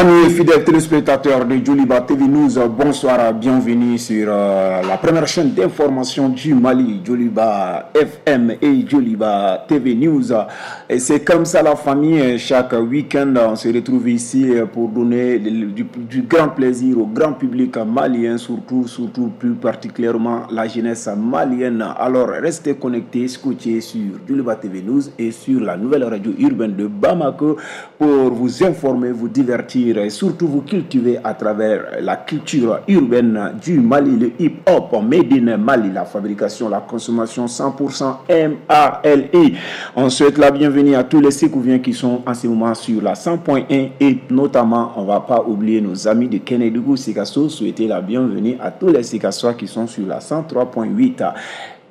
Amis fidèles téléspectateurs de Djoliba TV News, bonsoir, bienvenue sur la première chaîne d'information du Mali, Djoliba FM et Djoliba TV News. Et c'est comme ça la famille, chaque week-end, on se retrouve ici pour donner du grand plaisir au grand public malien, surtout plus particulièrement la jeunesse malienne. Alors restez connectés, scotchés sur Djoliba TV News et sur la nouvelle radio urbaine de Bamako pour vous informer, vous divertir et surtout vous cultiver à travers la culture urbaine du Mali, le hip-hop made in Mali, la fabrication, la consommation 100% MALI. On souhaite la bienvenue à tous les Sécouviens qui sont en ce moment sur la 100.1 et notamment, on ne va pas oublier nos amis de Kenedougou Sikasso, souhaiter la bienvenue à tous les Sikassois qui sont sur la 103.8.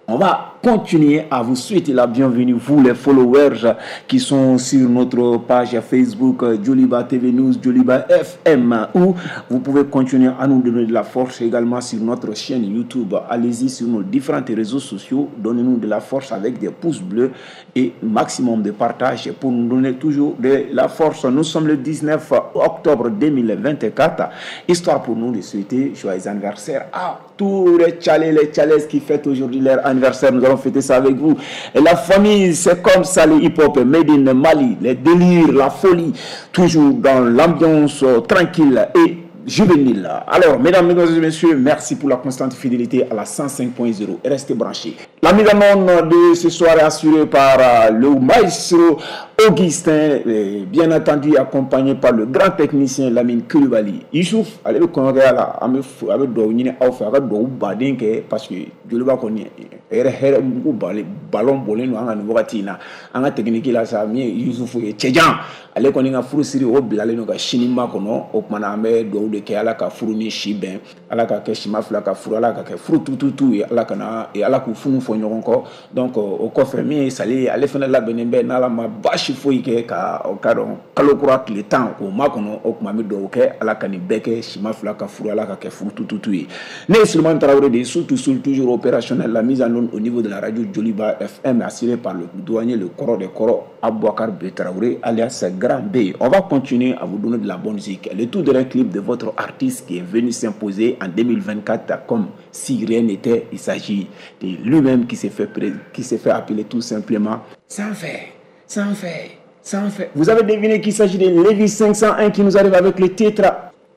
On va continuer à vous souhaiter la bienvenue, vous les followers qui sont sur notre page Facebook Djoliba TV News, Djoliba FM, où vous pouvez continuer à nous donner de la force également sur notre chaîne YouTube. Allez-y sur nos différents réseaux sociaux, donnez-nous de la force avec des pouces bleus et maximum de partage pour nous donner toujours de la force. Nous sommes le 19 octobre 2024, histoire pour nous de souhaiter joyeux anniversaire à tous les tchalés, les tchalaises qui fêtent aujourd'hui leur anniversaire. Nous allons fêter ça avec vous. Et la famille, c'est comme ça le hip-hop made in Mali, les délires, la folie, toujours dans l'ambiance tranquille et juvénile. Alors, mesdames, mesdemoiselles et messieurs, merci pour la constante fidélité à la 105.0. Restez branchés. La mise en onde de ce soir est assurée par le maestro Augustin, et bien entendu accompagné par le grand technicien Lamine Coulibaly. Youssouf, allez le congrès là, avec dow ɲini aw fɛ a ka duwawu baden kɛ parce que Djoliba kɔni hɛrɛ hɛrɛ mugu ballon bɔlen don an ka nin wagati in na. An ka technique la sa min ye Youssouf ye cɛjan, ale kɔni ka furu siri o bilalen don ka sini makɔnɔ. O kumana an bɛ duwawu de kɛ Ala ka furu ni si bɛn, Ala ka kɛ sima fila ka furu, Ala ka kɛ furu tututu ye, Ala kana Ala k'u funu fɔ ɲɔgɔn kɔ. Donc o kɔfɛ min ye Sali ye, ale fana labɛnnen bɛ n'Ala ma baasi foyi kɛ ka o ka dɔn kalo kura tile 10 k'o makɔnɔ. O tuma an bɛ duwawu kɛ Ala ka nin bɛɛ kɛ sima fila ka furu, Ala ka kɛ furu tututu ye. Ne ye Souleymane Traoré de ye, surtout toujours opérationnel, la mise en onde au niveau de la radio Djoliba FM assurée par le douanier, le kɔrɔ des kɔrɔ, Abouakar B Traoré alias Grand B. On va continuer à vous donner de la bonne musique. Le tout dernier clip de votre artiste qui est venu s'imposer en 2024 comme si rien n'était. Il s'agit de lui-même qui s'est fait appeler tout simplement Sans fait, sans fait, sans fait. Vous avez deviné qu'il s'agit de Lévis 501 qui nous arrive avec le titre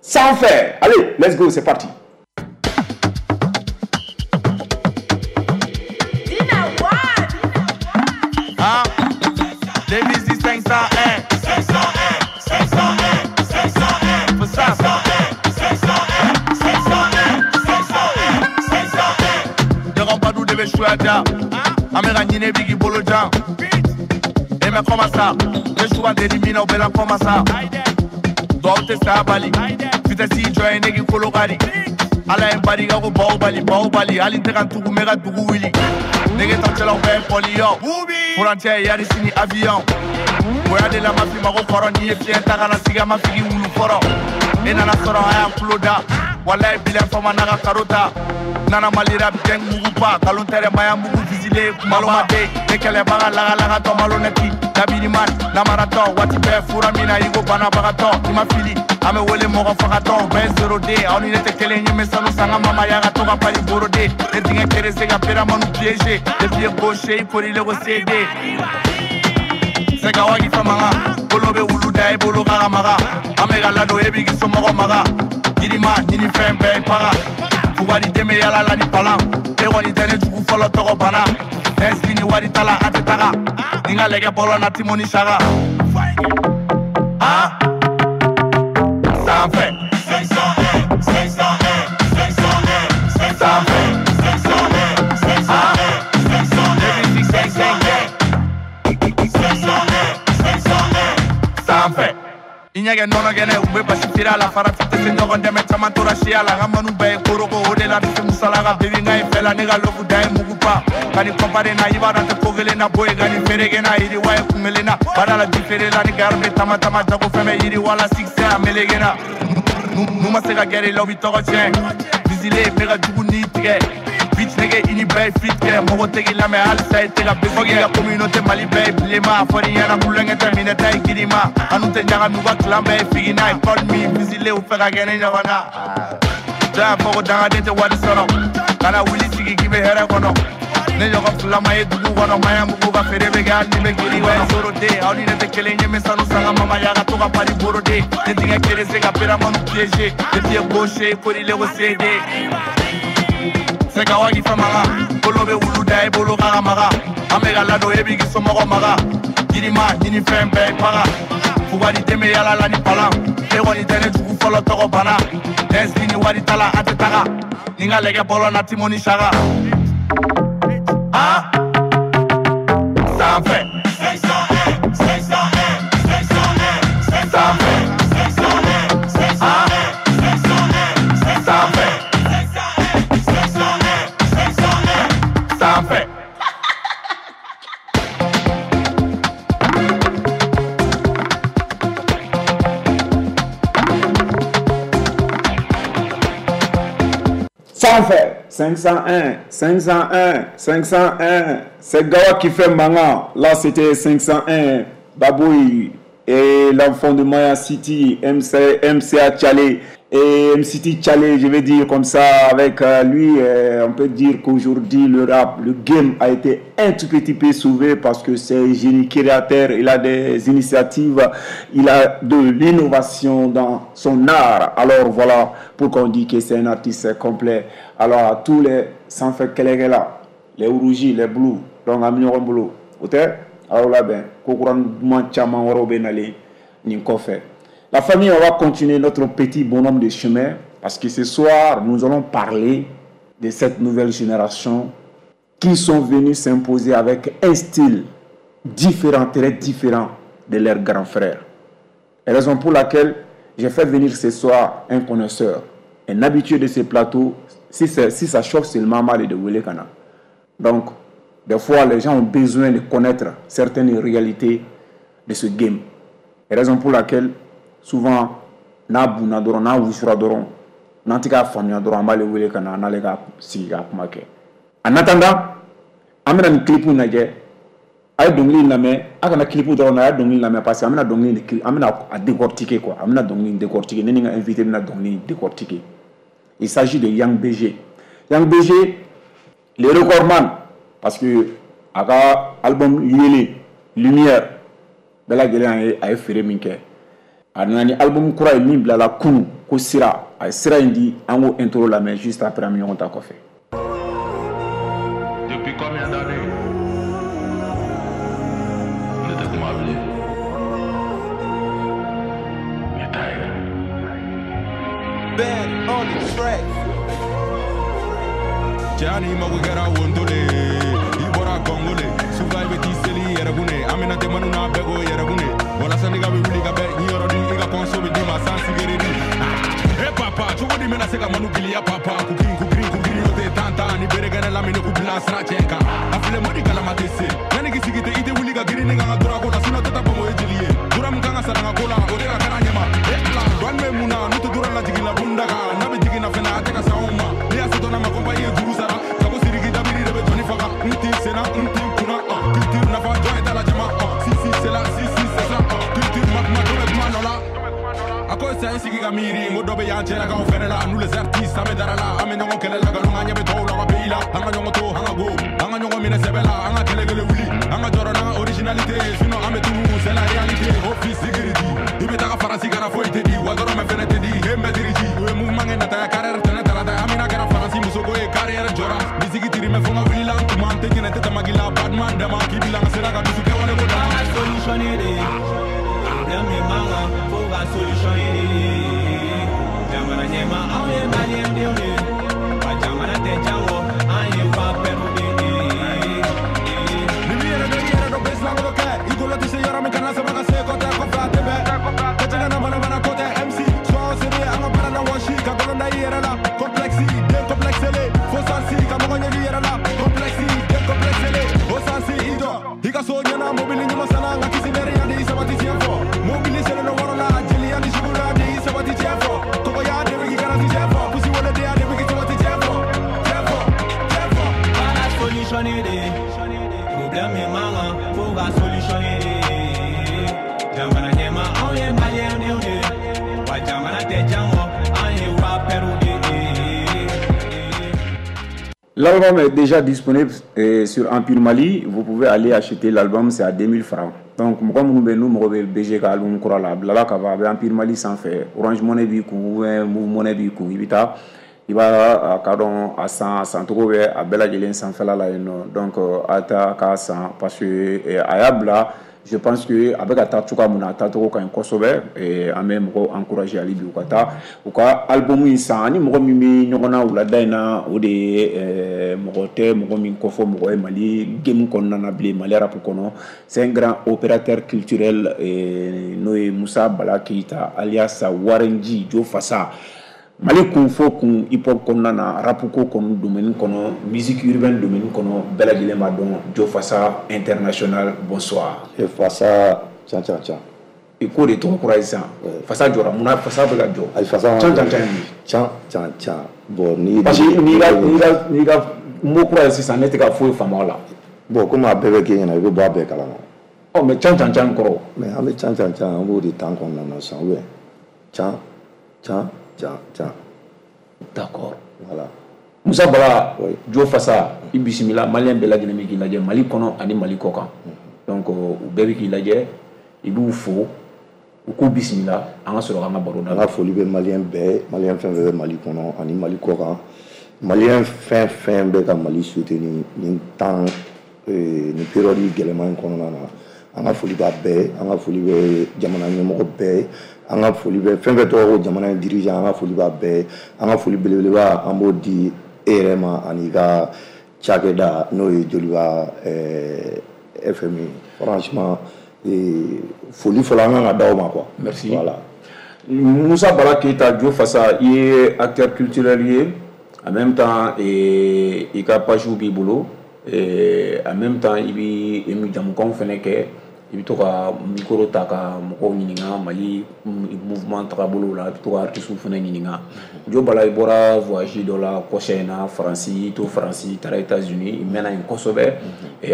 Sans fait. Allez, let's go, c'est parti. Ah, Lévis 501, 501, 501, 501, faut ça. 501, 501, 501, 501. Devant pas nous devez jouer à dia. Amera nyine bigi bolo jan. Et mais comment ça? Les choix d'éliminer au bela comment ça? Doit te sa bali. Vitesse si join negi kologari. Ala en bari ga ko baobali baobali. Ali te kan tugu mega dugu wili. Nege tantela o ben polio. Frontière yari sini avion. Boya de la mafia mago kɔrɔ n'i ye fiɲɛ ta ka na sigi ma figi wulu kɔrɔ. Ne nana sɔrɔ a y'an tulo da. Walayi bilen fama n'a ka karo ta. Nana malira gang mugu pa. Kalon tɛrɛ maya mugu visile malo ma den. Ne kɛlɛbaga lagalagatɔ malonɛti. Dabiriman namaratɔ waati bɛɛ fura min na i ko banabagatɔ. I ma fili an bɛ wele mɔgɔ fagatɔ. Bɛɛ 0D aw ni ne tɛ kelen ye n bɛ sanu san ka mama ya ka to ka pali borode. Ne dingɛ kerese ka peramanu piéger. Ne pied gauche i korile ko CD. Seka wagi famanga, bolo be wulu da e bolo kaka maga. Amega lado e bigi somɔgɔ maga. Yirima ɲini fɛn bɛɛ paga. Fugari dɛmɛ yala la ni palan. E kɔni tɛ ne jugu fɔlɔ tɔgɔ bana. Ɛsiki ni wari t'a la a tɛ taga. Ni n ka lɛgɛ bɔlɔ na Timoni Saga. Ah, sanfɛ. 501, 501, 501, sanfɛ. 501, 501, 501, 501, 501, sanfɛ. I ɲɛ kɛ nɔnɔ kɛnɛ u bɛ basi feere a la farati tɛ se ɲɔgɔn dɛmɛ caman tora siya la n ka manu bɛɛ ye koroko o de la ne tɛ musala ka bebi n ka ye fɛ la ne ka lofu da ye mugu pa ka nin kɔnpare na i b'a dɔn tɛ ko kelen na bɔ yen ka nin feere na yiriwa ye kun kelen na baara la ji feere la ni gari bɛ tama tama jago fɛn bɛ yiriwa la succès a meleke na n'u ma se ka gɛrɛ i la u b'i tɔgɔ tiɲɛ visile n bɛ ka jugu ni tigɛ Bitch nigga i ni bɛɛ ye fit kɛ. Mɔgɔ tɛ k'i lamɛn halisa i tɛ ka bɛ fɔ k'i ka communauté Mali bɛɛ ye bilenman. A fɔr'i ɲɛna kulonkɛ tɛ minɛ ta ye girima. Anu tɛ ɲagami u ka clan bɛɛ ye figina ye. Call me visile u fɛ ka kɛ ne ɲɔgɔn na. Jɔn y'a fɔ ko dangaden tɛ wari sɔrɔ. Kana wuli sigi k'i bɛ hɛrɛ kɔnɔ. Ne ɲɔgɔn fila ma ye dugu kɔnɔ. Maɲanbugu ka feere bɛ kɛ hali ni bɛ giri kɔnɔ. Soroden aw ni ne tɛ kelen ye, n bɛ sanu san ka mamaya ka to ka pari boroden. Ne denkɛ kelen se ka peramanu piéger. Ne pied gauche korile ko CD. Sɛgɛwa k'i fɛn maga. Bolo bɛ wulu da i bolo ka maga. An bɛ ka ladon e b'i k'i somɔgɔ maga. Yirima ɲini fɛn bɛɛ ye baga. Fugari den bɛ yala la ni palan. E kɔni tɛ ne jugu fɔlɔ tɔgɔ bana. SB ni wari t'a la an tɛ taga. Ni n ka lɛgɛ bɔlɔ na Timoni Saga. Ah, sanfɛ. 501, 501, 501, sanfɛ. 501, 501, 501, sanfɛ. 501, 501, sanfɛ. Sanfɛ 501, 501, 501. C'est Gawa qui fait Manga. Là, c'était 501. Baboui et l'enfant de Maya City, MC, MCA Tchalé et MCT Tchalé, je vais dire comme ça, avec lui, on peut dire qu'aujourd'hui, le rap, le game a été un tout petit peu sauvé parce que c'est un génie créateur, il a des initiatives, il a de l'innovation dans son art. Alors voilà pourquoi on dit que c'est un artiste complet. Alors à tous les sans-fait là, les rouges, les bleus, donc à mignon bleu, ok? Alors là, ben, kokouran caman wɛrɛw bɛ nalen nin kɔfɛ. La famille, on va continuer notre petit bonhomme de chemin parce que ce soir, nous allons parler de cette nouvelle génération qui sont venus s'imposer avec un style différent, très différent de leurs grands frères. Et raison pour laquelle j'ai fait venir ce soir un connaisseur, un habitué de ces plateaux. Si ça chauffe, c'est le maman de wele ka na. Donc, des fois, les gens ont besoin de connaître certaines réalités de ce game. Et raison pour laquelle, souvent, n'a bunna dɔrɔn, n'a wusura dɔrɔn, n'an tɛ k'a faamuya dɔrɔn, an b'ale wele ka na, an n'ale ka sigi ka kuma kɛ. En attendant, an bɛna nin clip in lajɛ. A ye dɔnkili in lamɛn, a kana clip dɔrɔn na, a ye dɔnkili lamɛn parce que an bɛna dɔnkili in, an bɛna a décortiquer quoi. An bɛna dɔnkili in décortiquer. Ne ni n ka invité bɛna dɔnkili in décortiquer. Il s'agit de Young BG. Young BG, le recordman, parce que a ka album Yele, Lumière, bɛɛ lajɛlen a ye feere min kɛ. A nana ni album kura ye min bilala kunun ko Sira. A ye sira in di, an k'o intro lamɛn juste après an bɛ ɲɔgɔn ta kɔfɛ. Depuis combien d'années ne tɛ kuma bilen? Ne t'a ye. Ben on the track. Cɛ ni mago kɛra wontole, i bɔra Kɔngole, sufa i bɛ t'i seli i yɛrɛ kun ne, an bɛna tɛ manu n'a bɛɛ ko yɛrɛ kun ne, walasa ne ka bɛ wuli ka bɛn, i yɔrɔ di i ka kɔnso bɛ d'i ma sans sigɛrɛti. E papa, cogo di bɛna se ka manu giliya papa, kukin kukirin kukirin o tɛ tan tan, ni bere kɛnɛ lamini k'u bila sira cɛ kan, a filɛ mɔdi kalama tɛ se, yanni k'i sigi tɛ i tɛ wuli ka girin ne kan ka dɔrɔn ko la, sinon tɛ taa Bamakɔ ye jeli ye, dura min kan ka sara n ka ko la, o de ka kɛra ɲɛma, e ala, dɔɔni bɛ mun na, n'u tɛ dura lajigin la bunda kan, n'a bɛ jigin na fɛnɛ a tɛ ka s'anw ma, ne y'a se dɔn na ma kɔnpa i ye juru sara, ka ko siriki dabiri de bɛ jɔnni faga, n t'i senna, n t'i kunna, culture nafa jɔn ye t'a la jama, si si c'est la, si si c'est ça, culture ma kuma dɔ bɛ kuma nɔ la. A ko sa i sigi ka miiri, n ko dɔ bɛ yan cɛlakaw fɛnɛ la, nous les artistes an bɛ dara la, an bɛ ɲɔgɔn kɛlɛ la, nkalon an ɲɛ bɛ tɔw la ka pays la, an ka ɲɔgɔn to, an ka go, an ka ɲɔgɔn minɛ sɛbɛ la, an ka kɛlɛ kelen wuli, an ka jɔrɔ n'an ka originalité ye, sinon an bɛ tunu, c'est la réalité, office sécurité, i bɛ taga Faransi kana foyi tɛ di, wa dɔrɔmɛ fɛnɛ tɛ di, he mɛtiri ji, u ye mouvement kɛ nataya carrière tɛnɛ tarata, Amina kɛra Faransi musoko ye carrière jɔra, musique tirimɛ fo n ka wuli la, n tuma n tɛ ɲinɛ n tɛ tamaki la, Batman dama, k'i bila n ka sira ka dusu kɛwale ko dama. Solutionner problème ye mankan fo ka solution ɲini. Jamana ɲɛma anw ye maliyɛn denw ye, wa jamana tɛ jango an ye fan bɛɛ de ye. Ni m'i yɛrɛ dɔn i yɛrɛ dɔn bɛɛ silankolon kɛ, i golo tɛ se yɔrɔ min kana sama ka se kɔtɛ kɔfɛ a tɛ bɛn. Ko cɛ na mana mana ko tɛ MC, sois sérieux an ka baara la wɔsi, ka golo da i yɛrɛ la, complexe den complexele, fo sansi ka mɔgɔ ɲɛ i yɛrɛ la, complexe den complexele, o sansi i jɔ, i ka so ɲɛna mobili ɲuman sanna, nka kisi nɛrɛ yan de i sabati tiɲɛ fɔ, mobili selen don wɔɔrɔ la, jeliya ni suguya de i sabati tiɲɛ fɔ, tɔgɔya de bɛ k'i garanti tiɲɛ fɔ, pusi wolo de ya de bɛ k'i L'album est déjà disponible sur Empire Mali. Vous pouvez aller acheter l'album, c'est à 2000 francs. Donc, mɔgɔ minnu bɛ n'u mago bɛ BG ka album kura la, a bilala ka ban, a bɛ Empire Mali sanfɛ. Orange Money b'i kun ou bien Moov Money b'i kun, i bɛ taa i b'a ka dɔn a san, a sancogo bɛ a bɛɛ lajɛlen sanfɛla la yen nɔ. Donc a ta k'a san parce que a y'a bila. Je pense que a bɛ ka taa cogoya min na, a taacogo ka ɲi kosɛbɛ. An bɛ mɔgɔw encourager hali bi u ka taa u ka album in san. Ani mɔgɔ min bɛ ɲɔgɔn na wulada in na, o de ye mɔgɔ tɛ mɔgɔ min kɔfɔ mɔgɔ ye Mali game kɔnɔna na bilen, Mali rap kɔnɔ. C'est un grand opérateur culturel, n'o ye Musa Bala Keyita alias Warenji Jo Fasa. Mali kun fɔ kun hip hop kɔnɔna na, rap ko kɔni domaine kɔnɔ, musique urbaine domaine kɔnɔ, bɛɛ lajɛlen b'a dɔn Jo Fasa international. Bonsoir. E Fasa can can can. I ko de tɔgɔ kura ye sisan. Fasa jɔra munna? Fasa bɛ ka jɔ. Ayi, Fasa can can can. Can can can. Bon, ni parce que n'i ka mot kura ye sisan, ne tɛ ka foyi faamu a la. Bon, komi a bɛɛ bɛ k'e ɲɛna, i bɛ bɔ a bɛɛ kalama. Ɔ, mais can can can kɔrɔ. Mais an bɛ can can can, an b'o de tan kɔnɔna na sisan, ou bien can can can can. D'accord. Voilà. Musa Bala. Oui. Jo Fasa, i bisimila. Malien bɛɛ lajɛlen bɛ k'i lajɛ Mali kɔnɔ ani Mali kɔ kan. Donc u bɛɛ bɛ k'i lajɛ, i b'u fo, u k'u bisimila, an ka sɔrɔ k'an ka baro An daminɛ. ka foli bɛ malien bɛɛ, malien fɛn fɛn bɛ Mali kɔnɔ ani Mali kɔ kan, malien fɛn fɛn bɛ ka Mali soutenir nin temps, nin période gɛlɛman in kɔnɔna na. An ka foli b'a bɛɛ, an ka foli bɛ jamana ɲɛmɔgɔ bɛɛ, an ka foli bɛ fɛn fɛn tɔgɔ ko jamana in dirigeant, an ka foli b'a bɛɛ. An ka foli belebeleba, an b'o di e yɛrɛ ma ani ka cakɛda, n'o ye Joliba FM ye. Franchement, foli fɔlɔ an kan ka d'aw ma quoi. Merci. Voilà. Musa Bala Keita Jo Fasa, i ye acteur culturel ye, en même temps i ka page b'i bolo, en même temps i bɛ jamukanw fɛnɛ kɛ, i bɛ to ka micro ta ka mɔgɔw ɲininka Mali mouvement tagabolo la, i bɛ to ka artistes fɛnɛ ɲininka. Jo Bala, i bɔra voyage dɔ la kɔsa in na Faransi, i to Faransi, i taara États-Unis, i mɛnna yen kosɛbɛ.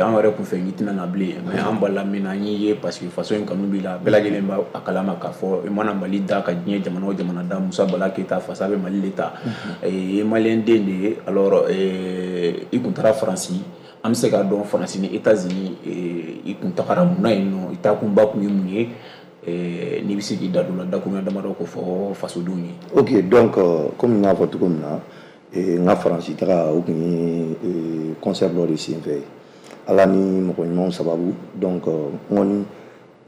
An yɛrɛ kun fɛ i tɛna na bilen, mais an balila min na, an y'i ye parce que faso in kanu b'i la. Bɛɛ lajɛlen b'a a kalama k'a fɔ i mana Mali da ka diɲɛ jamana o jamana da, Musa Bala Keyita Fasa bɛ Mali de ta. I ye malien den de ye. Alors i kun taara Faransi, an bɛ se k'a dɔn Faransi ni États-Unis, i kun tagara mun na yen nɔ? I taakunba kun ye mun ye? N'i bɛ se k'i da don o la, dakuruɲɛ damadɔ k'o fɔ fasodenw ye. Ok, donc komi n y'a fɔ cogo min na, n ka Faransi taga, o kun ye concert dɔ de senfɛ, Ala ni mɔgɔ ɲumanw sababu. Donc n kɔni n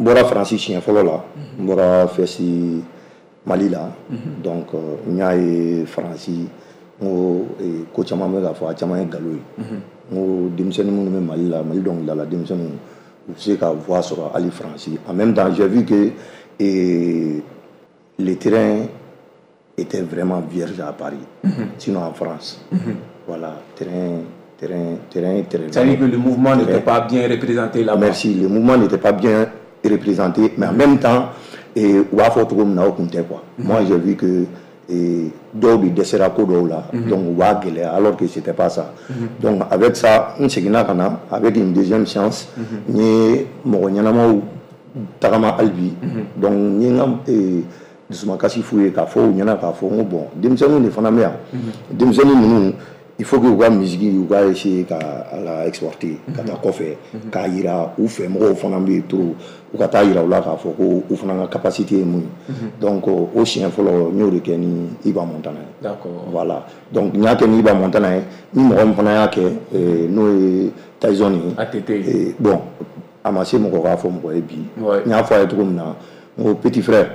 bɔra Faransi siɲɛ fɔlɔ la, n bɔra Fɛsi Mali la. Donc n y'a ye Faransi, n ko ko caman bɛ k'a fɔ, a caman ye nkalon ye. N ko denmisɛnnin minnu bɛ Mali la, Mali dɔnkilidala denmisɛnninw, u bɛ se ka voix sɔrɔ hali Faransi. En même temps, j'ai vu que le terrain était vraiment vierge à Paris, sinon en France. Voilà, terrain, terrain, terrain, terrain. C'est-à-dire que le mouvement n'était pas bien représenté là-bas. Merci, le mouvement n'était pas bien représenté, mais en même temps, u b'a fɔ cogo min na, o kun tɛ quoi. Moi, j'ai vu que dɔw de dɛsɛra ko dɔw la, donc u b'a gɛlɛya, alors que c'était pas ça. Donc avec ça, n seginna ka na avec une deuxième chance, n ye mɔgɔ ɲɛnamaw tagama hali bi. Donc n ye n ka dusumakasi f'u ye k'a fɔ u ɲɛna k'a fɔ n ko bon, denmisɛnninw de fana bɛ yan, denmisɛnnin ninnu, il faut que u ka musique, u ka essayer ka a la exporter ka taa kɔfɛ, k'a yira u fɛ mɔgɔw fana bɛ yen trop, u ka taa yira u la k'a fɔ ko u fana ka capacité ye mun ye. Donc o siɲɛ fɔlɔ, n y'o de kɛ ni Iba Montana ye. Voilà, donc n y'a kɛ ni Iba Montana ye, ni mɔgɔ min fana y'a kɛ, n'o ye Tyson ye. ATT. Bon, a ma se mɔgɔ k'a fɔ mɔgɔ ye bi. N y'a fɔ a ye cogo min na, n ko petit frère,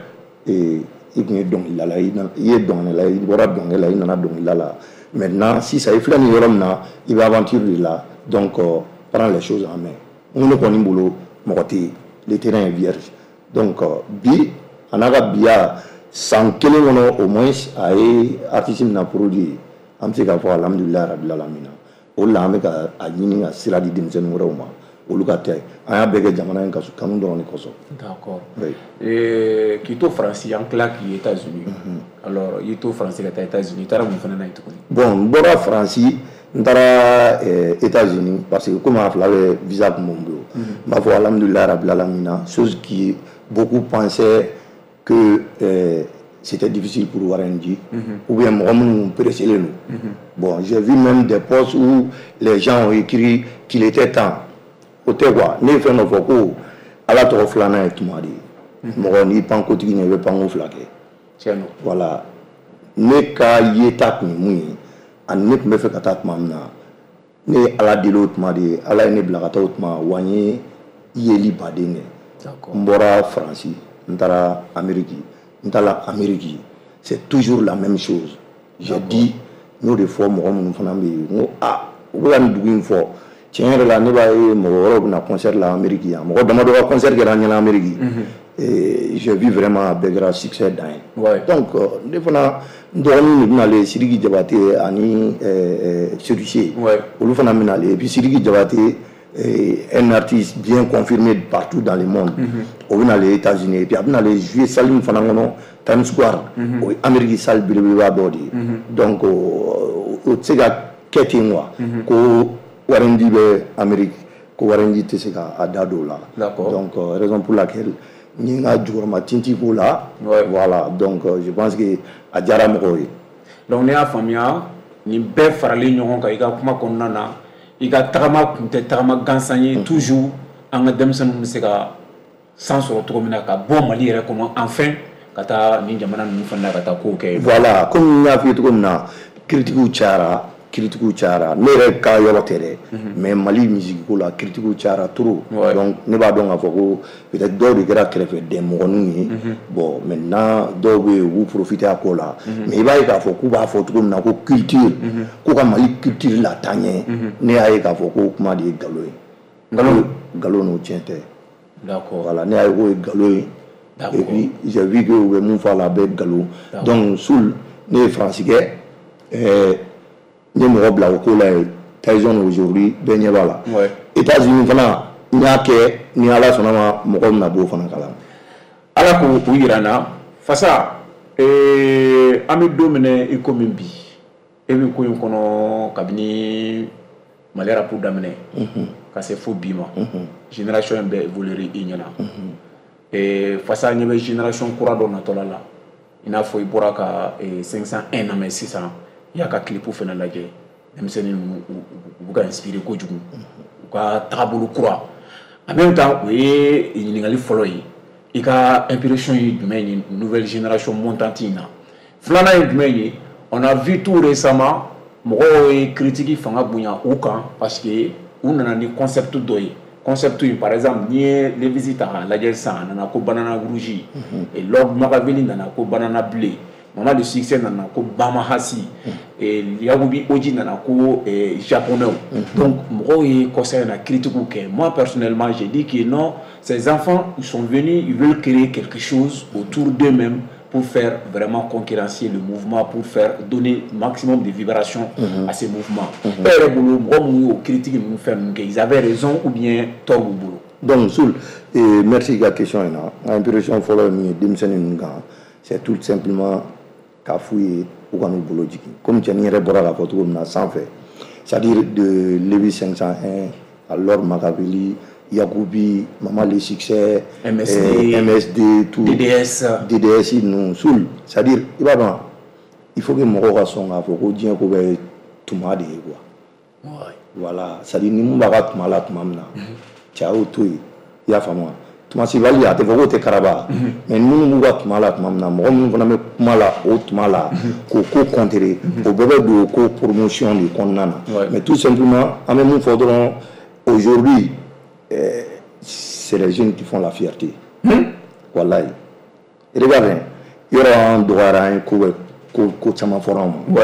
i tun ye dɔnkilidala ye, i ye dɔnkilidala ye, i bɔra dɔnkili la, i nana dɔnkilida la. Maintenant sisan i filɛ nin yɔrɔ min na, i bɛ aventure de la, donc prends les choses en main. N ko ne kɔni bolo, mɔgɔ tɛ yen, le terrain est vierge. Donc bi a n'a ka biya san kelen kɔnɔ, au moins a ye artiste min na produit, an bɛ se k'a fɔ alhamdulilayi rabil alamina. O de la an bɛ ka a ɲini ka sira di denmisɛnnin wɛrɛw ma, olu ka tɛ. An y'a bɛɛ kɛ jamana in kanu dɔrɔn de kosɔn. D'accord. Oui. K'i to Faransi, an tila k'i États-Unis. Alors i to Faransi ka taa États-Unis, i taara mun fana na yen tuguni? Bon, n bɔra Faransi, n taara États-Unis parce que komi a fila bɛ visa tun b'o n bolo. N b'a fɔ alhamdulilayi rabil alamina, chose qui beaucoup pensaient que c'était difficile pour Warren G, ou bien mɔgɔ minnu pressé don. Bon, j'ai vu même des posts où les gens ont écrit qu'il était temps. O tɛ quoi, ne ye fɛn dɔ fɔ ko Ala tɔgɔ filanan ye tuma de ye. Mɔgɔ n'i pan kotigi ɲɛ, i bɛ panko fila kɛ. Tiɲɛ don. Voilà, ne ka yeta tun ye mun ye, ani ne tun bɛ fɛ ka taa tuma min na, ne ye Ala deli o tuma de ye, Ala ye ne bila ka taa o tuma, wa n ye yeli baden kɛ. N bɔra Faransi, n taara Amérique, n taara Amérique, c'est toujours la même chose. J'ai dit, n y'o de fɔ mɔgɔ minnu fana bɛ yen, n ko aa, u bɛ ka nin dugu in fɔ, tiɲɛ yɛrɛ la, ne b'a ye mɔgɔ wɛrɛw bɛ na concert la Amérique yan, mɔgɔ damadɔ ka concert kɛra an ɲɛna Amérique. Et j'ai vu vraiment a bɛɛ kɛra succès dan ye. Donc ne fana, n dɔgɔninw de bɛna Sidiki Jabate ani Séducé, olu fana bɛna. Et puis Sidiki Jabate, un artiste bien confirmé partout dans le monde, o bɛna les États-Unis, et puis a bɛna jouer salle min fana kɔnɔ, Times Square, o ye Amérique salle belebeleba dɔ de ye. Donc o tɛ se ka kɛ ten quoi, ko Warren G bɛ Amérique, ko Warren G tɛ se ka a da don o la. Donc raison pour laquelle n ye n ka jukɔrɔma tintin k'o la. Voilà, donc je pense que a diyara mɔgɔw ye. Donc ne y'a faamuya, nin bɛɛ faralen ɲɔgɔn kan, i ka kuma kɔnɔna na, i ka tagama kun tɛ tagama gansan ye. Toujours an ka denmisɛnninw bɛ se ka san sɔrɔ cogo min na ka bɔ Mali yɛrɛ kɔnɔ, enfin ka taa nin jamana ninnu fana na ka taa kow kɛ. Voilà, komi n y'a f'i ye cogo min na, critiques cayara, critiques cayara. Ne yɛrɛ ka yɔrɔ tɛ dɛ, mais Mali musique ko la, critiques cayara trop. Donc ne b'a dɔn k'a fɔ ko peut-être dɔw de kɛra kɛrɛfɛden mɔgɔninw ye. Bon, maintenant dɔw bɛ yen, u b'u profiter a ko la, mais i b'a ye k'a fɔ k'u b'a fɔ cogo min na ko culture, ko ka Mali culture lataa ɲɛ, ne y'a ye k'a fɔ ko kuma de ye nkalon ye. Nkalon. Nkalon n'o, tiɲɛ tɛ. D'accord. Voilà, ne y'a ye k'o ye nkalon ye. Et puis j'ai vu que u bɛ mun fɔ a la, a bɛɛ nkalon. Donc Soul, ne ye Faransi kɛ, n ye mɔgɔ bila o ko la yen, Tyson, aujourd'hui bɛɛ ɲɛ b'a la. États-Unis fana, n y'a kɛ, ni Ala sɔnna ma, mɔgɔw bɛna b'o fana kalama. Ala k'o yira n na. Fasa, an bɛ don min na i komi bi, e bɛ ko in kɔnɔ kabini Mali rap daminɛ ka se fo bi ma, génération in bɛɛ évoluer i ɲɛna. Fasa ɲɛ bɛ génération kura dɔ natɔla la, i n'a fɔ i bɔra ka 501 lamɛn sisan, i y'a ka clip fana lajɛ, denmisɛnnin ninnu u bɛ ka inspirer kojugu, u ka tagabolo kura. En même temps, o ye ɲininkali fɔlɔ ye, i ka impression ye jumɛn ye nouvelle génération montante in na? Filanan ye jumɛn ye? On a vu tout récemment, mɔgɔw ye critique fanga bonya u kan parce que u nana ni concept dɔ ye. Concept in, par exemple, n'i ye Levisi ta k'a lajɛ sisan, a nana ko banana rouge, et Lord Makaveli nana ko banana bleu, Mama de Succès nana ko Bamahasi, et Yagubi Oji nana ko japonais. Donc mɔgɔw ye kɔsa in na critique kɛ. Moi personnellement, j'ai dit que non, ces enfants, ils sont venus, ils veulent créer quelque chose autour d'eux-mêmes pour faire vraiment concurrencer le mouvement, pour faire donner maximum de vibrations à ces mouvements. E yɛrɛ bolo, mɔgɔ minnu y'o critique ninnu fɛn ninnu kɛ, ils avaient raison ou bien tort b'u bolo? Donc Soul, merci i ka question in na. N ka impression fɔlɔ ye min ye denmisɛnnin ninnu kan, c'est tout simplement k'a f'u ye u ka n'u bolo jigin, komi cɛnin yɛrɛ bɔra k'a fɔ cogo min na sanfɛ, c'est-à-dire de Levi 501 à Lord Makaveli, Yakubi, Mama Le Succès, MSD, MSD, tout. DDS. DDS ninnu, Soul, c'est-à-dire i b'a dɔn, il faut que mɔgɔw ka sɔn k'a fɔ ko diɲɛ ko bɛɛ ye tuma de ye quoi. Voilà, c'est-à-dire ni mun b'a ka tuma la tuma min na, cɛ a y'o to yen, i y'a faamu wa? Tuma sibali, a tɛ fɔ k'o tɛ karaba, mais minnu b'u ka tuma la tuma min na, mɔgɔ minnu fana bɛ kuma la o tuma la k'o ko contrer, o bɛɛ bɛ don o ko promotion de kɔnɔna na. Mais tout simplement, an bɛ mun fɔ dɔrɔn, aujourd'hui, c'est les jeunes qui font la fierté. Walayi, regarde hein, yɔrɔ an dɔgɔyara, an ye ko bɛ ko ko caman fɔra anw ma.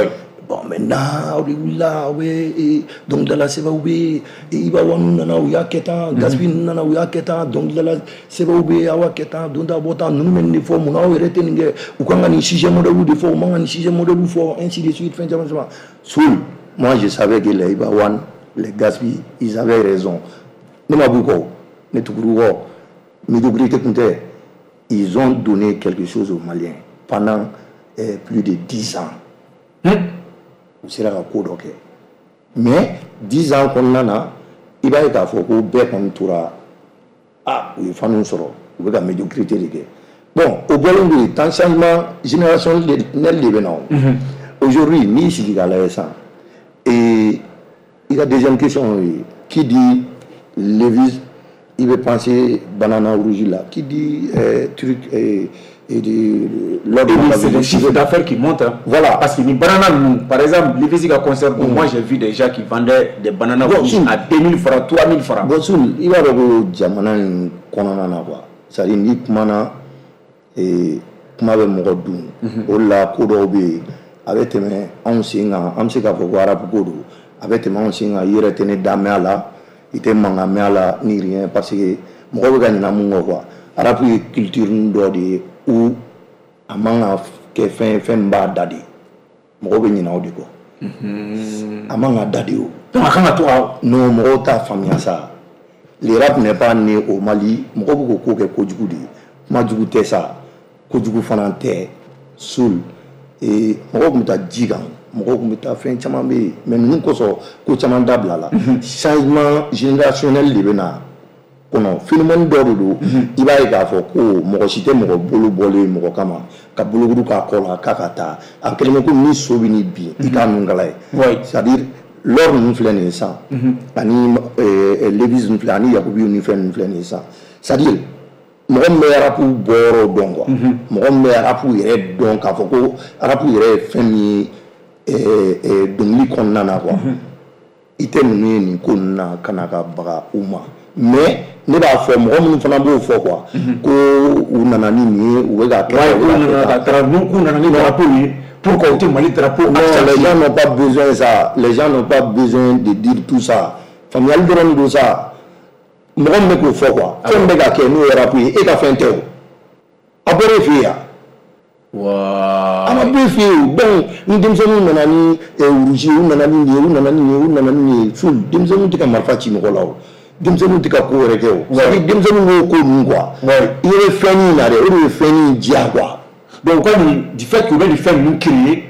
Bon, maintenant aw de wulila, aw bɛ dɔnkilidala sɛbɛw bɛ Iba One nana, u y'a kɛ tan, Gaspi ninnu nana, u y'a kɛ tan, dɔnkilidala sɛbɛw bɛ aw y'a kɛ tan, don ta bɔ tan, ninnu bɛ nin de fɔ, munna aw yɛrɛ tɛ nin kɛ? U kan ka nin sujet modèle de fɔ, u man ka nin sujet modèle fɔ, ainsi de suite, fɛn caman caman. Soul, moi je savais que les Iba One, les Gaspi, ils avaient raison. Ne ma b'u kɔ, ne tugur'u kɔ, médiocrité tun tɛ. Ils ont donné quelque chose aux Maliens pendant plus de 10 ans. U sera ka ko dɔ kɛ, mais 10 ans kɔnɔna na, i b'a ye k'a fɔ ko bɛɛ kɔni tora, ah, u ye fanu sɔrɔ, u bɛ ka médiocrité de kɛ. Bon, o bɔlen don yen, temps changement générationnel de bɛ na o. Aujourd'hui, n'i sigi k'a lajɛ sisan, et i ka deuxième question ye, qui dit Levis, il veut penser banana rouge là, qui dit truc et de l'ordre. C'est le chiffre d'affaires qui monte. Hein. Voilà. Parce que les bananes, par exemple, Levis a concert, moi j'ai vu des gens qui vendaient des bananes rouges à 2000 francs, 3000 francs. Bon, il va y avoir jamana in kɔnɔna na quoi. C'est-à-dire ni kumana et kuma bɛ mɔgɔ dun. O la ko dɔw bɛ yen a bɛ tɛmɛ anw sen kan, an bɛ se k'a fɔ ko arabu ko don, a bɛ tɛmɛ anw sen kan, i yɛrɛ tɛ ne da mɛn a la, i tɛ mankan mɛn a la ni rien, parce que mɔgɔ bɛ ka ɲina mun kɔ quoi. Arabu ye culture dɔ de ye où a man ka kɛ fɛn ye, fɛn min b'a da de, mɔgɔw bɛ ɲinɛ o de kɔ. A man ka da de o. Donc a kan ka to ka. Non, mɔgɔw t'a faamuya sa. Le rap n'est pas né au Mali, mɔgɔw bɛ k'o ko kɛ kojugu de ye, kuma jugu tɛ sa, kojugu fana tɛ. Soul et mɔgɔw tun bɛ taa ji kan, mɔgɔw tun bɛ taa fɛn caman bɛ yen, mais ninnu kosɔn ko caman dabila la. Changement générationnel de bɛ na kɔnɔ, phénomène dɔ de don. I b'a ye k'a fɔ ko mɔgɔ si tɛ mɔgɔ bolo bɔlen mɔgɔ kama ka bolokuru k'a kɔ la k'a ka taa, a kɛlen bɛ komi ni so bɛ n'i bin i k'a nun kala ye. C'est à dire l'or ninnu filɛ nin ye sisan, ani Levis ninnu filɛ, ani Yakubi ni fɛn ninnu filɛ nin ye sisan, c'est à dire mɔgɔ min bɛ rap bɔyɔrɔ dɔn quoi, mɔgɔ min bɛ rap yɛrɛ dɔn k'a fɔ ko rap yɛrɛ ye fɛn min ye dɔnkili kɔnɔna na quoi, i tɛ ninnu ye nin ko ninnu na ka na ka baga u ma. Mais ne b'a fɔ mɔgɔ minnu fana b'o fɔ quoi, ko u nana ni nin ye, u bɛ ka kɛ. K'u nana ni drapeau ye, pourquoi u tɛ Mali drapeau? Non, les gens n'ont pas besoin de ça, les gens n'ont pas besoin de dire tout ça. Faamuyali dɔrɔn de don sa. Mɔgɔ min bɛ k'o fɔ quoi, fɛn bɛ ka kɛ n'o ye rap ye, e ka fɛn tɛ o, a bɔra e fɛ yen yan. A ma bɔ e fɛ yen o. Donc ni denmisɛnninw nana ni rouge ye, u nana ni nin ye, u nana ni nin ye, u nana ni nin ye, sul denmisɛnninw tɛ ka marifa ci mɔgɔ la o, denmisɛnninw tɛ ka ko wɛrɛ kɛ o. C'est à dire denmisɛnninw b'o ko ninnu quoi, i bɛ fɛn min na dɛ, o de bɛ fɛn in diya quoi. Donc, comme du fait que les fɛn ninnu créer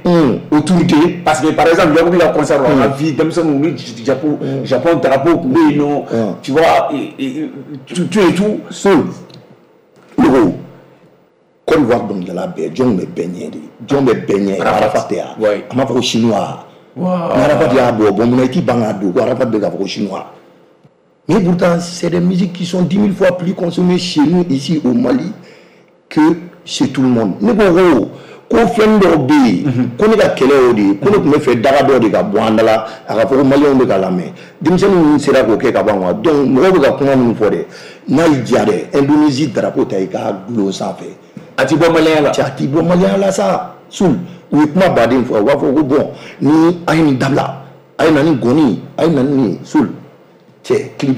autour d'eux, parce que par exemple, Yakubi la concert, on a vu denmisɛnninw ni Japon, Japon drapeau tun bɛ yen nɔ, tu vois, tout et tout. Soul, ne ko Côte d'Ivoire dɔnkilidala bɛɛ, jɔn bɛ bɛɛ ɲɛ de, jɔn bɛ bɛɛ ɲɛ? Arafat tɛ yan, a m'a fɔ ko chinois, ni Arafat y'a bɔ, bon munna i t'i ban k'a don ko Arafat bɛ k'a fɔ ko chinois? Mais pourtant, c'est des musiques qui sont 10 000 fois plus consommées chez nous ici au Mali que chez tout le monde. Ne ko ko fɛn dɔw bɛ yen, ko ne ka kɛlɛ y'o de ye, ko ne tun bɛ fɛ daga dɔ de ka bɔ an da la, a ka fɔ ko maliyɛnw bɛ ka lamɛn, denmisɛnnin ninnu sera k'o kɛ ka ban quoi. Donc mɔgɔw bɛ ka kuma minnu fɔ dɛ, n'a y'i diya dɛ, Indonésie drapeau ta i k'a dulon sanfɛ. A ti bɔ maliyɛnya la. Cɛ, a ti bɔ maliyɛnya la sa. Sul, u ye kuma baden fɔ, u b'a fɔ ko bon ni a ye nin dabila, a ye na ni gɔni, a ye na ni nin Sul. Cɛ, clip,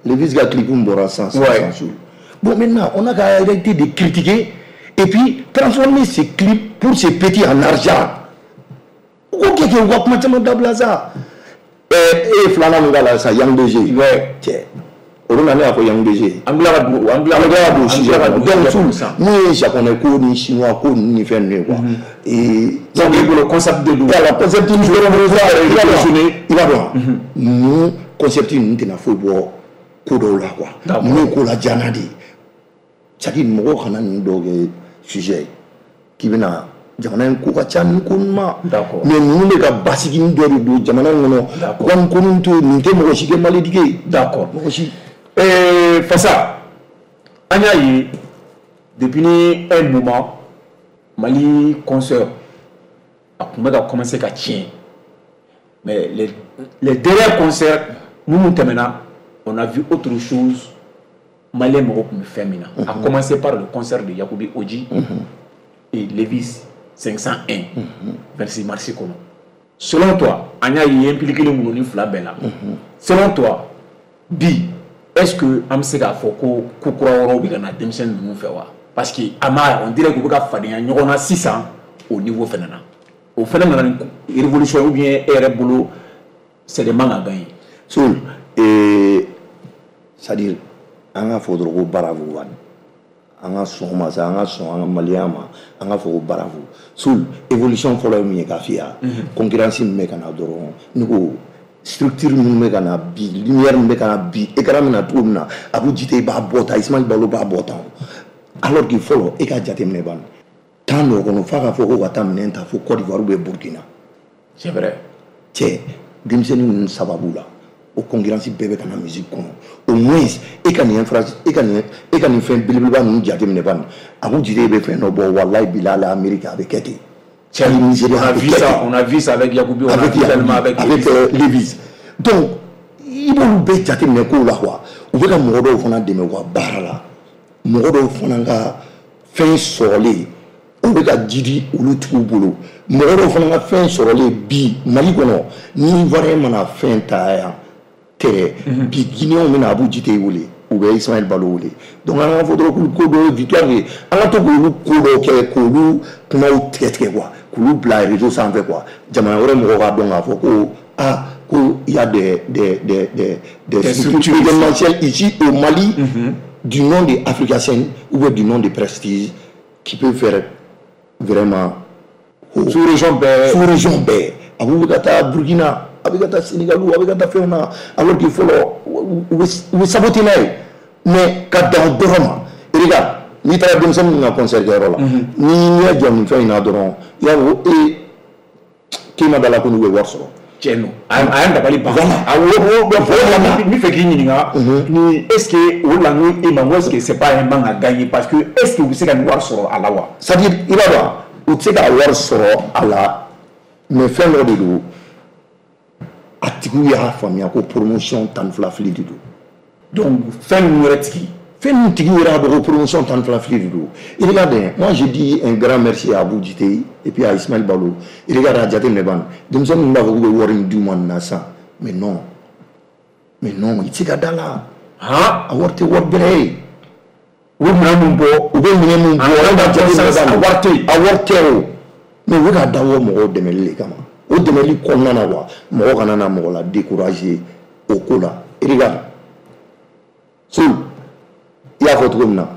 Levis ka clip min bɔra sisan sisan Sul. Bon maintenant, on a qu'à arrêter de critiquer et puis transformer ces clips pour ces petits en argent. U ko kɛ u ka kuma caman dabila sa. E ye filanan min k'a la sisan, Yang DG. Cɛ, o don na ne y'a fɔ Yang DG. An bila ka don, an bila ka don sujet kɔnɔ. Donc Sul, mun ye japonais ko ni chinois ko ninnu ni fɛn ninnu ye quoi. Et donc i bolo concept de don. Voilà, concept ni dɔrɔn i b'a dɔn. Ninnu concept ninnu tɛna foyi bɔ ko dɔw la quoi. Ninnu ye ko lajana de ye. C'est à dire mɔgɔw kana ninnu dɔw kɛ sujet ye k'i bɛna jamana in ko ka ca nin ko ninnu ma. Mais ninnu bɛ ka basigi dɔ de don jamana in kɔnɔ. U ka nin ko ninnu to yen, nin tɛ mɔgɔ si kɛ maledike ye. D'accord. Mɔgɔ si. Fasa, an y'a ye depuis un moment Mali concert a tun bɛ ka commencer ka tiɲɛ, mais les derniers concerts minnu tɛmɛna, on a vu autre chose. Malien mɔgɔw tun bɛ fɛn min na, a commencé par le concert de Yakubi Oji et Levis 501 26 mars kɔnɔ. Selon toi, an y'a ye impliqué minnu ni fila bɛɛ la, selon toi bi, est-ce que an bɛ se k'a fɔ ko ko kura wɛrɛw bɛ ka na denmisɛnnin ninnu fɛ wa? Parce que a ma, on dirait k'u bɛ ka fadenya ɲɔgɔn na sisan o niveau fɛnɛ na. O fɛnɛ nana ni révolution ou bien e yɛrɛ bolo c'est des manques à gagner? Soul, c'est-à-dire an ka fɔ dɔrɔn ko bravo wa, an ka sɔn o ma sa, an ka sɔn an ka maliyɛnya ma, an ka fɔ ko bravo. Soul, évolution fɔlɔ ye min ye k'a f'i ye, concurrence min bɛ ka na dɔrɔn, ne ko structure minnu bɛ ka na bi, lumière min bɛ ka na bi, écran bɛ na cogo min na, Abu Jite b'a bɔ tan, Ismaël Balo b'a bɔ tan, Alors que fɔlɔ, e ka jateminɛ ban, temps dɔ kɔnɔ, f'a ka fɔ ko ka taa minɛn ta fo Côte d'Ivoire ou bien Burkina. C'est vrai. Cɛ, denmisɛnnin ninnu sababu la, o concurrence bɛɛ bɛ ka na musique kɔnɔ. Au moins e ka nin infra, e ka nin fɛn belebeleba ninnu jateminɛ ban, Abou Djité bɛ fɛn dɔ bɔ, walayi bilahi, Amérique a bɛ kɛ ten. Hali Nigeria On a a bɛ vu kɛ ça, ten. on a vu ça avec Yacoubi, on a Avec vu également avec avec Levis. Donc i b'olu bɛɛ jateminɛ kow la quoi. U bɛ ka mɔgɔ dɔw fana dɛmɛ u ka baara la, mɔgɔ dɔw fana ka fɛn sɔrɔlen, o bɛ ka jidi olu tigiw bolo, mɔgɔ dɔw fana ka fɛn sɔrɔlen bi Mali kɔnɔ. Ni Ivoirien mana fɛn ta yan tɛrɛ bi, Guinéenw bɛna Abou Djité wele u bɛ Ismaël Balo wele. Donc an ka fɔ dɔrɔn k'olu ko dɔw ye victoire ye, an ka to k'olu ko dɔw kɛ, k'olu kumaw tigɛ tigɛ quoi, k'olu bila réseau sanfɛ quoi, jamana wɛrɛ mɔgɔw k'a dɔn k'a fɔ ko ah, ko il y a des Des structures structures événementielles ici au Mali, du nom de Africasen ou bien du nom de Prestige, qui peut faire vraiment Sous-région bɛɛ. Sous-région bɛɛ. A b'u bɛ ka taa Burkina, a bɛ ka taa Sénégal, a bɛ ka taa fɛnw na, alors que fɔlɔ u bɛ saboter n'a ye. Mais ka dan o dɔrɔn ma, regarde, n'i taara denmisɛnnin ninnu ka concert kɛyɔrɔ la, n'i ɲɛ jɔ nin fɛn in na dɔrɔn, i b'a fɔ ko ee, k'e ma da la ko n'u bɛ wari sɔrɔ. Tiɲɛ don, a y'an dabali ban. Voilà. Awɔ, o n bɛ fɛ k'i ɲininka ni est ce que o la, n ko e ma, n ko est ce que c'est pas un manque à gagner? Parce que est ce que u bɛ se ka nin wari sɔrɔ a la wa? C'est à dire, i b'a dɔn, u tɛ se ka wari sɔrɔ a la, mais fɛn dɔ de don, a tigiw y'a faamuya ko promotion 12 fili de don. Donc fɛn ninnu yɛrɛ tigi. Fɛn ninnu tigiw yɛrɛ y'a dɔn ko promotion 12 fili de don. Et regardez, moi je dis un grand merci à Abou Djité et puis à Ismaël Balo. Et regarde, a jateminɛ ban, denmisɛnnin ninnu b'a fɔ k'u bɛ wari in d'u ma nin na sisan, mais non, mais non, i tɛ se ka da la. Han. A wari tɛ wari bɛrɛ ye. U bɛ minɛn mun bɔ? U bɛ minɛn mun bɔ, A wari a jateminɛ ban, a wari tɛ yen. A wari tɛ o, mais u bɛ k'a dabɔ mɔgɔw dɛmɛli de kama. O dɛmɛli kɔnɔna na quoi, mɔgɔ kana na mɔgɔ la décourager o ko la. Et regarde, Soul, i y'a fɔ cogo min na,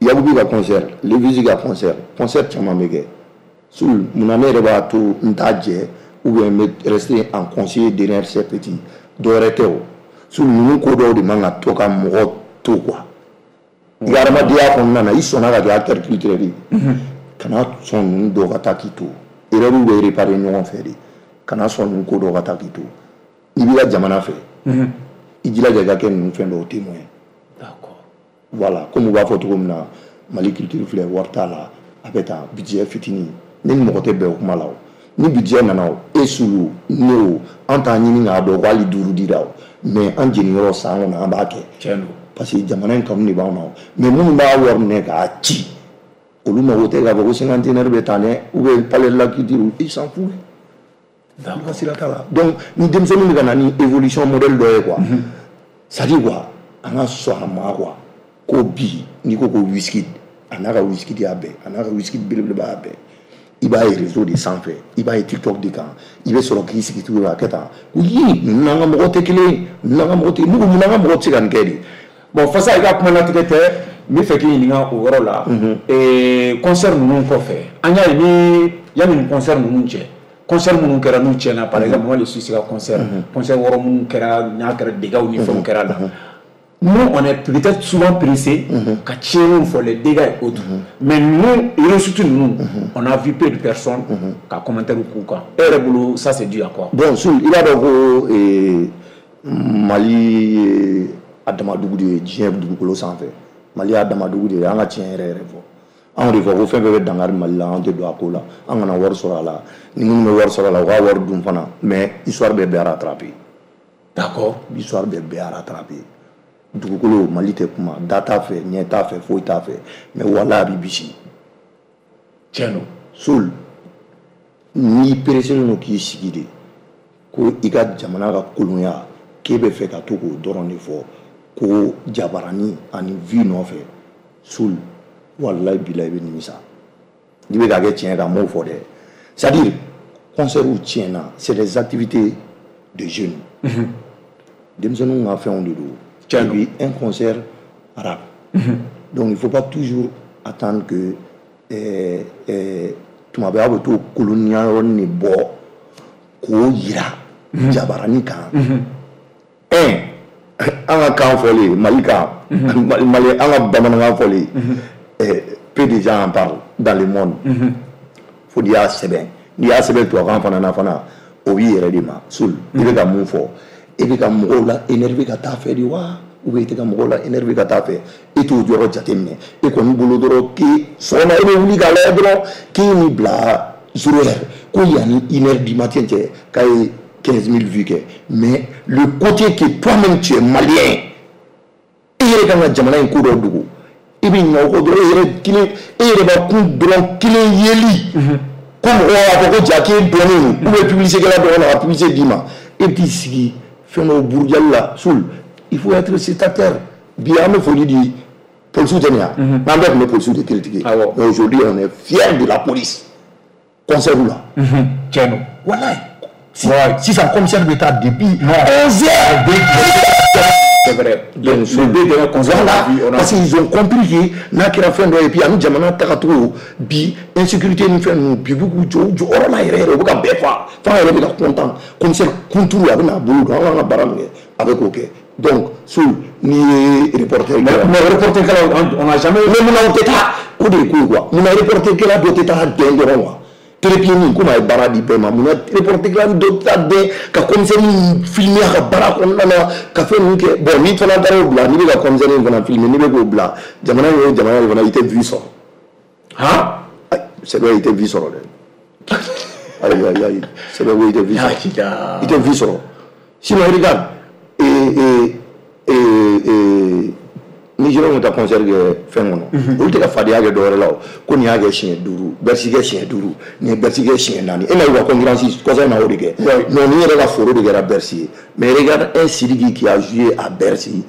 Yakubi ka concert, Levisi ka concert, concert caman bɛ kɛ. Soul, munna ne yɛrɛ b'a to n t'a jɛ ou bien n bɛ rester en conseiller derrière ces petits? Dɔwɛrɛ tɛ o, Soul, ninnu ko dɔw de man ka to ka mɔgɔ to quoi. I ka adamadenya kɔnɔna na, i sɔnna ka kɛ acteur culturel ye, kana sɔn ninnu dɔw ka taa k'i to. Erreur bɛ réparer ɲɔgɔn fɛ de. Kana sɔn ninnu ko dɔw ka taa k'i to. N'i b'i ka jamana fɛ, i jilaja i ka kɛ ninnu fɛn dɔw témoin. D'accord. Voilà, comme u b'a fɔ cogo min na, Mali culture filɛ, wari t'a la, a bɛ tan, budget fitinin. Ne ni mɔgɔ tɛ bɛn o kuma la. O ni budget nana, o e sulu ne o, an t'a ɲini k'a dɔn ko hali duuru dira o, mais an jeniyɔrɔ san kɔnɔ, an b'a kɛ. Tiɲɛ don. Parce que jamana in kanu de b'anw na o. Mais minnu b'a wari minɛ k'a ci, olu mago tɛ k'a fɔ ko cinquantenaire bɛ taa dɛ, ou bien palais de la culture, ils s'en foutent, olu ka sira t'a la. Donc ni denmisɛnninw bɛ ka na ni évolution modèle dɔ ye quoi, c'est à dire quoi, an ka sɔn a ma quoi, ko bi n'i ko ko Wizkid, a n'a ka Wizkid y'a bɛɛ, a n'a ka Wizkid belebeleba y'a bɛɛ. I b'a ye réseau de sanfɛ, i b'a ye TikTok de kan, i bɛ sɔrɔ k'i sigi tuguni k'a kɛ tan ko yi, ninnu n'an ka mɔgɔw tɛ kelen ye, ninnu n'an ka mɔgɔw tɛ, ne ko mun n'an ka mɔgɔw tɛ se ka nin kɛ de? Bon, Fasa, i ka kuma latigɛ tɛ, n bɛ fɛ k'i ɲininka o yɔrɔ la. Concert ninnu kɔfɛ, an y'a ye ni yanni nin concert ninnu cɛ, concert minnu kɛra n'u tiɲɛna, par exemple Mali Suisse ka concert, concert wɔɔrɔ minnu kɛra n'a kɛra dégâts ni fɛnw kɛra la, nous on est peut-être souvent pressé ka tiɲɛniw fɔ, les dégâts et autres, mais nous, réussite ninnu, on a vu peu de personnes ka commentaire k'u kan. E yɛrɛ bolo, ça c'est dû à quoi? Bon, Soul, i b'a dɔn ko Mali ye a dama dugu de ye diɲɛ dugukolo sanfɛ. Mali y'a dama dugu de ye. An ka tiɲɛ yɛrɛ yɛrɛ fɔ, anw de fɔ ko fɛn fɛn bɛ dankari Mali la, anw tɛ don a ko la. An kana wari sɔrɔ a la. Ni minnu bɛ wari sɔrɔ a la, u k'a wari dun fana, mais histoire bɛ bɛɛ rattraper. Histoire bɛ bɛɛ rattraper. Dugukolo Mali tɛ kuma da t'a fɛ, ɲɛ t'a fɛ, foyi t'a fɛ, mais wala a b'i bisi. Tiɲɛ don. Soul, n'i pereselen don k'i sigi de ko i ka jamana ka kolonya, k'e bɛ fɛ ka to k'o dɔrɔn de fɔ ko jabarani ani vie nɔfɛ, Soul, walayi bilayi, i bɛ nimisa. N'i bɛ k'a kɛ tiɲɛ kan, n m'o fɔ dɛ. C'est à dire, concert tiɲɛna, c'est des activités de jeunes, denmisɛnninw ka fɛnw de don. Tiɲɛ Et don. puis un concert rap, donc il faut pas toujours attendre que tuma bɛɛ aw bɛ t'o kolonya yɔrɔnin de bɔ k'o yira jabarani kan. Un, an ka kan fɔlen, Mali kan, Mali, an ka bamanankan fɔlen, Peu de gens en parlent dans le monde. Fo n'i y'a sɛbɛn, n'i y'a sɛbɛn tubabukan fana na fana, o b'i yɛrɛ de ma. Sul, i bɛ ka mun fɔ? E bɛ ka mɔgɔw la énerver ka taa fɛ de wa, ou bien i tɛ ka mɔgɔw la énerver ka taa fɛ? E t'o yɔrɔ jateminɛ. E kɔni bolo dɔrɔn k'e sɔgɔma e bɛ wuli k'a lajɛ dɔrɔn k'e ye nin bila 0 heure, ko yanni 1 heure du matin cɛ k'a ye 15 000 vues kɛ. Mais le côté que toi-même tu es malien, e yɛrɛ kan ka jamana in ko dɔ dogo, i bɛ ɲinɛ o kɔ dɔrɔn. E yɛrɛ kelen, e yɛrɛ b'a kun dɔrɔn kelen yeli ko mɔgɔw b'a fɔ ko ja k'e dɔnnen don, ou bien publicité kɛla dɔ ka na ka publicité d'i ma, e bɛ t'i sigi fɛn dɔw burujali la. Sul, il faut être spectateur. Bi an bɛ foli di polisiw tɛ nin ya, n'an bɛɛ tun bɛ polisiw de critiquer, mais aujourd'hui on est fier de la police. Concert la. Tiɲɛ don. Walayi, sisan commissaire bɛ taa depuis 11 heures. C'est vrai. Donc, les deux derniers concerts, voilà, on a vu, on a parce qu'ils ont compris que n'a kɛra fɛn dɔ ye, puis ani jamana tagacogo bi, insécurité ni fɛn ninnu bi, b'u k'u jɔ u jɔyɔrɔ la yɛrɛ yɛrɛ, u bɛ ka bɛɛ fa f'an yɛrɛ bɛ ka content. Commissaire kunturu a bɛ n'a bolo don an kan ka baara min kɛ, a bɛ k'o kɛ. Donc Sul, n'i ye reporter Mais reporter kɛlaw, on n'a jamais Mais munna o tɛ taa? O de ye ko ye quoi. Munna reporter kɛla dɔ tɛ taa dɛn dɔrɔn quoi? Trépied nin komi a ye baara di bɛɛ ma, munna reporter kɛla dɔ tɛ taa dɛn ka commissaire in filmer a ka baara kɔnɔna na, ka fɛn ninnu kɛ? Bon, n'i fana taara o bila, n'i bɛ ka commissaire in fana filmer, n'i bɛ k'o bila jamana in, o jamana in fana, i tɛ vue sɔrɔ. Han. C'est vrai, i tɛ vue sɔrɔ dɛ. Ayi ayi ayi, c'est vrai, i tɛ vue sɔrɔ, i tɛ vue sɔrɔ. Sinon regarde, et et et Nigériens bɛ taa concert kɛ fɛn kɔnɔ, olu tɛ ka fadenya kɛ dɔwɛrɛ la o, ko nin y'a kɛ siɲɛ 5, Bercy kɛ siɲɛ 5, nin ye Bercy kɛ siɲɛ 4. E ma ye u ka concurrence kɔsa in na, o de kɛ. Non, nin yɛrɛ ka foro de kɛra Bercy ye. Mais regarde un Sidiki qui a joué à Bercy,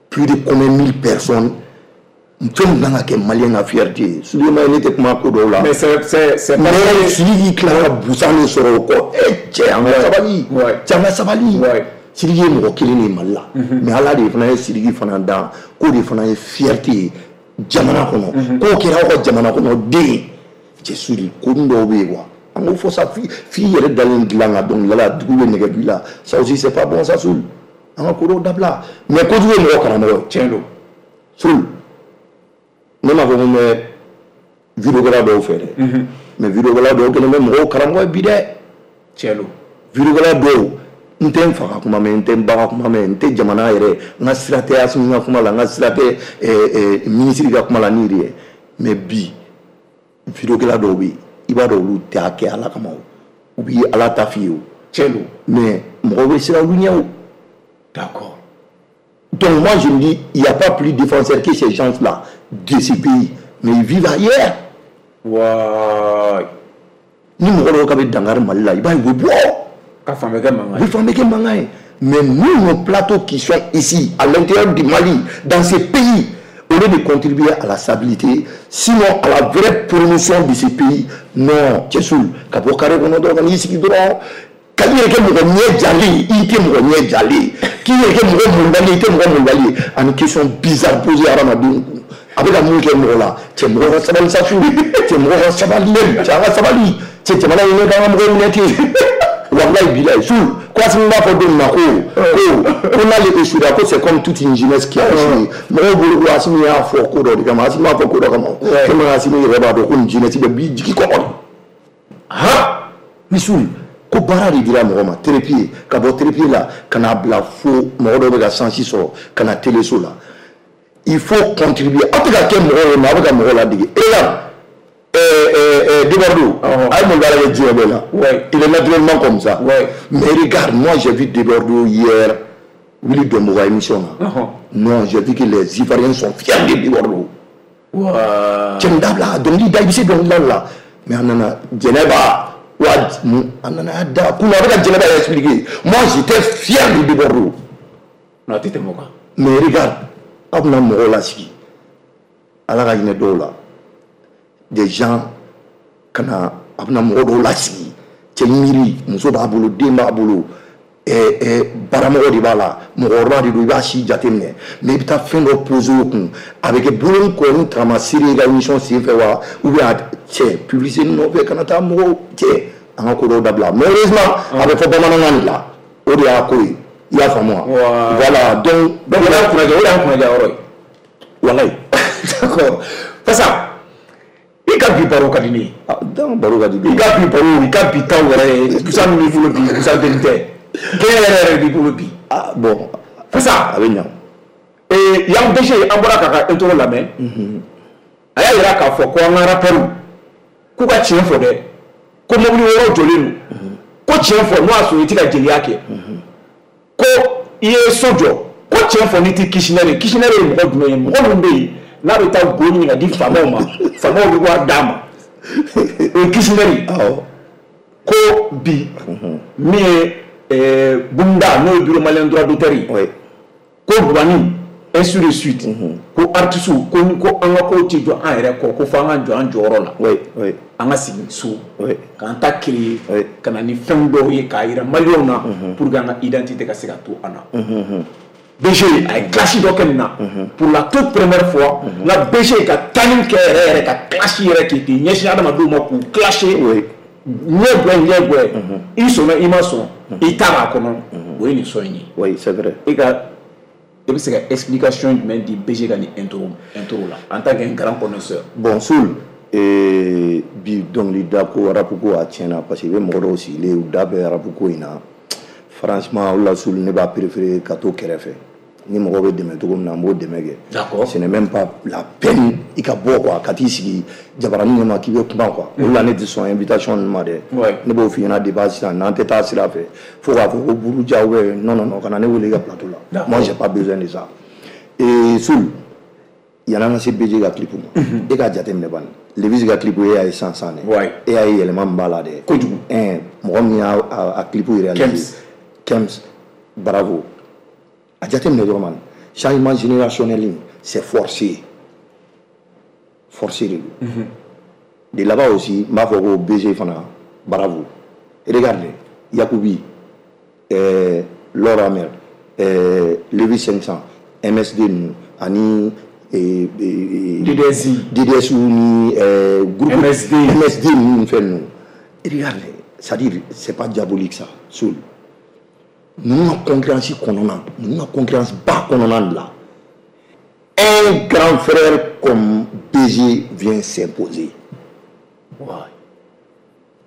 plus de combien mille personnes, fɛn min kan ka kɛ malien ka fierté ye. Souleymane, ne tɛ kuma ko dɔw la. Mais c'est mais Sidiki tilala ka busan de sɔrɔ o kɔ. E cɛ, an ka sabali, cɛ, an ka sabali. Sidiki ye mɔgɔ kelen de ye Mali la, mais Ala de fana ye Sidiki fana dan k'o de fana ye fierté ye jamana kɔnɔ, k'o kɛra aw ka jamana kɔnɔ den ye. Cɛ Sudi, ko dɔw bɛ yen quoi, an k'o fɔ sa. F'i yɛrɛ dalen dilan ka dɔnkilida la, dugu bɛ nɛgɛ b'i la, ça aussi c'est pas bon ça. Sul, an ka ko dɔw dabila. Mais kojugu ye mɔgɔ karamɔgɔ ye. Tiɲɛ don. Sul, ne m'a fɔ ko n bɛ vidéokɛla dɔw fɛ dɛ, mais vidéokɛla dɔw kɛlen bɛ mɔgɔw karamɔgɔ ye bi dɛ. Tiɲɛ don. Vidéokɛla dɔw, n tɛ n fa ka kuma mɛn, n tɛ n ba ka kuma mɛn, n tɛ jamana yɛrɛ, n ka sira tɛ Asimi ka kuma la, n ka sira tɛ minisiri ka kuma la ni yɛrɛ ye. Mais bi vidéokɛla dɔw bɛ yen, i b'a dɔn olu tɛ a kɛ Ala kama o, u b'i Ala ta f'i ye o. Tiɲɛ don. Mais mɔgɔw bɛ siran olu ɲɛ o. D'accord. Donc moi je me dis, il n'y a pas plus défenseur que ces gens-là de ce pays, mais ils vivent ailleurs. Waay. Ni mɔgɔ dɔw ka bɛ dankari Mali la, i b'a ye u bɛ bɔ. Ka fan bɛɛ kɛ mankan ye. U bɛ fan bɛɛ kɛ mankan ye. Mais nous, nos plateaux qui sont ici, à l'intérieur du Mali, dans ces pays, au lieu de contribuer à la stabilité, sinon à la vraie promotion de ce pays, non, Cɛsul, ka bɔ carré kɔnɔ dɔrɔn ka n'i sigi dɔrɔn, ka i yɛrɛ kɛ mɔgɔ ɲɛ jalen ye, i tɛ mɔgɔ ɲɛ jalen ye, k'i yɛrɛ kɛ mɔgɔ mɔnbali ye, i tɛ mɔgɔ mɔnbali ye, ani question bizarre posée hadamadenw kun. A bɛ ka mun kɛ mɔgɔ la? Cɛ, mɔgɔ ka sabali sa. Su, cɛ, mɔgɔ ka sabali, cɛ, an ka sabali. Cɛ, jamana in ne k'an ka mɔgɔw minɛ ten. Wallahi bilahi, Sul, ko Asimi b'a fɔ don min na ko n'ale échouera, ko c'est comme toute une jeunesse qui a échoué. Mɔgɔw bolo ko Asimi y'a fɔ ko dɔ de kama. Asimi b'a fɔ ko dɔ kama tellement Asimi yɛrɛ b'a dɔn ko nin jeunesse bɛ b'i jigi kɔkɔ de. Han, ni Sul, ko baara de dira mɔgɔ ma trépied, ka bɔ trépied la ka n'a bila fo mɔgɔ dɔw bɛ ka chance sɔrɔ ka na téléso la, il faut contribuer. Aw tɛ ka kɛ mɔgɔw ye, mais aw bɛ ka mɔgɔw ladege. E la Debordo, a ye mun baara kɛ diɲɛ bɛɛ la? Il est naturellement comme ça. Mais regarde, moi j'ai vu Debordo hier, Willy Dombo ka émission na. Non, j'ai vu que les Ivoiriens sont fiers de Debordo. Cɛ nin dabila, dɔnkili da, i bɛ se dɔnkilida la. Mais a nana Jɛnɛba wa, a nana da kunun, a bɛ ka Jɛnɛba expliquer. Moi j'étais fier de Debordo. Non, a tɛ tɛmɛ o kan. Mais regarde, aw bɛna mɔgɔw lasigi, Ala ka hinɛ dɔw la, des gens ka na, a bɛna mɔgɔ dɔw lasigi. Cɛ, miiri, muso b'a bolo, den b'a bolo, baramɔgɔ de b'a la, mɔgɔkɔrɔba de don, i b'a si jateminɛ, mais i bɛ taa fɛn dɔ poser o kun, a bɛ kɛ bolo kɔni tagamasere i ka émission sen fɛ wa, ou bien a cɛ publicité nɔfɛ kana taa mɔgɔw. Cɛ, an ka ko dɔw dabila. Malheureusement a bɛ fɔ bamanankan de la, o de y'a ko ye, i y'a faamu wa? Voilà, donc Donc o de y'an kunnaja, o de y'an kunnaja yɔrɔ ye. Walayi. D'accord. Fasa, i ka bi baro ka di ne ye. Ah, donc baro ka di. I ka bi baro, i ka bi taw yɛrɛ, busan min b'i bolo bi, busan denni tɛ. Kɛɲɛ yɛrɛ yɛrɛ b'i bolo bi. Ah bon. Fasa. A bɛ ɲa. Ee, Yang BG, an bɔra k'a ka intro lamɛn. A y'a yira k'a fɔ ko an ka rappeurs k'u ka tiɲɛ fɔ dɛ, ko mobili wɔɔrɔ jɔlen don, ko tiɲɛ fɔ n'o y'a sɔrɔ i tɛ ka jeliya kɛ, ko i ye so jɔ, ko tiɲɛ fɔ n'i tɛ Kishinɛri ye. Kishinɛri ye mɔgɔ jumɛn ye? Mɔgɔ min bɛ yen n'a bɛ taa go ɲini ka di faamaw ma, faamaw bɛ wari d'a ma, o ye Kishinɛri ye. Awɔ. Ko bi min ye Bumda, n'o ye Bureau malien droit d'auteur ye, ko Bubani, ainsi de suite, ko artiste, ko an ka kow tɛ jɔ an yɛrɛ kɔ, ko fo an ka jɔ an jɔyɔrɔ la, an ka sigi so k'an ta créer, ka na ni fɛn dɔw ye k'a yira maliyɛnw na pour que an ka identité ka se ka to an na. BG a ye clash dɔ kɛ nin na pour la toute première fois, n ka BG ka tanni kɛ yɛrɛ yɛrɛ, ka clash yɛrɛ kɛ k'i ɲɛsin adamadenw ma k'u clasher, ɲɛ gwɛ ɲɛ gwɛ, i sɔnna i ma sɔn, i ta b'a kɔnɔ, o ye nin son in ye. Oui, c'est vrai. E ka, i bɛ se ka explication jumɛn di BG ka nin intro la en tant qu'un grand connaisseur? Bon, Soul, bi dɔnkilida ko, rap ko, a tiɲɛna, parce que i bɛ mɔgɔ dɔw sigilen, u da bɛ rap ko in na. Franchement, o la Soul, ne b'a préféré ka to kɛrɛfɛ. Ni mɔgɔ bɛ dɛmɛ cogo min na, n b'o dɛmɛ kɛ. D'accord. Ce n'est même pas la peine i ka bɔ quoi, ka t'i sigi jabaranin ɲɛma k'i bɛ kuma quoi. O la ne tɛ sɔn invitation ninnu ma dɛ. Ne b'o f'i ɲɛna depuis sisan, n'an tɛ taa sira fɛ fo k'a fɔ ko buruja ou bien non non non, kana ne wele i ka plateau la. Moi, j'ai pas besoin de ça. Et Soul, yan'an ka se BG ka clip ma, e k'a jateminɛ bani, Levis ka clip, e y'a ye sisan sisan dɛ. E y'a ye yɛlɛma min b'a la dɛ. Kojugu. Mɔgɔ min y'a a clip réalisé. Kems. Bravo. A jateminɛ dɔrɔn man, changement générationnel, c'est forcé. Forcé de don. De là-bas aussi, n b'a fɔ ko BG fana, bravo. Regarde, Yakubi, Laura Amer, Levis 500, MSD ninnu ani DDSI. DDSU ni groupe MSD. MSD ninnu fɛn ninnu. Regarde, c'est-à-dire c'est pas diabolique ça, Soul. Ninnu ka concurrence kɔnɔna, ninnu ka concurrence ba kɔnɔna de la, un grand frère comme BG vient s'imposer. Ouais.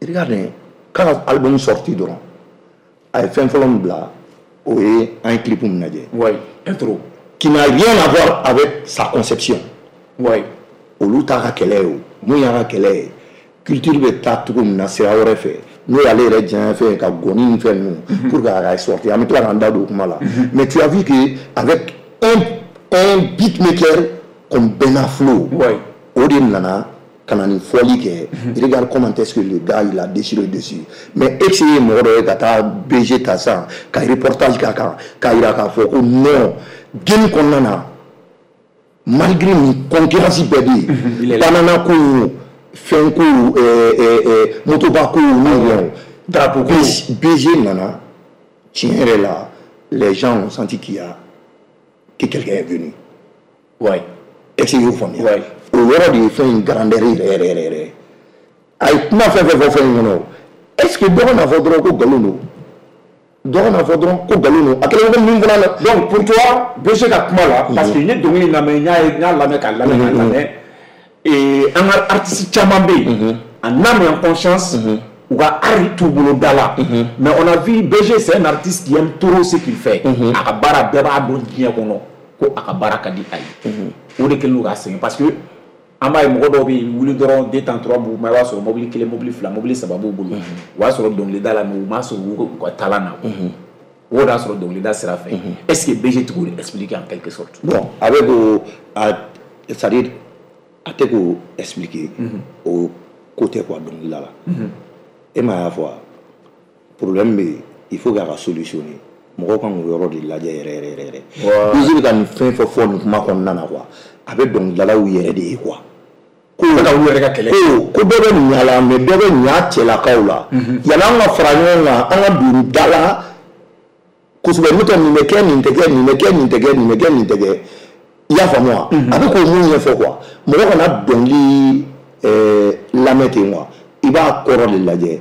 Regarde, quand album sorti dɔrɔn, a ye fɛn fɔlɔ min bila, o ye an ye clip min lajɛ. Ouais, intro. Qui n'a rien à voir avec sa conception. Ouais. Olu t'a ka kɛlɛ ye o. Mun y'a ka kɛlɛ ye? Culture bɛ taa cogo min na sira wɛrɛ fɛ, n'o y'ale yɛrɛ diɲɛ fɛn ka gɔni ni fɛn ninnu pour k'a ka sortir, an bɛ tila k'an da don o kuma la. Mais tu as vu que avec un beatmaker comme Ben Aflo, o de nana ka na nin fɔli kɛ. Regarde comment est-ce que le gars, il a déchiré dessus. Mais ex ye mɔgɔ dɔ ye ka taa BG ta sisan ka reportage k'a kan k'a yira k'a fɔ ko non, game kɔnɔna na, malgré nin concurrence bɛɛ bɛ yen, banana ko, fɛn ko, motoba ko, ni drapeau ko, BG nana, tiɲɛ yɛrɛ la, les gens ont senti qu'il y a que quelqu'un est venu. Ouais. Est-ce que y'o faamuya? Ouais. O yɔrɔ de ye fɛn in grandeur yɛrɛ yɛrɛ yɛrɛ yɛrɛ. A ye kuma fɛn fɛn fɔ fɛn in kɔnɔ, est-ce que dɔ ka n'a fɔ dɔrɔn ko nkalon don? Dɔ ka n'a fɔ dɔrɔn ko nkalon don, a kɛlen ko min fana na. Donc pour toi, BG ka kuma la, parce que n ye dɔnkili in lamɛn, n y'a lamɛn k'a lamɛn k'a lamɛn. Et an ka artiste caman bɛ yen, en âme et en conscience, u ka art t'u bolo da la. Mais on a vu BG, c'est un artiste qui aime trop ce qu'il fait. A ka baara, bɛɛ b'a dɔn diɲɛ kɔnɔ ko a ka baara ka di a ye. O de kɛlen don k'a sɛgɛn, parce que an b'a ye mɔgɔ dɔw bɛ yen, wuli dɔrɔn 2 temps 3 b'u ma, i b'a sɔrɔ mobili kelen, mobili fila, mobili saba b'u bolo. O y'a sɔrɔ dɔnkilida la, mais u m'a sɔrɔ u ka talent na. O de y'a sɔrɔ dɔnkilida sira fɛ. Est-ce que BG tɛ k'o de expliquer en quelque sorte? Bon, a bɛ k'o a, c'est-à-dire a tɛ k'o expliquer, o ko tɛ quoi dɔnkilida la. E ma y'a fɔ wa, problème bɛ yen, il faut k'a ka solutionner. Mɔgɔw kan k'o yɔrɔ de lajɛ yɛrɛ yɛrɛ yɛrɛ yɛrɛ. BG bɛ ka nin fɛn fɛn fɔ nin kuma kɔnɔna na quoi, a bɛ dɔnkilidalaw yɛrɛ de ye quoi. Ko ka u yɛrɛ ka kɛlɛ. Ko dɔ bɛ ɲa la, mais dɔ bɛ ɲa cɛlakaw la. Yan'an ka fara ɲɔgɔn kan, an ka don da la kosɛbɛ, n'o tɛ nin bɛ kɛ, nin tɛ kɛ, nin bɛ kɛ, nin tɛ kɛ, nin bɛ kɛ, nin tɛ kɛ. I y'a faamu wa? A bɛ k'o mun ɲɛfɔ quoi. Mɔgɔ kana dɔnkili lamɛn ten quoi, i b'a kɔrɔ de lajɛ.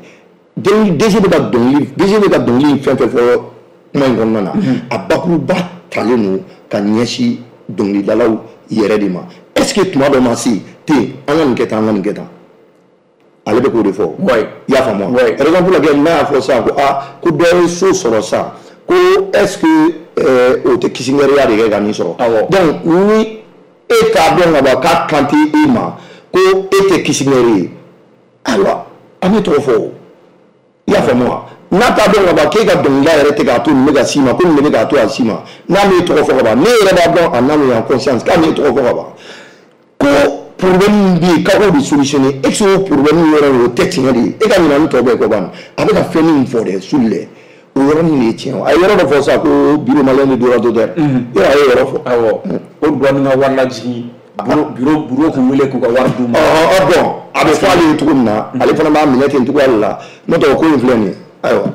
DG bɛ ka dɔnkili, BG bɛ ka dɔnkili fɛn fɛn fɔ kuma in kɔnɔna na, a bakuruba talen don ka ɲɛsin dɔnkilidalaw yɛrɛ de ma. Est-ce Est-ce que tuma dɔ ma se ten an ka nin kɛ tan, an ka nin kɛ tan? Ale bɛ k'o de fɔ. I y'a faamu wa? Raison pour laquelle n'a y'a fɔ sisan ko aa ko dɔ ye so sɔrɔ sisan, ko est-ce que o tɛ kisingɛriya de kɛ ka nin sɔrɔ? Donc ni e t'a dɔn ka ban k'a kan tɛ e ma, ko e tɛ kisingɛri ye, ayiwa an bɛ tɔgɔ fɔ o. I y'a faamu wa? N'a t'a dɔn ka ban k'e ka dɔnkilida yɛrɛ tɛ k'a to nin bɛ ka s'i ma, ko nin de bɛ k'a to a s'i ma, n'a m'e tɔgɔ fɔ ka ban, ne yɛrɛ b'a dɔn en âme et en conscience k'a m'e tɔgɔ fɔ ka ban, ko problème min bɛ yen k'a k'o de solutionner, est-ce que o problème yɔrɔ in o tɛ tiɲɛ de ye? E ka ɲinɛ ni tɔ bɛɛ kɔ ban, a bɛ ka fɛn min fɔ dɛ, Soul dɛ, o yɔrɔnin de ye tiɲɛ ye. A ye yɔrɔ dɔ fɔ sisan ko bureau malien de droit d'auteur, yɔrɔ a ye yɔrɔ fɔ. Awɔ, o douane ka wari lajigin, bureau k'u wele k'u ka wari d'u ma. Bon, a bɛ fɔ ale ye cogo min na, ale fana b'a minɛ ten cogoya de la. N'o tɛ o ko in filɛ nin ye, ayiwa.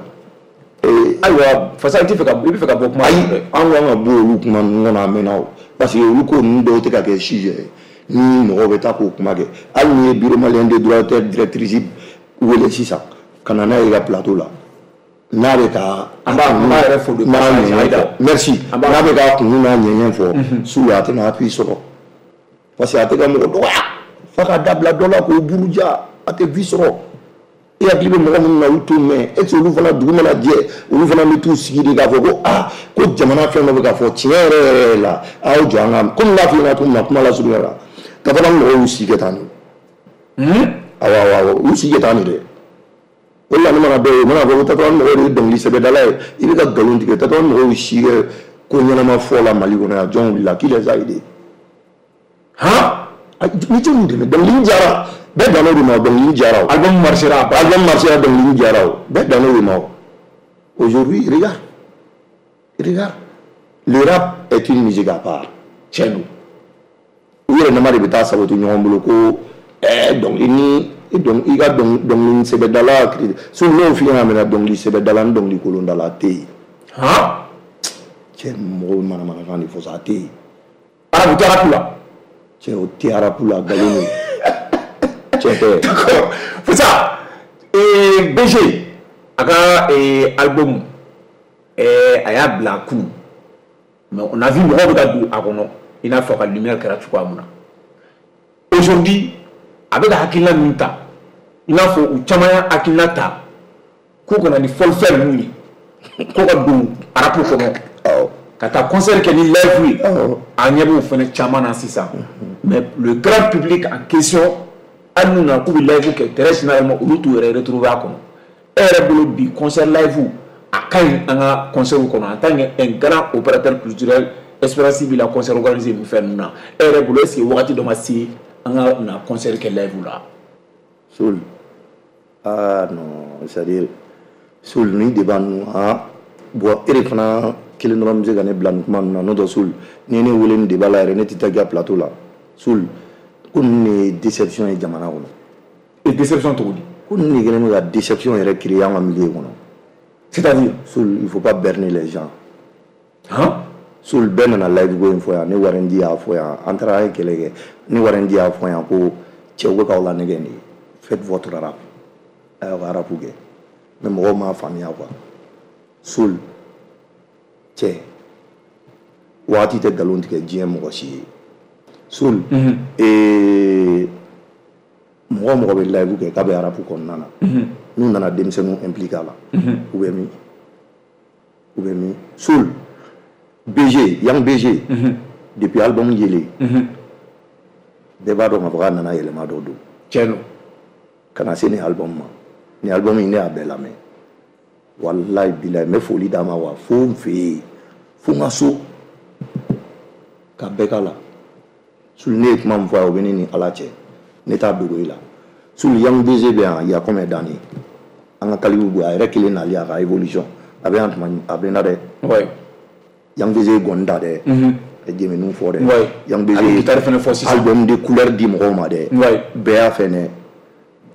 Ayiwa Fasa, i bɛ fɛ ka bɔ kuma. Ayi, an kan ka bɔ olu kuma ninnu kɔnɔ a mɛnna o, parce que olu ko ninnu dɔw tɛ ka kɛ sujet ye ni mɔgɔw bɛ taa k'o kuma kɛ. Hali n'i ye bureau malien de droit d'auteur directrice wele sisan ka na n'a ye i ka plateau la, n'a bɛ ka an b'a yɛrɛ fo de passage, merci, n'a bɛ ka kun n'a ɲɛɲɛ fɔ, Soul a tɛna appui sɔrɔ, parce que a tɛ ka mɔgɔ dɔgɔya f'a ka dabila dɔ la k'o buruja, a tɛ vie sɔrɔ. E hakili bɛ mɔgɔ minnu na, olu t'o mɛn. Est ce que olu fana dugu mana jɛ, olu fana bɛ t'u sigi de k'a fɔ ko aa ko jamana fɛn dɔ bɛ ka fɔ tiɲɛ yɛrɛ yɛrɛ la, a y'aw jɔ an ka komi n b'a f'i ɲɛna cogo min na kuma lasurunya la, ka fana mɔgɔw y'u si kɛ tan de. Awɔ awɔ awɔ, u si kɛ tan de dɛ. O de la ne mana dɔw ye, u mana fɔ ko tatɔ mɔgɔw de ye dɔnkili sɛbɛdala ye, i bɛ ka nkalon tigɛ. Tatɔ mɔgɔw y'u si kɛ ko ɲɛnama fɔ la Mali kɔnɔ yan, jɔn wulila qui les a aidés? Han, ni jɔn dɛmɛ? Dɔnkili jara, bɛɛ dan'o de ma, dɔnkili jara o. Album marchera. Album marchera, dɔnkili jara o, bɛɛ dan'o de ma o. Aujourd'hui, regarde, regarde, le rap est une musique à part. Tiɲɛ don. U yɛrɛ nama de bɛ taa saboter ɲɔgɔn bolo ko dɔnkili ni i ka dɔnkili sɛbɛdala so n'o f'i ɲɛna mɛnɛ, dɔnkili sɛbɛdala ni dɔnkili kolondala tɛ yen. Han, cɛ, mɔgɔw manamanakan de fɔ sa, a tɛ yen. Arabu tɛ rap la. Cɛ, o tɛ rap la, nkalon don. Tiɲɛ tɛ. D'accord. Fasa, BG a ka album a y'a bila kunun, mais on a vu mɔgɔw bɛ ka don a kɔnɔ i n'a fɔ a ka lumière kɛra cogoya min na. Aujourd'hui a bɛ ka hakilina min ta, i n'a fɔ u caman y'a hakilina ta k'u kana ni fɔlifɛn ninnu ye, ko ka don rap kɔnɔ, ka taa concert kɛ ni live ye, an ɲɛ b'o fɛnɛ caman na sisan. Mais le grand public en question, hali n'u nana k'u bɛ live kɛ, très généralement olu t'u yɛrɛ retrouver a kɔnɔ. E yɛrɛ bolo bi concert live a ka ɲi an ka concert kɔnɔ en tant que un grand opérateur culturel, expérience b'i la concert organisé ni fɛn ninnu na, e yɛrɛ bolo est ce que wagati dɔ ma se an ka na concert kɛ live la? Soul, ah non, c'est à dire Soul ni débat ninnu, ah bon, e de fana kelen dɔrɔn bɛ se ka ne bila nin kuma ninnu na. N'o tɛ Soul, n'i ye ne wele nin débat la yɛrɛ, ne tɛ taa i ka plateau la. Soul, ko ninnu de ye déception ye jamana kɔnɔ. Et déception cogo di? Ko ninnu de kɛlen bɛ ka déception yɛrɛ créer an ka milieu kɔnɔ. C'est-à-dire? Soul, il faut pas berner les gens. Han? Soul, bɛɛ nana live ko in fɔ yan, ne Warren y'a fɔ yan, an taara an ye kɛlɛ kɛ, ne Warren y'a fɔ yan ko cɛw bɛ k'aw lanɛgɛ nin ye, faites votre rap, a y'aw ka rap kɛ, mais mɔgɔw m'a faamuya quoi. Soul, cɛ, waati tɛ nkalon tigɛ diɲɛ mɔgɔ si ye. Soul, mɔgɔ mɔgɔ bɛ live kɛ k'a bɛ rap kɔnɔna na, n'u nana denmisɛnninw impliqué a la, u bɛ min? U bɛ min? Soul, BG, Young BG, depuis album yelen, bɛɛ b'a dɔn k'a fɔ k'a nana yɛlɛma dɔ don. Tiɲɛ don. Ka na se nin album ma, nin album in ne y'a bɛɛ lamɛn, walayi bilayi, n bɛ foli d'a ma wa fo n fɛ yen, fo n ka so, ka bɛɛ k'a la. Soul, ne ye kuma min fɔ a ye, o bɛ ne ni Ala cɛ, ne t'a dogo i la. Soul, Young BG bɛ yan il y a combien d'années, an ka kalifu bɔ a yɛrɛ kelen nali a ka évolution a bɛ yan tuma a bɛ na dɛ. Young BG ye gɔni da dɛ, a ye jɛmɛniw fɔ dɛ. Young BG A bɛ guitare fɛnɛ fɔ sisan. Album de couleur di mɔgɔw ma dɛ. Bɛɛ y'a fɛ dɛ.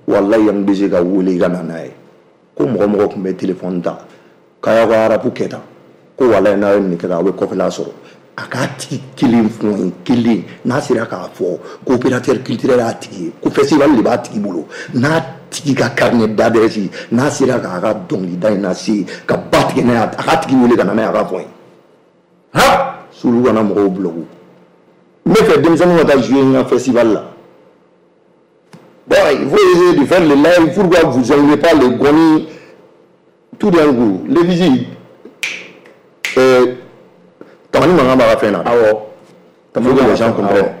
Walayi, Young BG ka wele i ka na n'a ye ko mɔgɔ mɔgɔ tun bɛ téléphone ta k'a y'aw ka rap kɛ tan, ko walayi n'a ye nin kɛ tan, aw bɛ kɔfɛla sɔrɔ. A k'a tigi kelen fɔ n ye, kelen n'a sera k'a fɔ ko opérateur culturel y'a tigi ye, ko festival de b'a tigi bolo, n'a tigi ka carnet d'adresse, n'a sera k'a ka dɔnkilida in lase ka ba tigɛ n'a ye, a k'a tigi wele ka na n'a ye, a k'a fɔ n ye. Han? Sulu kana mɔgɔw bloquer. N bɛ fɛ denmisɛnninw ka taa jouer n ka festival la. Bon, il faut essayer de faire le live. Pourquoi vous n'enlevez pas les goni tout d'un coup? Les visites. Tamani mankan b'a ka fɛn na. Awɔ. Il faut que les gens comprennent.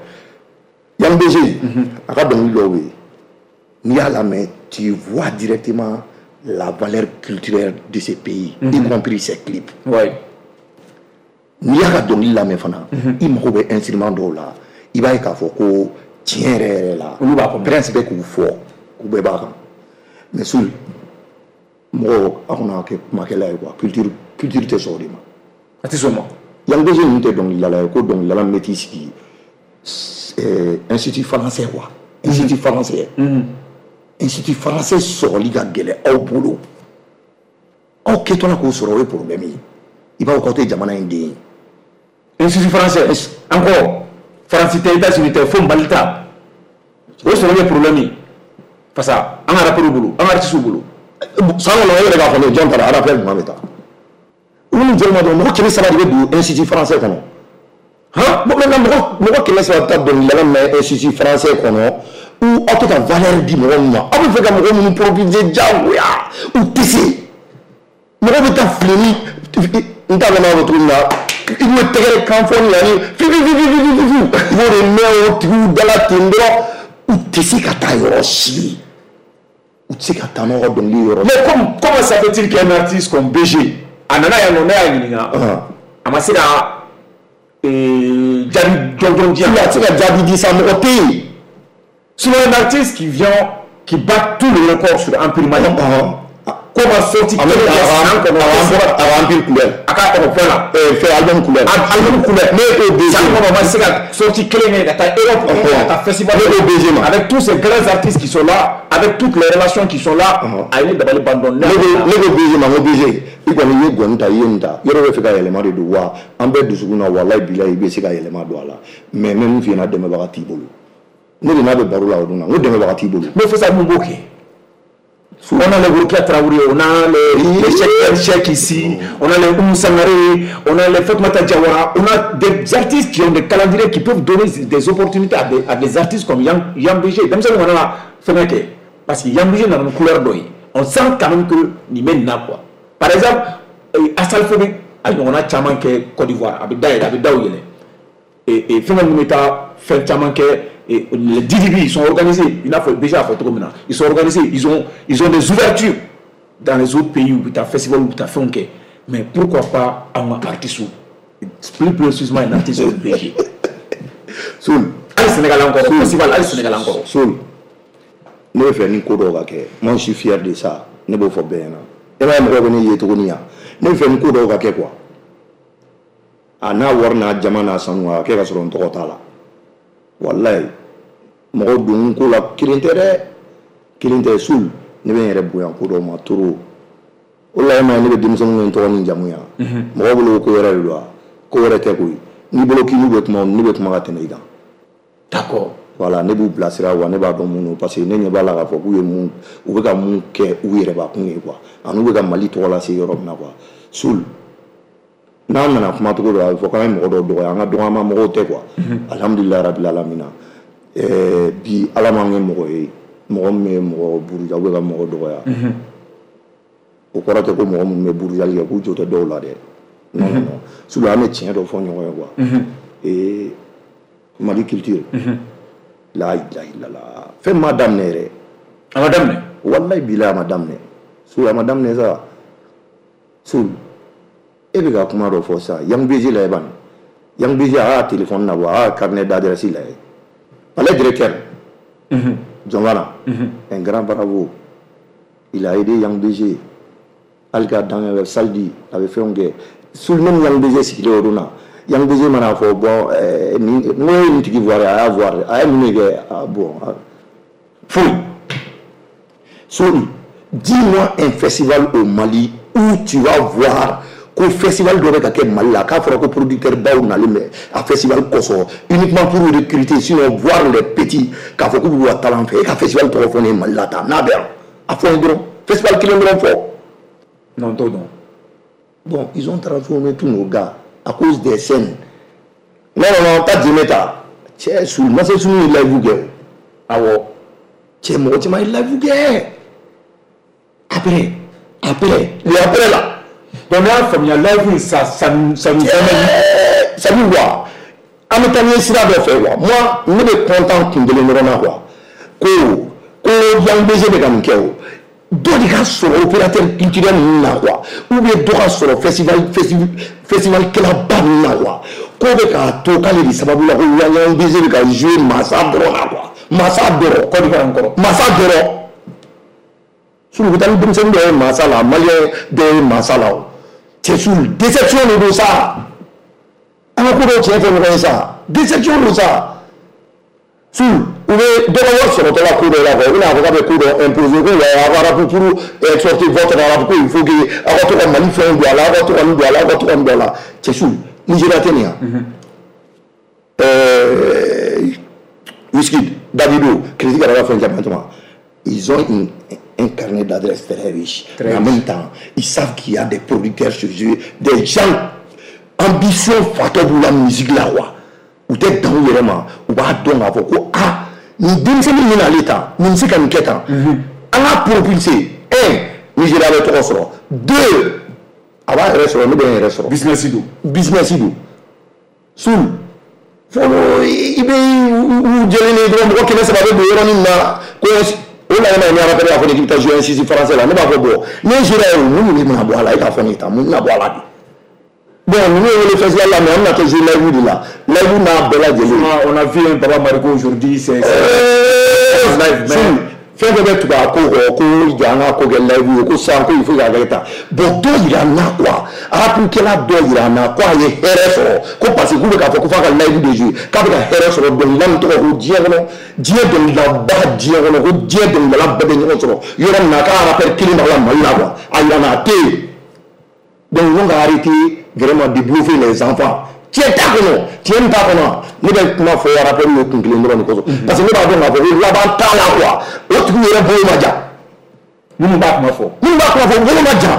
Yang BG, a ka dɔnkili dɔw bɛ yen. N'i y'a lamɛn, tu vois directement la valeur culturelle de ce pays, y compris ses clips. N'i y'a ka dɔnkili lamɛn fana, i mago bɛ instrument dɔw la, i b'a ye k'a fɔ ko tiɲɛ yɛrɛ yɛrɛ la, olu b'a kɔnɔ. Prince bɛ k'u fɔ, k'u bɛɛ b'a kan. Mais Soul, mɔgɔw aw kana kɛ kumakɛla ye quoi, culture tɛ sɔn o de ma. A tɛ sɔn o ma. Yang BG ninnu tɛ dɔnkilidala ye, ko dɔnkilidala min bɛ t'i sigi institut français quoi. Institut français. Institut français sɔrɔli ka gɛlɛn aw bolo. Aw kɛtɔla k'o sɔrɔ, o ye problème ye. I b'a fɔ k'aw tɛ jamana in den ye. Institut français encore, Faransi tɛ, États-Unis tɛ, fo Mali ta. O sɔrɔli ye problème ye. Parce que an ka rappeurs bolo, an ka artistes bolo. San kɔnɔ e yɛrɛ k'a fɔ ne jɔn taara rappeur jumɛn bɛ taa? Olu ni jɔn ma dɔn, mɔgɔ 300 de bɛ don institut français kɔnɔ. Han, bon maintenant mɔgɔ 300 bɛ taa dɔnkilidala min na institut français kɔnɔ, ou aw tɛ ka valeur di mɔgɔ min ma, aw bɛ fɛ ka mɔgɔ minnu profiter diyagoya, u tɛ se. Mɔgɔ bɛ taa fili ni n t'a dɔn n'a bɛ cogo min na, i bɛ tɛgɛrɛ kan fɔ ni yanni fi fi fi fi fi fi fi, i b'o de mɛn o tigiw da la ten dɔrɔn, u tɛ se ka taa yɔrɔ si. U tɛ se ka taa n'aw ka dɔnkili yɔrɔ. Mais comment ça fait-il qu'un artiste comme BG, a nana yan nɔ, ne y'a ɲininka, a ma se ka jaabi jɔnjɔn di yan. A tɛ se ka jaabi di sa, mɔgɔ tɛ yen. Sinon un artiste qui vient, qui bat tous les records sur Empire Mali. Ko ma sorti kelen kɛ san kɔnɔ. A ka Empire kunbɛn. A ka fɛn la. Fɛn album kunbɛn. Album kunbɛn. Ne ko BG. San kɔnɔ ma se ka sorti kelen kɛ ka taa Europe, ka taa festival. Ne ko BG ma. Avec tous ces grands artistes qui sont là, avec toutes les relations qui sont là, a ye ne dabali ban dɔɔnin. Ne ko BG ma, n ko BG, i kɔni i ye gɔni ta, i ye nin ta, yɔrɔ bɛ fɛ ka yɛlɛma de don wa, an bɛɛ dusukun na walayi bilayi i bɛ se ka yɛlɛma don a la, mais n bɛ min f'i ɲɛna, dɛmɛbaga t'i bolo. Ne de n'a bɛ baro la o don na, n ko dɛmɛbaga t'i bolo. Mais fo sa mun b'o kɛ? On a les Rokia Traoré, on a les Cheikh ici, on a les Oumou Sangaré, on a les Fatoumata Diawara, on a des artistes qui ont des calendriers qui peuvent donner des opportunités à des artistes comme Yang BG. Denmisɛnninw kana na fɛngɛ kɛ, parce que Yang BG nana ni couleur dɔ ye. On sent quand même que nin bɛ nin na quoi. Par exemple, Assalfo bɛ a ɲɔgɔnna caman kɛ Côte d'Ivoire, a bɛ da yɛlɛ, a bɛ daw yɛlɛ. Et fɛngɛ minnu bɛ taa fɛn caman kɛ. Et les DDB, ils sont organisés. Il a déjà fait trop maintenant. Ils sont organisés. Ils ont des ouvertures dans les autres pays où tu as festival, où tu as fait un quai. Mais pourquoi pas un artiste, plus précisément un artiste au BG. Soul. Allez Sénégal encore. Festival, allez Sénégal encore. Soul. Nous faisons une code. Moi, je suis fier de ça. Nous faisons bien. Et là, je suis fier. Nous faisons une code quoi. Ana warna jamana sanwa kɛ ka sɔrɔ n tɔgɔ t'a la. Walayi, mɔgɔ don ko la kelen tɛ dɛ, kelen tɛ. Soul, ne bɛ n yɛrɛ bonya ko dɔw ma trop. O la e ma ye ne bɛ denmisɛnninw ye n tɔgɔ ni jamu yan. Mɔgɔw bolo ko wɛrɛ de don wa, ko wɛrɛ tɛ koyi. N'i bolo k'i n'u bɛ kuma, ne bɛ kuma ka tɛmɛ i kan. D'accord. Voilà, ne b'u bilasira wa, ne b'a dɔn mun don, parce que ne ɲɛ b'a la k'a fɔ k'u ye mun, u bɛ ka mun kɛ u yɛrɛbakun ye quoi, ani u bɛ ka Mali tɔgɔ lase yɔrɔ min na quoi. Soul, n'an nana kuma cogo dɔ la, a bɛ fɔ k'an ye mɔgɔ dɔw dɔgɔya, an ka dɔgɔyama mɔgɔw tɛ quoi. Alhamdulilayi rabil alamina. Bi Ala m'an kɛ mɔgɔ ye, mɔgɔ min bɛ mɔgɔ buruja ou bɛ ka mɔgɔ dɔgɔya. O kɔrɔ tɛ ko mɔgɔ minnu bɛ burujali kɛ k'u jo tɛ dɔw la dɛ. Non non non. Soul, an bɛ tiɲɛ dɔ fɔ ɲɔgɔn ye quoi. Mali culture. La ilaha illallah. Fɛn ma daminɛ yɛrɛ. A ma daminɛ. Wallahi bilahi a ma daminɛ. Soul, a ma daminɛ sa. Soul, e bɛ ka kuma dɔ fɔ sisan, Yang BG la bani. Yang BG a y'a téléphone nabɔ, a y'a carnet d'adresse lajɛ. Palais directeur. Jɔnbana. Un grand bravo. Il a aidé Yang BG. Hali k'a dan kɛ salle di, a bɛ fɛnw kɛ. Soul, même Yang BG sigilen o don na, Yang BG mana fɔ bon nin n ko ye nin tigi voir, a y'a voir, a ye mun de kɛ, ah bon, foyi. Soul, dis-moi un festival au Mali où tu vas voir ko festival dɔ bɛ ka kɛ Mali la, k'a fɔra ko producteur baw nalen bɛ a festival kosɔn uniquement pour recruter, sinon voir les petits k'a fɔ k'u b'u ka talent fɛ. E ka festival tɔgɔ fɔ ne ye Mali la tan, n'a bɛ yan, a fɔ n ye dɔrɔn, festival kelen dɔrɔn fɔ. Non, t'o dɔn. Cɛ su Masa Sunu ye live kɛ o. Awɔ. Cɛ mɔgɔ caman ye live kɛ. Après après le après là. Donc ne y'a faamuya live ça nous amène. Ça veut quoi? An bɛ taa ni sira dɔ fɛ quoi. Moi ne bɛ content kun kelen dɔrɔn na quoi. Ko Young BG bɛ ka nin kɛ o. Dɔ de ka sɔrɔ opérateur culturel ninnu na quoi. Ou bien dɔ ka sɔrɔ festival kɛlaba ninnu na quoi. Ko bɛ k'a to k'ale de sababu la ko Young BG bɛ ka jouer masa dɔrɔn na quoi. Masa dɔrɔn. Côte d'Ivoire encore. Masa dɔrɔn. Sulu bɛ taa ni denmisɛnnin dɔ ye masa la, malien dɔ ye masa la o. Cɛ Sulu déception de don sa. An ka ko dɔw tiɲɛ fɔ ɲɔgɔn ye sa. Déception don sa. Sulu u bɛ dɔ ka wari sɔrɔtɔ la ko dɔ la quoi. U bɛna a fɔ k'a bɛ ko dɔ imposer ko wa aw ka rap pour exporter votre rap ko il faut que aw ka to ka Mali fɛnw don a la, aw ka to ka nin don a la, aw ka to ka nin don a la. Cɛ Sulu Nigéria tɛ nin yan. Wizkid, Davido, Critique ka fɛn caman caman. Ils ont un carnet d'adresses très riche. Très Mais en riche. même temps, ils savent qu'il y a des producteurs chez eux, des gens ambition fatɔ b'u la musique la quoi. U tɛ dan u yɛrɛ ma, u b'a dɔn k'a fɔ ko ah nin denmisɛnnin min n'ale tan, nin bɛ se ka nin kɛ tan. An k'a propulser. Un, Nigéria bɛ tɔgɔ sɔrɔ. Deux, a b'a yɛrɛ sɔrɔ, ne bɛ n yɛrɛ sɔrɔ. Business don. Business don. Sulu fɔlɔ i bɛ u jɛlen de dɔrɔn mɔgɔ 300 bɛ don yɔrɔnin min na ko o la ni ala b'a fɔ ne k'i bɛ taa jouer un sisi français la, ne b'a fɔ bon ne sera yen mun de bɛna bɔ a la, e k'a fɔ ne ta mun bɛna bɔ a la bi. Bon ninnu ye wele festival la mais an bɛna kɛ jouer live de la, live n'a bɛɛ lajɛlen. On a vu un Baba Mariko aujourd'hui, c'est live mais fɛn fɛn bɛ tugu a ko kɔ ko jɔ an ka ko kɛ live ye ko sisan ko il faut k'a kɛ tan. Bon dɔ yira n na quoi, rapkɛla dɔ yira n na ko a ye hɛrɛ sɔrɔ ko parce que k'u bɛ k'a fɔ ko f'a ka live de jouer k'a bɛ ka hɛrɛ sɔrɔ dɔnkilida min tɔgɔ ko diɲɛ kɔnɔ, diɲɛ dɔnkilidaba diɲɛ kɔnɔ ko diɲɛ dɔnkilidala bɛɛ bɛ ɲɔgɔn sɔrɔ yɔrɔ min na k'a rappeur kelen b'a la Mali la quoi, a yira n na a tɛ yen. Donc ils ont arrêté vraiment de bluffer les enfants. Tiɲɛ t'a kɔnɔ, tiɲɛ min t'a kɔnɔ, ne bɛ kuma fɔ rappeur ye kun kelen dɔrɔn de kosɔn. Parce que ne b'a dɔn k'a fɔ ko laban t'a la quoi, o tigi yɛrɛ bolo ma jan. Minnu b'a kuma fɔ. Minnu b'a kuma fɔ u bolo ma jan.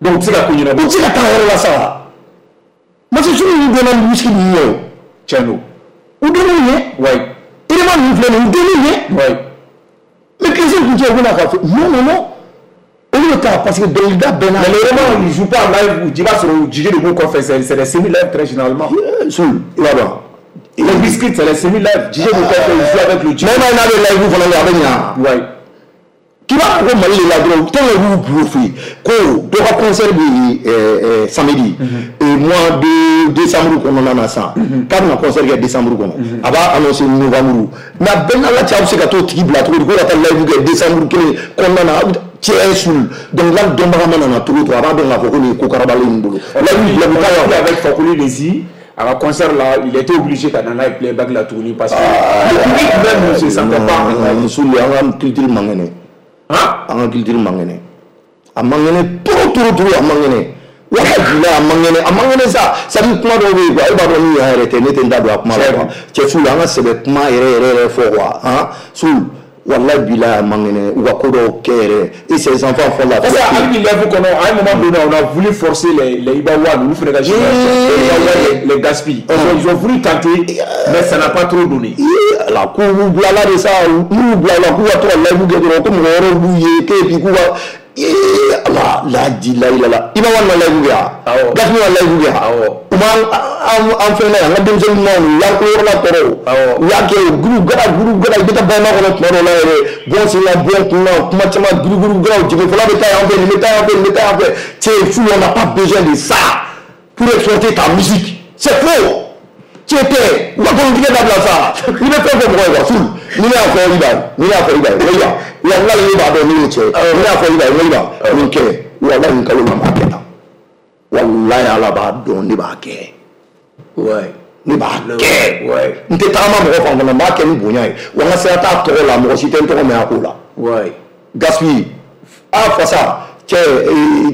Donc u tɛ se ka ko ɲɛnabɔ. U tɛ se ka taa yɔrɔ la sa. Masa Sunu ninnu donna ni whisky ninnu ye o. Tiɲɛ don. U donn'u ɲɛ. Ouais. Irima ninnu filɛ nin ye, u donn'u ɲɛ. Ouais. Mais Christian kun cɛ u bɛna k'a fɔ non non non. Olu bɛ taa parce que dɔnkilida bɛɛ n'a. Mais vraiment ils jouent pas en live, i b'a sɔrɔ DJ de b'u kɔfɛ, c'est des semi-live très généralement. Sulu i b'a dɔn. Les biscuits c'est les semi-live, DJ b'u kɔfɛ, ils jouent avec le DJ. Mais n'a bɛ live fana kɛ a bɛ ɲa. Ouais. K'i b'a fɔ ko Mali de la dɔrɔn tant que b'u bluffé ko dɔ ka concert bɛ samedi mois de décembre kɔnɔna na sisan k'a bɛna concert kɛ décembre kɔnɔ, a b'a annoncé novembre, mais a bɛɛ n'Ala cɛ a bɛ se ka t'o tigi bila cogo di ko ka taa live kɛ décembre kelen kɔnɔna na, cɛ Sulu dɔnkilida dɔnbaga mana na cogo o cogo a b'a dɔn k'a fɔ ko nin ye ko karabalen in bolo. Live bila bɛ taa yan. Avec Fakoli Lezi, à la concert là, il était obligé ka na n'a ye playback la tuguni parce que le public même ne se sentait pas. Sulu an ka culture man kɛnɛ. An ka culture man kɛnɛ, a man kɛnɛ trop trop trop, a man kɛnɛ walahi a man kɛnɛ, a man kɛnɛ sa. C'est à dire kuma dɔw bɛ yen quoi, e b'a dɔn ni yan yɛrɛ tɛ ne tɛ n da don a kuma la quoi. Cɛ Sulu an ka sɛbɛ kuma yɛrɛ yɛrɛ yɛrɛ fɔ quoi, han Sulu walahi bilahi a man kɛnɛ u ka ko dɔw kɛ yɛrɛ et ces enfants font la. Parce que hali ni live kɔnɔ à un moment donné on a voulu forcer les Iba One, olu fana ka génération, les Iba One, les Gaspi, ils ont voulu tenter mais ça n'a pas trop donné. La k'u b'u bila la de sa, n'u bila la k'u ka to ka live kɛ dɔrɔn ko mɔgɔ wɛrɛw b'u ye k'e puis k'u ka ala la di la la la Iba One ma live kɛ wa, Gaspi ma live kɛ wa, u ma an fɛn na yan, an ka denmisɛnnin ɲumanw u y'an ko yɔrɔ la tɔɔrɔ o, u y'a kɛ o guru gara guru gara i bɛ taa bayɛlɛma kɔnɔ tuma dɔw la yɛrɛ bɔn sen la bɔn kun na kuma caman guru guru garaw jigin fɔlɔ bɛ taa yan fɛ nin bɛ taa yan fɛ nin bɛ taa yan fɛ. Cɛ Sulu on n'a pas besoin de ça pour exporter ta musique, c'est faux. Tiɲɛ tɛ u ka nkalontigɛ dabila sa, n'i bɛ fɛn fɔ mɔgɔ ye quoi Sulu ni ne y'a fɔ Iba ye, ni ne y'a fɔ Iba ye n ko Iba walahi ne b'a dɔn ne ye cɛ ye, ni ne y'a fɔ Iba ye n ko Iba nin kɛ walahi nin kalo la n b'a kɛ tan, walahi Ala b'a dɔn ne b'a kɛ. Ne b'a kɛ, n tɛ tagama mɔgɔ fan fana, n b'a kɛ ni bonya ye wa n ka sira t'a tɔgɔ la, mɔgɔ si tɛ n tɔgɔ mɛn a ko la. Gaspi a fasa cɛ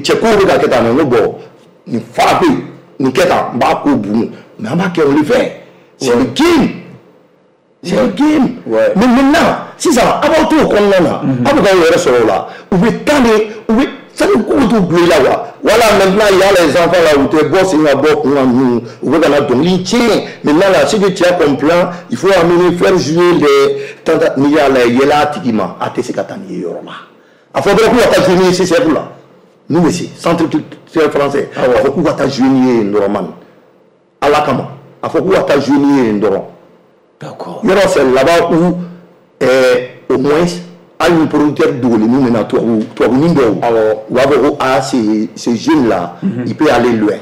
cɛ kow bɛ ka kɛ tan, n ko bon nin fara bɛ yen nin kɛ tan n b'a ko bunu. Mais an b'a kɛ o de fɛ, c'est le game, c'est le game. Mais maintenant sisan a b'aw to o kɔnɔna na, aw bɛ k'aw yɛrɛ sɔrɔ o la, u bɛ taa de u bɛ Ça veut dire tout oublier là quoi. Voilà maintenant il y a les enfants là où tu es boss, il va bɔ kun kan ninnu u bɛ ka na dɔnkili tiɲɛ. Maintenant là ce que tu as comme plan, il faut amener faire jouer les tanta n'i y'a lajɛ yɛlɛ a tigi ma a tɛ se ka taa nin ye yɔrɔ la. A fɔ dɔrɔn k'u ka taa jouer ni ye CCF la. Nous aussi, centre culturel français. A fɔ k'u ka taa jouer ni ye yen dɔrɔn man. Ala kama. A fɔ k'u ka taa jouer ni ye yen dɔrɔn. D'accord. Yɔrɔ c'est là-bas où au moins hali ni producteur dogolen min bɛna tubabunin dɔw u b'a fɔ ko ah ce jeune là il peut aller loin.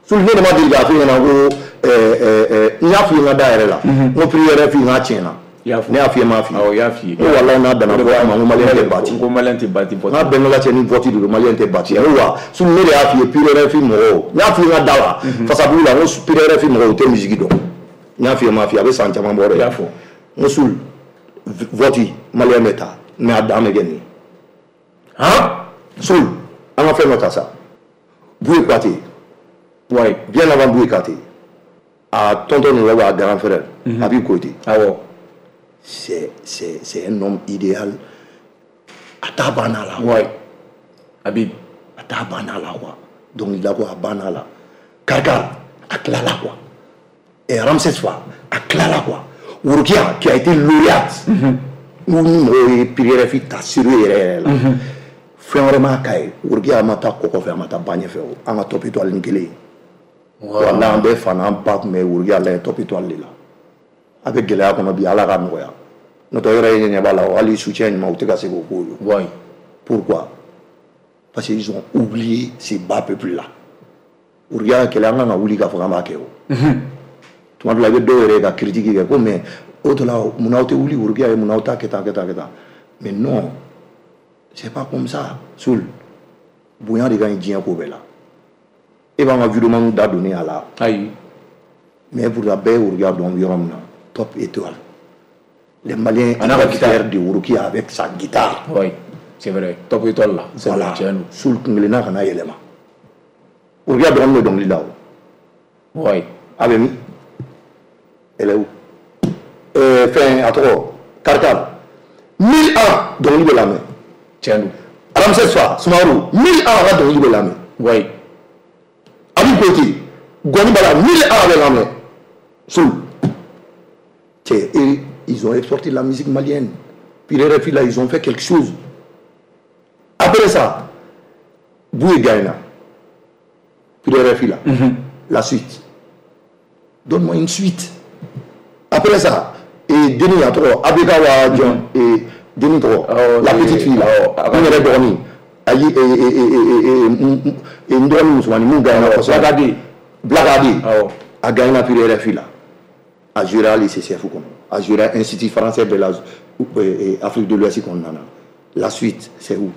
Sulu ne de ma deli k'a f'i ɲɛna ko n y'a f'i ye n ka da yɛrɛ la n ko prix yɛrɛ f'i n k'a tiɲɛna. Ne y'a f'i ye n m'a f'i ye. Awɔ, i y'a f'i ye. N ko walahi n'a danna bɔ a ma n ko malien tɛ bati. N ko malien tɛ bati. N k'a bɛɛ n'Ala cɛ ni vote de don malien tɛ bati. N ko wa Sulu ne de y'a f'i ye prix yɛrɛ f'i mɔgɔw n y'a f'i ye n ka da la Fasabugu la n ko prix yɛrɛ f'i mɔgɔw u tɛ musique dɔn. N y'a f'i ye n m'a f'i ye a bɛ san caman bɔ dɛ. I y'a fɔ. N ko Sulu vote malien bɛ taa. Mais a dan bɛ kɛ nin ye. Han? Soul, an ka fɛn dɔ ta sa. Bouye Kouyaté. Ouais. Bien avant Bouye Kouyaté. A tonton ninnu a grand frère. Habib Koité. Awɔ. C'est un homme idéal. A t'a banna la. Ouais. Habib. A t'a banna la quoi. Dɔnkilida ko a banna la. Karikar a tilala quoi. Et Ramsès Fa a tilala quoi. Worokiya qui a été lauréate. Ni mɔgɔw ye prix RFI ta sérieux yɛrɛ yɛrɛ la fɛn wɛrɛ m'a k'a ye Worokiya ma taa kɔkɔ fɛ a ma taa ba ɲɛfɛ o an ka top étoile ni kelen ye walahi an bɛɛ fa n'an ba tun bɛ Worokiya lajɛ top étoile de la a bɛ gɛlɛya kɔnɔ bi Ala ka nɔgɔya n'o tɛ yɔrɔ ye ɲɛ b'a la hali soutien ɲuman u tɛ ka se k'o k'o ye. Pourquoi? Parce qu'ils ont oublié ces bas peuples là. Worokiya kɛlɛ an kan ka wuli k'a fɔ k'an b'a kɛ o tuma dɔ la i bɛ dɔw yɛrɛ ka critique kɛ ko mais o de la munna aw tɛ wuli Worokiya ye munna aw t'a kɛ tan kɛ tan kɛ tan mais non c'est pas comme ça. Soul bonya de ka ɲi diɲɛ ko bɛɛ la e b'an ka videoman da donni a la ayi mais pourtant bɛɛ ye Worokiya dɔn yɔrɔ min na top étoile les Maliens a fiers de Worokiya avec sa guitare. Oui, c'est vrai, top étoile là. Voilà. Soul kunkelenna kana yɛlɛma Worokiya dɔgɔnin bɛ dɔnkili la o. Oui. A bɛ min? Elle est où? Fɛn a tɔgɔ Karikar 1000 ans dɔnkili bɛ lamɛn. Tiɲɛ don. Ramsès Fa Sumaworo 1000 ans a ka dɔnkili bɛ lamɛn. Oui. Habib Koité Gɔni Bala 1000 ans a bɛ lamɛn. Soul cɛ et ils ont exporté la musique malienne. Puis les RFI là ils ont fait quelque chose. Après ça Bouye gagne. Puis les RFI là. La suite. Donne-moi une suite. Après ça, et Denis a trop, Abekawa John, et Denis trop, la petite fille là, on est dormi. Aïe, et Ndormi Moussoumani, Moungana, Blagadi. Blagadi, a gagné la purée RFI là. A juré à l'ICCF, a juré à l'Institut français de l'Afrique de l'Ouest qu'on en a. La suite, c'est où?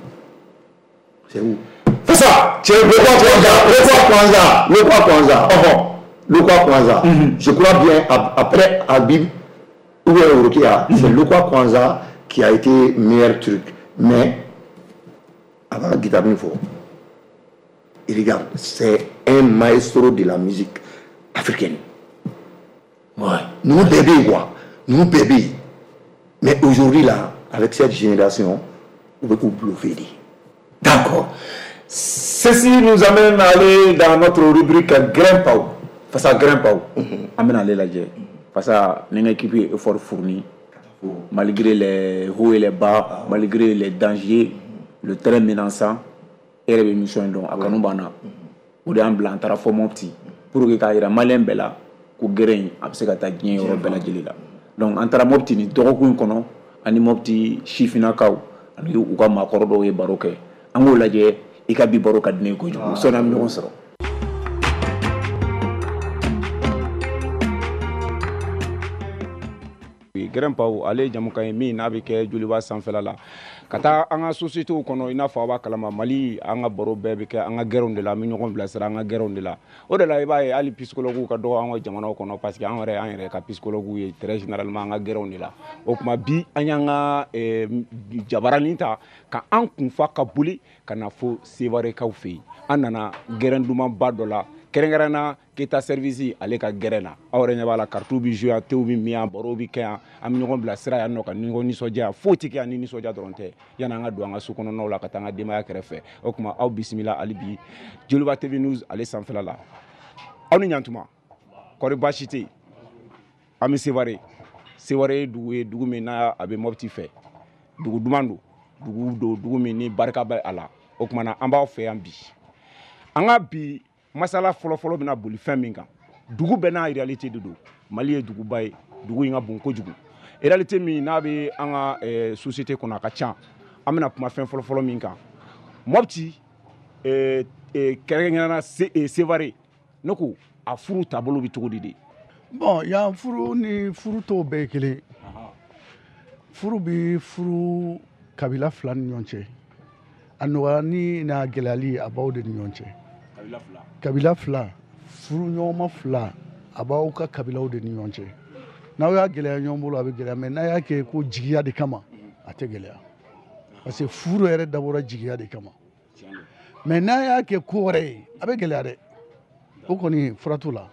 C'est où? C'est ça! C'est le Kwanza, le Kwanza, le Kwanza. Je crois bien, après Habib ou bien Worokiya, c'est le Kwanza qui a été meilleur truc. Mais, avant la guitare, il faut. Il regarde, c'est un maestro de la musique africaine. Ouais. Nous bébés, quoi. Nous bébés. Mais aujourd'hui, là, avec cette génération, on veut bluffer. D'accord. Ceci nous amène à aller dans notre rubrique Grimpao. Face à Grimpao, amène à aller la guerre. Face à l'équipe est fort fournie, malgré les hauts et les bas, malgré les dangers, le terrain menaçant, et les missions donc à Kanoubana, ou des blanc taara fo Mopti pour que k'a yira malien bɛɛ la ko gɛrɛ in a bɛ se ka taa diɲɛ yɔrɔ bɛɛ lajɛlen la. Donc an taara Mopti nin dɔgɔkun in kɔnɔ ani Mopti sifinnakaw ani u ka maakɔrɔ dɔw ye baro kɛ. An k'o lajɛ i ka bi baro ka di ne ye kojugu. Sɔnni an bɛ ɲɔgɔn sɔrɔ. Gɛrɛnpaw ale jamukan ye min n'a bɛ kɛ Joliba sanfɛla la ka taa an ka sociétés kɔnɔ i n'a fɔ a b'a kalama Mali an ka baro bɛɛ bɛ kɛ an ka gɛrɛnw de la an bɛ ɲɔgɔn bilasira an ka gɛrɛnw de la o de la i b'a ye hali psychologues ka dɔgɔ an ka jamanaw kɔnɔ parce que an yɛrɛ an yɛrɛ ka psychologues ye très généralement an ka gɛrɛnw de la o tuma bi an y'an ka jabaranin ta ka an kunfa ka boli ka na fo Sevarekaw fɛ yen an nana gɛrɛn dumanba dɔ la Kɛrɛnkɛrɛn na Keta service ale ka gɛrɛn na. Aw yɛrɛ ɲɛ b'a la, karitiw bɛ jouer yan, tew bɛ min yan, barow bɛ kɛ yan, an bɛ ɲɔgɔn bilasira yan nɔ ka ɲɔgɔn nisɔndiya. Foyi tɛ kɛ yan ni nisɔndiya dɔrɔn tɛ. Yanni an ka don an ka so kɔnɔnaw la ka taa an ka denbaya kɛrɛfɛ. O tuma aw bisimila hali bi Joliba TV News ale sanfɛla la. Aw ni ɲantuma, kɔri baasi tɛ yen. An bɛ Sevare. Sevare ye dugu ye, dugu min n'a a bɛ Mopti fɛ. Dugu duman don, dugu don, dugu min ni barika bɛ a la. O tuma na an b'aw fɛ yan bi. An ka bi masala fɔlɔfɔlɔ bɛna boli fɛn min kan, dugu bɛɛ n'a réalité de don. Mali ye duguba ye, dugu in ka bon kojugu. Réalité min n'a bɛ an ka société kɔnɔ a ka ca. An bɛna kuma fɛn fɔlɔfɔlɔ min kan, Mopti, kɛrɛnkɛrɛnnenya la Sevare, ne ko a furu taabolo bɛ cogo di de? Bon, yan furu ni furu tɔw bɛɛ ye kelen. Furu bɛ furu kabila fila ni ɲɔgɔn cɛ. A nɔgɔya ni n'a gɛlɛyali a b'aw de ni ɲɔgɔn cɛ. Kabila fila, furu ɲɔgɔnma fila, a b'aw ka kabilaw de ni ɲɔgɔn cɛ. N'aw y'a gɛlɛya ɲɔgɔn bolo, a bɛ gɛlɛya, mais n'a y'a kɛ ko jigiya de kama, a tɛ gɛlɛya. Parce que furu yɛrɛ dabɔra jigiya de kama. Mais n'a y'a kɛ ko wɛrɛ ye, a bɛ gɛlɛya dɛ. O kɔni fura t'o la.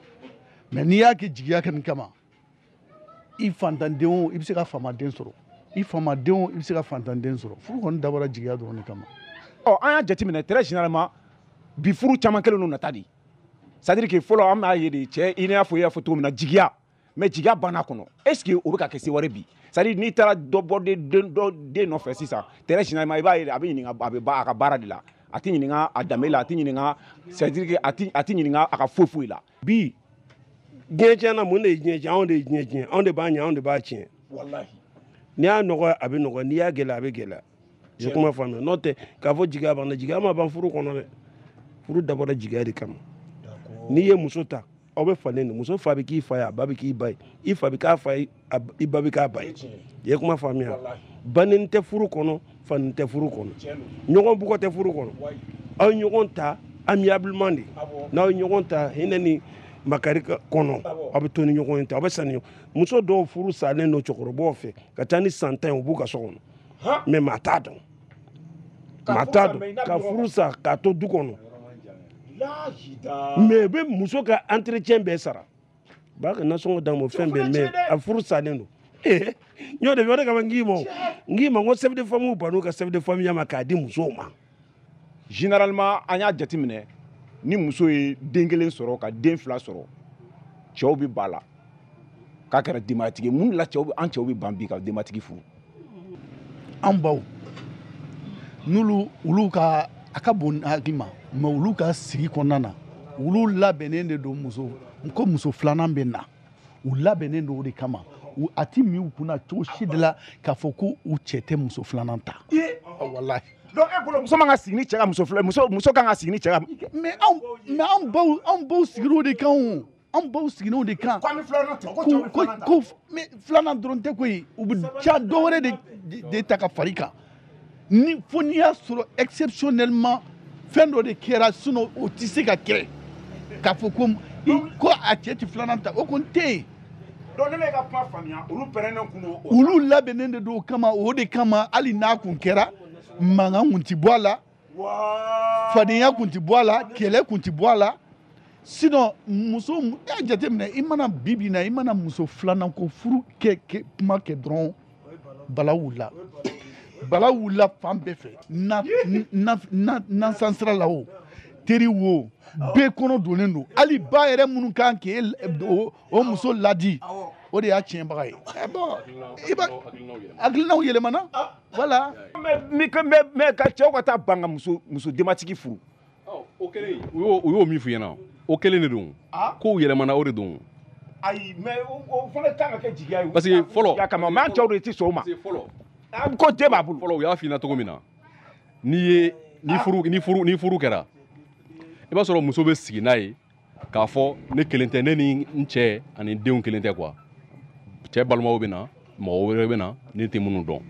Mais n'i y'a kɛ jigiya kɔni kama, i fantanden o, i bɛ se ka faamaden sɔrɔ. I faamaden o, i bɛ se ka fantanden sɔrɔ. Furu kɔni dabɔra jigiya dɔrɔn de kama. Ɔ, an y'a jateminɛ très généralement bi furu caman kɛlen don nata de. C'est à dire que fɔlɔ an b'a ye de, cɛ i n'a fɔ i y'a fɔ cogo min na, jigiya, mais jigiya banna kɔnɔ. Est ce que o bɛ ka kɛ Sevare bi? C'est à dire n'i taara dɔ bɔ den dɔ den nɔfɛ sisan, très généralement i b'a ye a bɛ ɲininka, a bɛ ba a ka baara de la, a tɛ ɲininka a danbe la, a tɛ ɲininka, c'est à dire que a tɛ ɲininka a ka foyi foyi la. Bi diɲɛ tiɲɛna, mun de ye diɲɛ tiɲɛ? Anw de ye diɲɛ tiɲɛ, anw de b'a ɲɛ, anw de b'a tiɲɛ. Walahi. N'i y'a nɔgɔya a bɛ nɔgɔya, n'i y'a gɛlɛya a bɛ gɛlɛya. I ye kuma faamuya? N'o tɛ k'a fɔ jigiya banna, jigiya ma ban furu kɔnɔ dɛ. Furu dabɔra jigiya de kama. N'i ye muso ta, aw bɛ falen de. Muso fa bɛ k'i fa ye, a ba bɛ k'i ba ye, i fa bɛ k'a fa ye, i ba bɛ k'a ba ye. I ye kuma faamuya? Banni tɛ furu kɔnɔ, fani tɛ furu kɔnɔ, ɲɔgɔn bugɔ tɛ furu kɔnɔ. Aw ye ɲɔgɔn ta amiablement de. N'aw ye ɲɔgɔn ta hinɛ ni makari kɔnɔ, aw bɛ to ni ɲɔgɔn ye ten, aw bɛ sa ni ɲɔgɔn. Muso dɔw furu salen don cɛkɔrɔbaw fɛ ka taa ni san 10 ye, u b'u ka so kɔnɔ. Mais maa t'a dɔn. Maa t'a dɔn. Ka furu sa k'a to du kɔnɔ. Mais bɛ muso ka entretien bɛɛ sara. B'a ka nasɔngɔ d'a ma, fɛn bɛɛ, mais a furu salen don. N y'o de fɔ, o de kama n k'i ma, n k'i ma n ko chef de famille ban'u ka chef de famille ma k'a di musow ma. Généralement an y'a jateminɛ ni muso ye den kelen sɔrɔ ka den fila sɔrɔ, cɛw bɛ ba la k'a kɛra denbayatigi ye. Mun de la an cɛw bɛ ban bi ka denbatigi furu? An baw n'olu olu ka a ka bon hakili ma, mais olu ka sigi kɔnɔna na, olu labɛnnen de don muso ko muso filanan bɛ na, u labɛnnen don o de kama. A ti min u kunna cogo si de la k'a fɔ ko u cɛ tɛ muso filanan ta. Walahi. Donc e bolo muso man ka sigi ni cɛ ka muso fila, muso kan ka sigi ni cɛ ka. Mais anw baw sigira o de kan o. Anw baw sigira o de kan. Ko an bɛ filanan ta, ko cɛw bɛ filanan ta. Ko mais filanan dɔrɔn tɛ koyi, u bɛ ca dɔ wɛrɛ de ta ka far'i kan. Ni fo n'i y'a sɔrɔ exceptionnellement fɛn dɔ de kɛra, sinon o tɛ se ka kɛ k'a fɔ ko a cɛ tɛ filanan ta, o kɔni tɛ yen. Donc ne bɛ ka kuma faamuya, olu pɛrɛnnen kun don. Olu labɛnnen de don o kama, o de kama hali n'a kun kɛra, mankan kun ti bɔ a la, fadenya kun ti bɔ a la, kɛlɛ kun ti bɔ a la. Sinon muso, e y'a jateminɛ, i mana bi bi in na, i mana muso filanan ko furu kɛ kuma kɛ dɔrɔn, bala wulila. Bala wulila fan bɛɛ fɛ, nasan sira la o, teri wo, bɛɛ kɔnɔ donnen don. Hali ba yɛrɛ minnu kan k'e o muso ladi, o de y'a tiɲɛbaga ye. Bon, i b'a hakilinaw yɛlɛmana, voilà. Mais ka cɛw ka taa ban ka muso denbatigi furu. O kelen, u y'o min f'i ɲɛna, o kelen de don. Kow yɛlɛmana, o de don. Ayi, mais o fana kan ka kɛ jigiya ye. Parce que fɔlɔ. Jigiya kama, mais an cɛw de tɛ sɔn o ma. Parce que fɔlɔ. Ko den b'a bolo. Fɔlɔ u y'a f'i ɲɛna cogo min na, n'i ye ni furu kɛra, i b'a sɔrɔ muso bɛ sigi n'a ye k'a fɔ ne kelen tɛ, ne ni n cɛ ani denw kelen tɛ quoi. Cɛ balimaw bɛ na, mɔgɔ wɛrɛ bɛ na, ne tɛ minnu dɔn.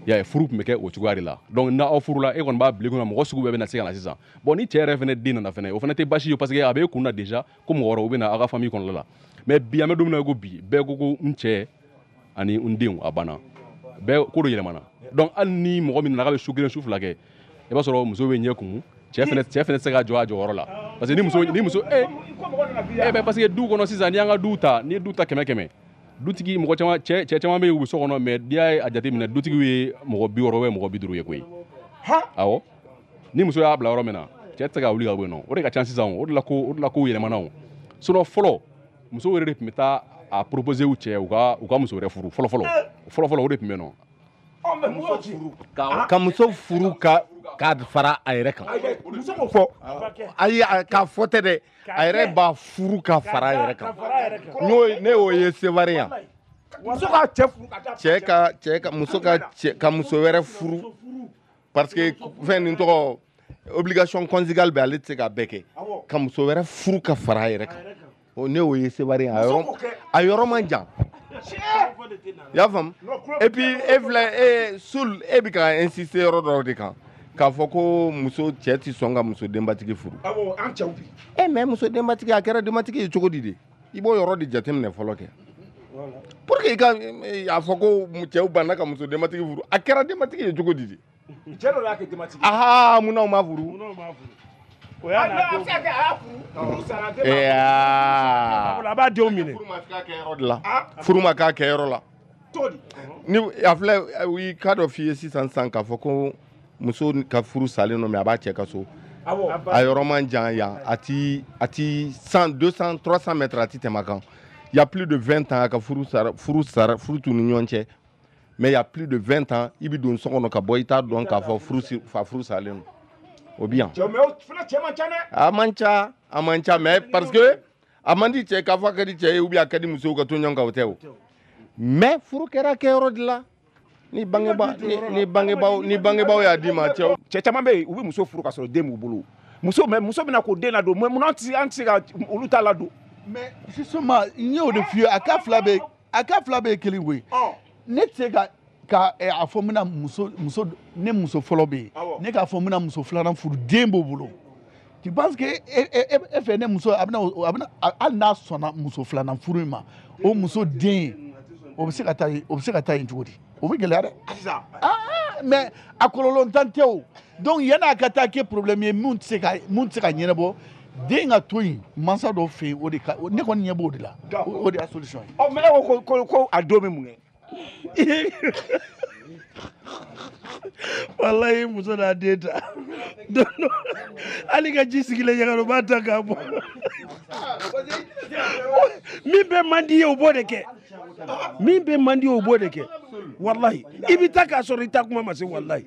I y'a ye, furu tun bɛ kɛ o cogoya de la. Donc n'aw furula, e kɔni b'a bila i kunna mɔgɔ sugu bɛɛ bɛ na se ka na sisan. Bon, ni cɛ yɛrɛ fɛnɛ den nana fɛnɛ, o fɛnɛ tɛ baasi ye parce que a b'e kun na déjà ko mɔgɔ wɛrɛw bɛ na aw ka famille kɔnɔna la. Mais bi an bɛ don min na i ko bi, bɛɛ ko n cɛ ani n denw, a banna. Bɛɛ ko dɔ yɛlɛmana. Donc hali ni mɔgɔ min nana k'a bɛ su kelen su fila kɛ, i b'a sɔrɔ muso bɛ ɲɛ kumu, Cɛ fɛnɛ tɛ se ka jɔ a jɔyɔrɔ la parce que ni muso bɛ parce que du kɔnɔ sisan n'i y'an ka du ta, n'i ye du ta 100 dutigi mɔgɔ caman cɛ caman bɛ yen u bɛ so kɔnɔ, mais n'i y'a jateminɛ dutigiw ye mɔgɔ 60 ou mɔgɔ 50 ye koyi. Awɔ, ni muso y'a bila yɔrɔ min na, cɛ tɛ se ka wuli ka bɔ yen nɔ. O de ka ca sisan, o de la ko yɛlɛmana o. Sinon fɔlɔ musow yɛrɛ de tun bɛ taa a proposer u cɛ u ka muso wɛrɛ furu fɔlɔ o de tun bɛ yen nɔ. Ka muso furu ka fara a yɛrɛ kan. Muso k'o fɔ. Ayi, k'a fɔ tɛ dɛ, a yɛrɛ b'a furu ka fara a yɛrɛ kan. Ne y'o ye Seware yan. Muso ka cɛ furu ka ka muso wɛrɛ furu parce que fɛn nin tɔgɔ obligation conjugale bɛ, ale tɛ se k'a bɛɛ kɛ. Ka muso wɛrɛ furu ka fara a yɛrɛ kan. Ne y'o ye Seware yan, a yɔrɔ man jan. I y'a faamu? Et puis e filɛ, e Sul, e bɛ ka insister yɔrɔ dɔw de kan k'a fɔ ko muso cɛ tɛ sɔn ka muso denbatigi furu. Awɔ, an cɛw bi. Mais muso denbatigi a kɛra denbatigi ye cogo di de? I b'o yɔrɔ de jateminɛ fɔlɔ kɛ. Pour que i ka a fɔ ko cɛw banna ka muso denbatigi furu, a kɛra denbatigi ye cogo di de? Cɛ dɔ y'a kɛ denbatigi. Aha, munna u ma furu? O y'a n'a denw. A b'a denw minɛ. Furu ma k'a kɛyɔrɔ la. Ni a filɛ, i k'a dɔ f'i ye sisan k'a fɔ ko muso ka furu salen don, mais a b'a cɛ ka so. A yɔrɔ man jan yan, a ti 100, 200, 300 mètres a ti tɛmɛ a kan. Il y a plus de 20 ans a ka furu t'u ni ɲɔgɔn cɛ. Mais il y a plus de 20 ans, i bɛ don so kɔnɔ ka bɔ, i t'a dɔn k'a fɔ furu salen don. O bi yan. A man ca, mais parce que a man di cɛ k'a fɔ a ka di cɛ ye ou bien a ka di musow ka to ɲɔgɔn kan, o tɛ o. Mais furu kɛra kɛyɔrɔ de la. Ni bangebaaw y'a d'i ma, cɛw. Cɛ caman bɛ yen, u bɛ muso furu ka sɔrɔ den b'u bolo. Muso bɛna k'o den ladon, mais munna an tɛ se ka olu ta ladon? Mais justement, n y'o de f'i ye, a ka fila bɛɛ ye kelen koyi. Ne tɛ se ka a fɔ n bɛna muso ne muso fɔlɔ bɛ yen, ne k'a fɔ n bɛna muso filanan furu, den b'o bolo. Tu penses que e fɛ ne muso a bɛna hali n'a sɔnna muso filanan furu in ma, o muso den o bɛ se ka taa yen, o bɛ se ka taa yen cogo di? O bɛ gɛlɛya dɛ. Mais a kɔlɔlɔ tan tɛ o. Donc yanni a ka taa kɛ problème ye mun tɛ se ka ɲɛnabɔ, den ka to yen mansa dɔw fɛ yen, o de ka ne kɔni ɲɛ b'o de la. O de y'a solution ye. Ɔ mais e ko ko a don bɛ mun kɛ? Walayi, muso n'a den ta hali ka ji sigilen ɲaga o b'a ta k'a bɔ. Min bɛ man di ye o b'o de kɛ, min bɛ man di ye o b'o de kɛ. Walayi, i bɛ taa k'a sɔrɔ i ta kuma ma se. Walayi.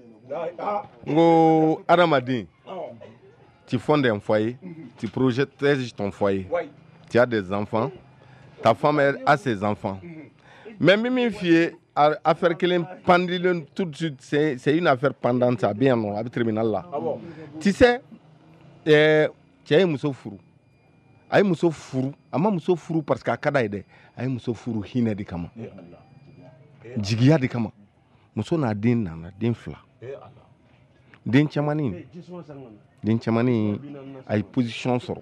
N ko adamaden, tu fondes un foyer, tu protèges ton foyer, tu as des enfants, ta femme a ses enfants. Mais min f'i ye, affaire kelen pendilen tout de suite, c'est une affaire pendante, a bɛ yan nɔ, a bɛ tribunal la. Tu sais, cɛ ye muso furu, a ye muso furu, a ma muso furu parce que a ka d'a ye dɛ, a ye muso furu hinɛ de kama, jigiya de kama. Muso n'a den nana, den fila, den cɛmannin a ye position sɔrɔ,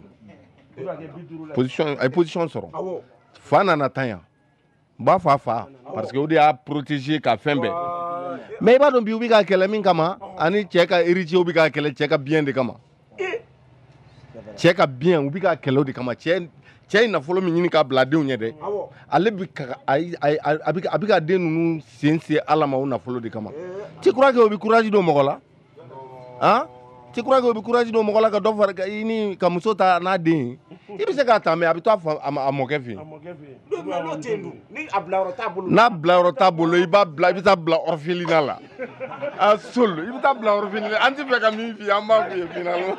fa nana tan yan. N b'a fɔ a fa parce que o de y'a protéger ka fɛn bɛɛ. Mais i b'a dɔn bi u bɛ ka kɛlɛ min kama, ani cɛ ka héritier bɛ ka kɛlɛ cɛ ka bien de kama. Cɛ ka bien, u bɛ ka kɛlɛ o de kama. Cɛ ye nafolo min ɲini k'a bila denw ɲɛ dɛ, ale bɛ ka a bɛ ka den ninnu sen se Ala ma o nafolo de kama. Tu crois que o bɛ courage don mɔgɔ la? Han? Tu crois que o bɛ courage don mɔgɔ la ka dɔ fara i ni ka muso ta n'a den ye? I bɛ se k'a ta, mais a bɛ to a mɔkɛ fɛ yen. N'a bilayɔrɔ t'a bolo, i b'a bila, i bɛ taa bila orphelinat la. A Sol, i bɛ taa bila orphelinat. An tɛ fɛ ka min f'i ye, an b'a f'i ye finalement.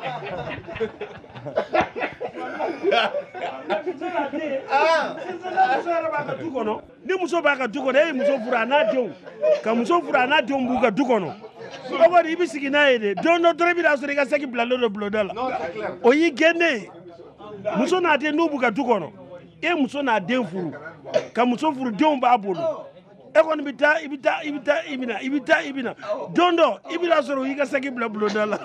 Ni muso b'a ka du kɔnɔ, e ye muso furu a n'a denw, ka muso furu a n'a denw b'u ka du kɔnɔ. O kɔni i bɛ sigi n'a ye de, don dɔ dɔrɔn i bɛ n'a sɔrɔ i ka saki bilalen don bulonda la. O y'i gɛnnen ye. Muso n'a den n'u b'u ka du kɔnɔ, e muso n'a den furu, ka muso furu denw b'a bolo. E kɔni bɛ taa, i bɛ taa, i bɛ taa, i bɛ na, i bɛ taa, i bɛ na. Don dɔ i bɛ n'a sɔrɔ o y'i ka saki bila bulonda la.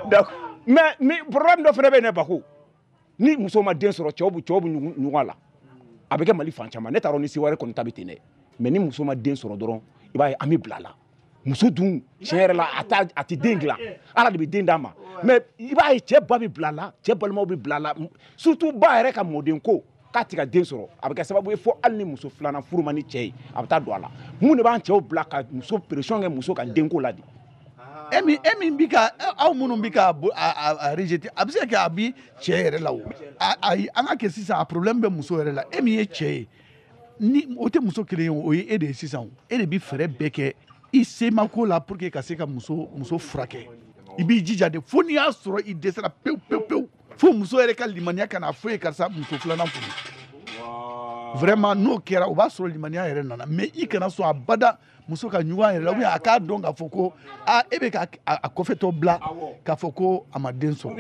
D'accord, mais ni problème dɔ fana bɛ yen dɛ, Bako. Ni muso ma den sɔrɔ, cɛw bɛ ɲugun a la. A bɛ kɛ Mali fan caman. Ne t'a dɔn ni Seware kɔni ta bɛ ten dɛ. Mais ni muso ma den sɔrɔ dɔrɔn, i b'a ye an bɛ bila a la. Muso dun tiɲɛ yɛrɛ la a tɛ den dilan, Ala de bɛ den d'a ma. Mais i b'a ye cɛ ba bɛ bila a la, cɛ balimaw bɛ bila a la, surtout ba yɛrɛ ka mɔden ko k'a tɛ ka den sɔrɔ, a bɛ kɛ sababu ye fo hali ni muso filanan furu man di cɛ ye, a bɛ taa don a la. Mun de b'an cɛw bila ka muso pression kɛ muso ka denko la de? E min bi ka aw minnu bi ka a rejeter, a bɛ se ka kɛ a bi cɛ yɛrɛ la o. Ayi, an ka kɛ sisan, a problème bɛ muso yɛrɛ la. E min ye cɛ ye, ni o tɛ muso kelen ye, o ye e de ye sisan. E de bi fɛɛrɛ bɛɛ kɛ i semako la pour que ka se ka muso furakɛ. I b'i jija de fo n'i y'a sɔrɔ i dɛsɛra pewu pewu pewu, fo muso yɛrɛ ka limaniya ka na fo ye karisa muso filanan furu. Vraiment n'o kɛra, o b'a sɔrɔ limaniya yɛrɛ nana. Mais i kana sɔn abada muso ka ɲugun a yɛrɛ la, ou bien a k'a dɔn k'a fɔ ko aa e bɛ ka a kɔfɛtɔ bila k'a fɔ ko a ma den sɔrɔ.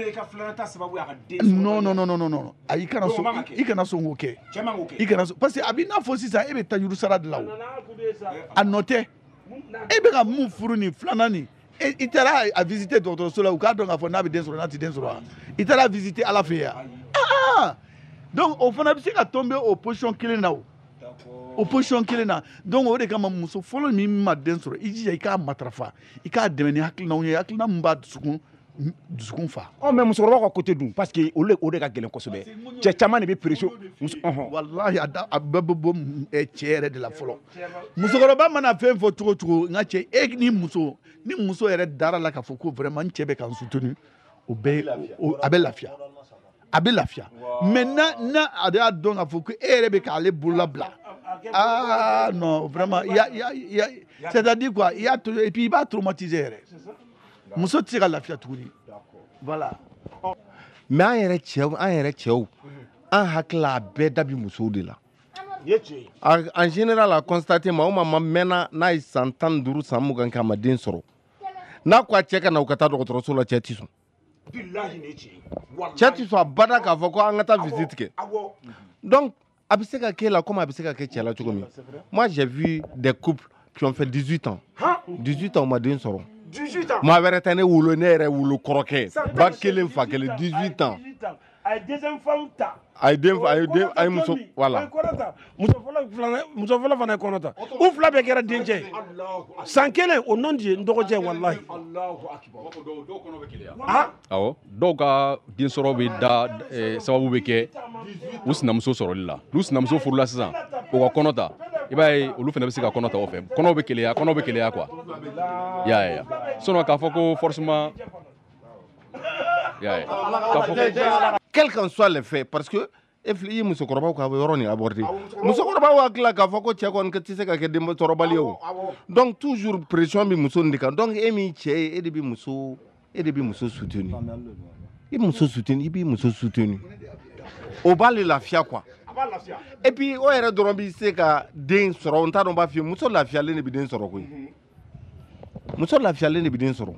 Non non non non non, ayi, i kana sɔn k'o kɛ. I kana sɔn, parce que a b'i n'a fɔ sisan e bɛ tajuru sara de la o. A nɔ tɛ. E bɛ ka mun furu nin filanan nin, i taara a visiter dɔgɔtɔrɔso la, u k'a dɔn k'a fɔ n'a bɛ den sɔrɔ n'a tɛ den sɔrɔ wa? I taara visiter Ala fɛ yan. Ah, donc o fana bɛ se ka tomber o position kelen na o. O position kelen na. Donc o de kama muso fɔlɔ min ma den sɔrɔ, i jija i k'a matarafa, i k'a dɛmɛ ni hakilinaw ye, hakilina min b'a dusukun fa. Ɔ mais musokɔrɔbaw ka côté dun, parce que olu o de ka gɛlɛn kosɛbɛ. Cɛ caman de bɛ pression. Walahi, a bɛɛ bɛ bɔ cɛ yɛrɛ de la fɔlɔ. Musokɔrɔba mana fɛn fɔ cogo cogo, n ka cɛ, e ni muso yɛrɛ dara la k'a fɔ ko vraiment n cɛ bɛ ka n soutenir, o bɛɛ a bɛ lafiya. A bɛ lafiya. Mais n'a a y'a dɔn k'a fɔ ko e yɛrɛ bɛ k'ale bolola bila, ah non, vraiment, il y a c'est-à-dire quoi, il y a, et puis il b'a traumatiser yɛrɛ. Muso tɛ se ka lafiya tuguni. Voilà. Mais an yɛrɛ cɛw, an hakili la a bɛɛ da bi musow de la. En général, a constaté maa o maa mɛnna n'a ye san 15 san 20 kɛ a ma den sɔrɔ, n'a ko a cɛ ka na u ka taa dɔgɔtɔrɔso la, cɛ ti sɔn. Cɛ ti sɔn abada k'a fɔ ko an ka taa visite kɛ. Donc a bɛ se ka k'e la comme a bɛ se ka kɛ cɛ la cogo min. Moi j'ai vu des couples qui ont fait 18 ans. 18 ans u ma den sɔrɔ. 18 ans. Maa wɛrɛ tɛ ne wolo, ne yɛrɛ wolo kɔrɔkɛ ba kelen fa kelen, 18 ans. A ye deuxième femme ta. A ye den, a ye muso, voilà. Muso fɔlɔ fana ye kɔnɔ ta. U fila bɛɛ kɛra dencɛ ye. San kelen o non di n dɔgɔcɛ walahi. Awɔ, dɔw ka den sɔrɔ bɛ da sababu bɛ kɛ u sinamuso sɔrɔli la. N'u sinamuso furula sisan, o ka kɔnɔ ta, i b'a ye olu fana bɛ se ka kɔnɔ ta o fɛ. Kɔnɔw bɛ keleya quoi. I y'a ye. Sinon k'a fɔ ko forcément, i y'a ye. Quel qu'en soit les faits, parce que e filɛ i ye musokɔrɔbaw ka yɔrɔ nin aborder. Musokɔrɔbaw hakili la k'a fɔ ko cɛ kɔni tɛ se ka kɛ densɔrɔbali ye o. Donc toujours pression bɛ muso nin de kan. Donc e min cɛ ye, e de bɛ muso soutenir. I muso soutenir, i b'i muso soutenir. O b'ale lafiya quoi. Et puis o yɛrɛ dɔrɔn bɛ se ka den sɔrɔ, n t'a dɔn n b'a f'i ye, muso lafiyalen de bɛ den sɔrɔ koyi. Muso lafiyalen de bɛ den sɔrɔ.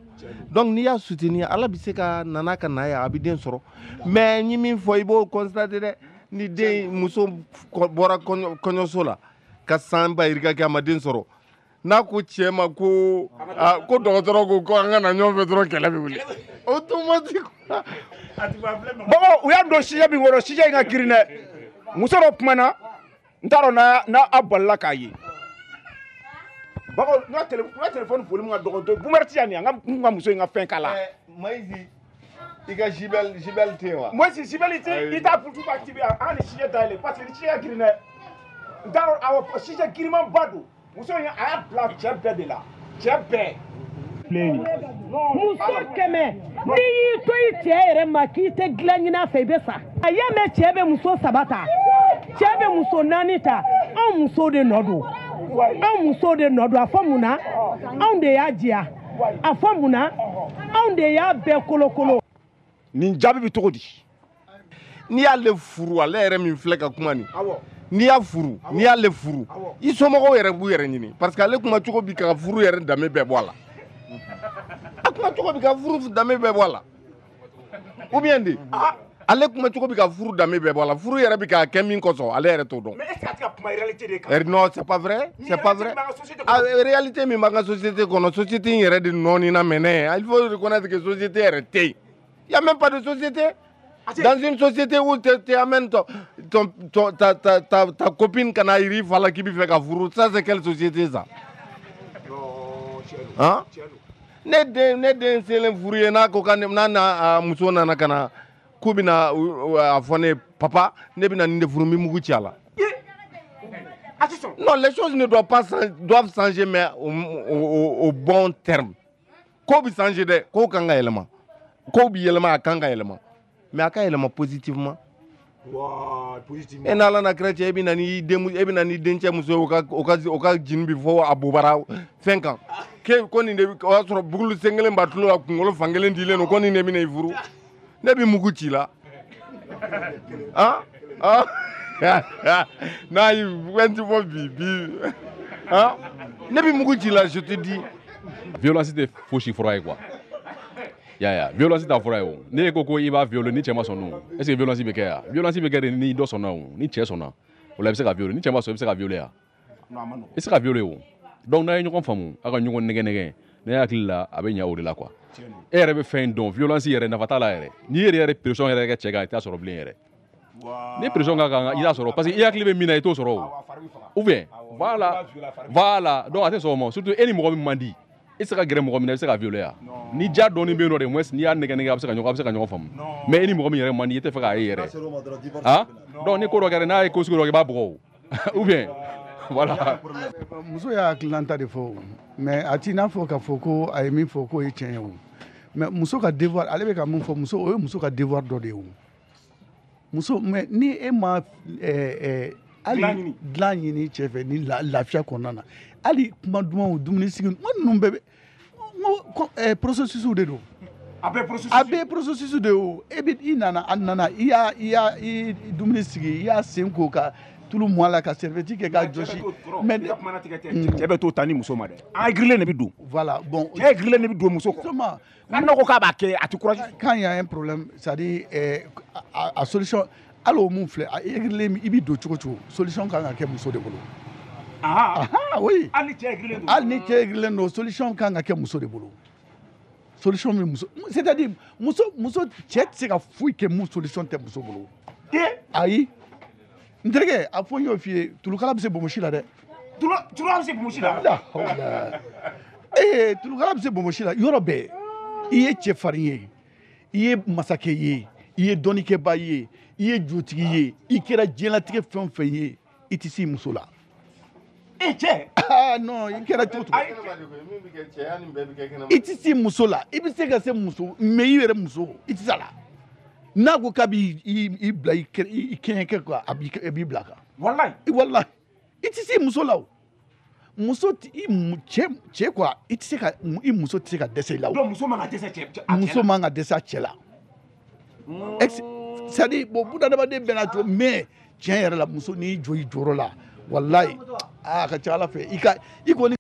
Donc n'i y'a soutenir, Ala bɛ se ka nana ka na ye, a bɛ den sɔrɔ. Mais n ye min fɔ, i b'o constater dɛ. Ni den muso bɔra kɔɲɔso la ka san ba yirika kɛ a ma den sɔrɔ, n'a ko cɛ ma ko ko dɔgɔtɔrɔ ko an ka na ɲɔgɔn fɛ dɔrɔn, kɛlɛ bɛ wuli automatique. Bɔbɔ, u y'a don sijɛ min kɔrɔ, sijɛ in ka girin dɛ. Muso dɔ kumana, n t'a dɔn n'a a balila k'a ye. Bɔbɔ, n ka téléphone volume ka dɔgɔ dɔɔni. Boomer ti yan nin, an ka muso in ka fɛn k'a la. Mayizi, i ka jibɛl tɛ yen wa? Moyizi, jibɛl tɛ, i t'a bouton activé, an ka nin sijɛ dayɛlɛ parce que ni sijɛ ka girin dɛ. N t'a dɔn, awɔ, sijɛ girimanba don. Muso in a y'a bila cɛ bɛɛ de la, cɛ bɛɛ. Muso kɛmɛ, n'i y'i to i cɛ yɛrɛ ma k'i tɛ dilan ɲini a fɛ, i bɛ sa. A y'a mɛn cɛ bɛ muso 3 ta, cɛ bɛ muso 4 ta, anw musow de nɔ don. Anw musow de nɔ don. A fɔ mun na? Anw de y'a diya. A fɔ mun na? Anw de y'a bɛɛ kolokolo. Nin jaabi bɛ cogo di? N'i y'ale furu, ale yɛrɛ min filɛ ka kuma nin. N'i y'a furu, n'i y'ale furu, i somɔgɔw yɛrɛ b'u yɛrɛ ɲini, parce que ale kuma cogo bi ka furu yɛrɛ danbe bɛɛ bɔ a la. A kuma cogo bi ka furu danbe bɛɛ bɔ a la. Ou bien de, ale kuma cogo bi ka furu danbe bɛɛ bɔ a la. Furu yɛrɛ bi k'a kɛ min kosɔn, ale yɛrɛ t'o dɔn. Mais est-ce que a tɛ ka kuma réalité de kan? Non, c'est pas vrai, c'est pas vrai. A réalité min b'an ka société kɔnɔ, société in yɛrɛ de nɔɔnina mɛnɛ. Il faut reconnaître que société yɛrɛ tɛ yen. Il y a même pas de société. Dans une société où tu amènes ta copine kana yiri fa la k'i bɛ fɛ ka furu, ça c'est quelle société ça? Han, ne den selen furu ye, n'a ko n'a n'a muso nana ka na k'u bɛna a fɔ ne papa, ne bɛna nin de furu, n bɛ mugu ci a la. Non, les choses ne doivent pas doivent changer, mais au bon terme. Ko bɛ changer dɛ, ko kan ka yɛlɛma, ko bɛ yɛlɛma, a kan ka yɛlɛma, mais a ka yɛlɛma positivement. E n'Ala na kira cɛ, e bɛ na n'i den, e bɛ na n'i dencɛ muso ye, o ka jini bi fɔ a bobara fɛn kan ke ko nin de, o y'a sɔrɔ bugulu sen kelen b'a tulo la, kunkolo fan kelen dilen don, ko nin de bɛna i furu, ne bɛ mugu ci la. Han han, n'a yi fɛn ti fɔ bi bi, han, ne bɛ mugu ci la, je te dis. Violence tɛ fosi fura ye quoi. Ya violence t'a fura ye o. Ne ko i b'a violer, ni cɛ ma sɔn dun, est ce que violence bɛ kɛ yan? Violence bɛ kɛ de ni dɔ sɔnna o, ni cɛ sɔnna o la i bɛ se ka violer, ni cɛ ma sɔn, i bɛ se ka violer yan? I tɛ se ka violer o. Donc n'a ye ɲɔgɔn faamu, aw ka ɲɔgɔn nɛgɛ nɛgɛ, ne hakili la a bɛ ɲɛ o de la quoi. E yɛrɛ bɛ fɛn dɔn, violence yɛrɛ nafa t'a la yɛrɛ. N'i yɛrɛ pression yɛrɛ kɛ cɛ kan, i t'a sɔrɔ bilen yɛrɛ. Ni pression ka kan, i t'a sɔrɔ, parce que i hakili bɛ min na, i t'o sɔrɔ o. Ou bien voilà voilà, donc a tɛ sɔn o ma. Surtout e ni mɔgɔ min man di, e tɛ se ka gɛrɛ mɔgɔ min na, i bɛ se ka violer yan? Ni ja dɔɔni bɛ yen nɔ de, moins n'i y'a nɛgɛ nɛgɛ, a bɛ se ka ɲɔgɔn faamu. Mais e ni mɔgɔ min yɛrɛ man di, i tɛ fɛ k'a ye yɛrɛ. Ah, donc ni ko dɔ kɛra, n'a ye ko sugu dɔ kɛ, i b'a bugɔ o. Ou bien voilà. Muso y'a hakilinata de fɔ o, mais a t'i n'a fɔ k'a fɔ ko a ye min fɔ k'o ye tiɲɛ ye o. Mais muso ka devoir, ale bɛ ka mun fɔ, muso, o ye muso ka devoir dɔ de ye o. Muso, mais ni e ma hali dilan ɲini cɛ fɛ ni lafiya kɔnɔna na, hali kuma dumanw, dumuni sigi, n ko ninnu bɛɛ bɛ, n ko processus de don. A bɛɛ processus. A bɛɛ processus de ye o. E bɛ i nana, a nana, i y'a i y'a i dumuni sigi, i y'a sen ko ka tulu mɔ a la, ka serviette kɛ k'a jɔsi. Mais cɛ bɛ t'o ta ni muso ma dɛ, an girilen de bɛ don. Voilà, bon. Cɛ girilen de bɛ don muso kɔ. Justement. N'a ko k'a b'a kɛ, a tɛ courage. Quand il y a un problème, c'est-à-dire a solution, hali o mun filɛ, a girilen, i bɛ don cogo cogo, solution kan ka kɛ muso de bolo. Ah oui. Hali ni cɛ girilen don. Hali ni cɛ girilen don, solution kan ka kɛ muso de bolo. Solution bɛ muso, c'est-à-dire muso, cɛ tɛ se ka foyi kɛ mun solution tɛ muso bolo. Ayi. N terikɛ, a fɔ n y'o f'i ye, tulukala bɛ se bonbosi la dɛ. Tulukala bɛ se bonbosi la. La hawla. Ee, tulukala bɛ se bonbosi la yɔrɔ bɛɛ. I ye cɛfarin ye, i ye masakɛ ye, i ye dɔnnikɛba ye, i ye jotigi ye, i kɛra diɲɛlatigɛ fɛn o fɛn ye, i tɛ se i muso la. E cɛ. Ah non, i kɛra cogo cogo. I tɛ se muso la, i bɛ se ka se muso, mais i yɛrɛ muso, i tɛ se a la. N'a ko k'a b'i bila i kɛɲɛkɛ kan, a b'i bila kan. Walayi. Walayi. I tɛ se muso la o. Muso i cɛ quoi, i tɛ se ka, i muso tɛ se ka dɛsɛ i la o. Donc muso man ka dɛsɛ cɛ a cɛ la. Muso man ka dɛsɛ a cɛ la. C'est à dire bon, bunadamaden bɛɛ n'a cogo, mais tiɲɛ yɛrɛ la, muso n'i jɔ i jɔyɔrɔ la, walayi, aa, a ka ca Ala fɛ i ka i kɔni.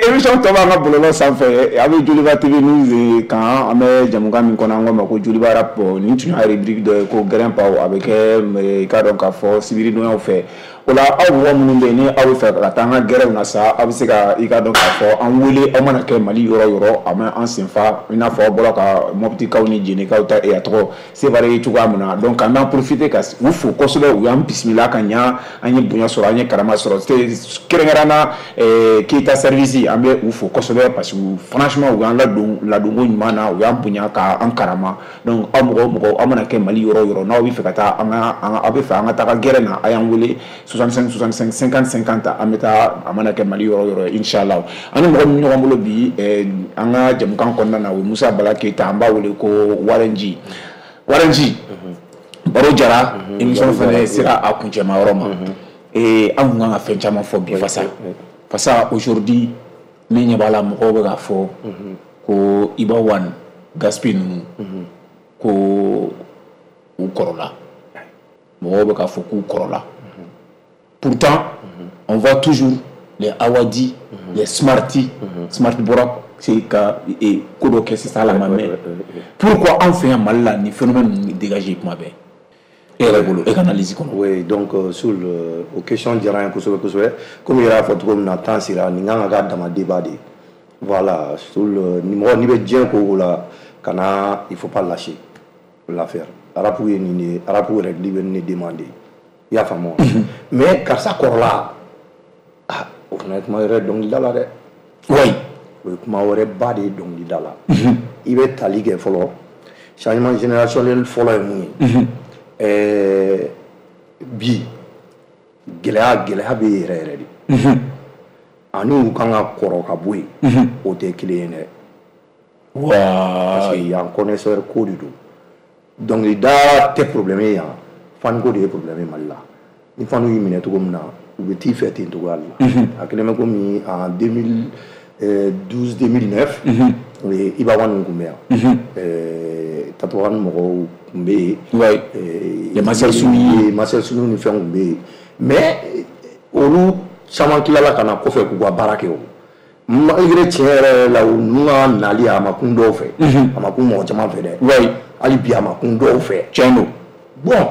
Émission tɔ b'an ka bɔlɔlɔ sanfɛ, a bɛ Joliba TV News kan, an bɛ jamukan min kɔnɔ, an k'o ma ko Joliba Rap. Nin tun y'a rubrique dɔ ye ko Gɛrɛnpaw, a bɛ kɛ i k'a dɔn k'a fɔ sibiridonyaw fɛ. O la, aw mɔgɔ minnu bɛ yen ni aw bɛ fɛ ka taa an ka gɛrɛnw na sa, aw bɛ se ka i k'a dɔn k'a fɔ an wele, aw mana kɛ Mali yɔrɔ o yɔrɔ, a ma an senfa, i n'a fɔ aw bɔra ka Mɔpitikaw ni Jenikaw ta a tɔgɔ Sevare ye cogoya min na. Donc an b'an profiter ka u fo kosɛbɛ, u y'an bisimila ka ɲa, an ye bonya sɔrɔ, an ye karama sɔrɔ, kɛrɛnkɛrɛnnenya la Keyita service, an bɛ u fo kosɛbɛ parce que franchement u y'an ladon ladonko ɲuman na, u y'an bonya k'an karama. Donc aw mɔgɔ o mɔgɔ, aw mana kɛ Mali yɔrɔ o yɔrɔ, n'aw bɛ fɛ ka taa an ka, aw bɛ fɛ an ka taga gɛrɛn na, a y'an wele 65 65 50 50, an bɛ taa, a mana kɛ Mali yɔrɔ o yɔrɔ, inshallah. An ni mɔgɔ min ɲɔgɔn bolo bi an ka jamukan kɔnɔna na, o ye Musa Bala Keyita, an b'a wele ko Warenji. Warenji, baro jara, émission fana sera a kuncɛma yɔrɔ ma. An kun kan ka fɛn caman fɔ bi fasa fasa. Aujourd'hui, ne ɲɛ b'a la, mɔgɔw bɛ k'a fɔ ko Iba One, Gaspi ninnu, ko u kɔrɔla, mɔgɔw bɛ k'a fɔ k'u kɔrɔla. Pourtant on voit toujours les Awadi, les Smarty. Smart bɔra se ka ko dɔ kɛ sisan la ma mɛn. Pourquoi an fɛ yan Mali la, nin phénomène ninnu dégagé kuma bɛɛ, e yɛrɛ bolo, e ka analyse kɔnɔ? Oui, donc sur le, o question diyara n ye kosɛbɛ kosɛbɛ. Komi i yɛrɛ y'a fɔ cogo min na, temps sera, nin kan ka k'a dama débat de ye. Voilà, sur le, ni mɔgɔ n'i bɛ diɲɛ ko o ko la, kana, il faut pas lâcher l'affaire. Rap ye nin de ye, rap yɛrɛ bɛ nin de demander, i y'a faamu wa? Mais karisa kɔrɔla fana ye kuma wɛrɛ dɔnkilida la dɛ. Oui. O ye kuma wɛrɛ ba de ye dɔnkilida la. I bɛ tali kɛ fɔlɔ, changement générationnel fɔlɔ ye mun ye? Bi gɛlɛya bɛ yen yɛrɛ yɛrɛ de. Ani u kan ka kɔrɔ ka bɔ yen, o tɛ kelen ye dɛ. Parce que yan connaisseur ko de don. Dɔnkilida tɛ problème ye yan, fan ko de ye problème ye Mali la. Ni fanu y'i minɛ cogo min na, u bɛ t'i fɛ ten cogoya de la. A kɛlen bɛ komi en 2012 2009, Iba One tun bɛ yan. Tatouan mɔgɔw tun bɛ yen. Les Marcel Souni. Marcel Souni ni fɛnw tun bɛ yen. Mais olu caman tilala ka na kɔfɛ k'u ka baara kɛ o. Malgré tiɲɛ yɛrɛ la, u ninnu ka nali a ma kun dɔw fɛ. A ma kun mɔgɔ caman fɛ dɛ. Hali bi a ma kun dɔw fɛ. Tiɲɛ don. Bon,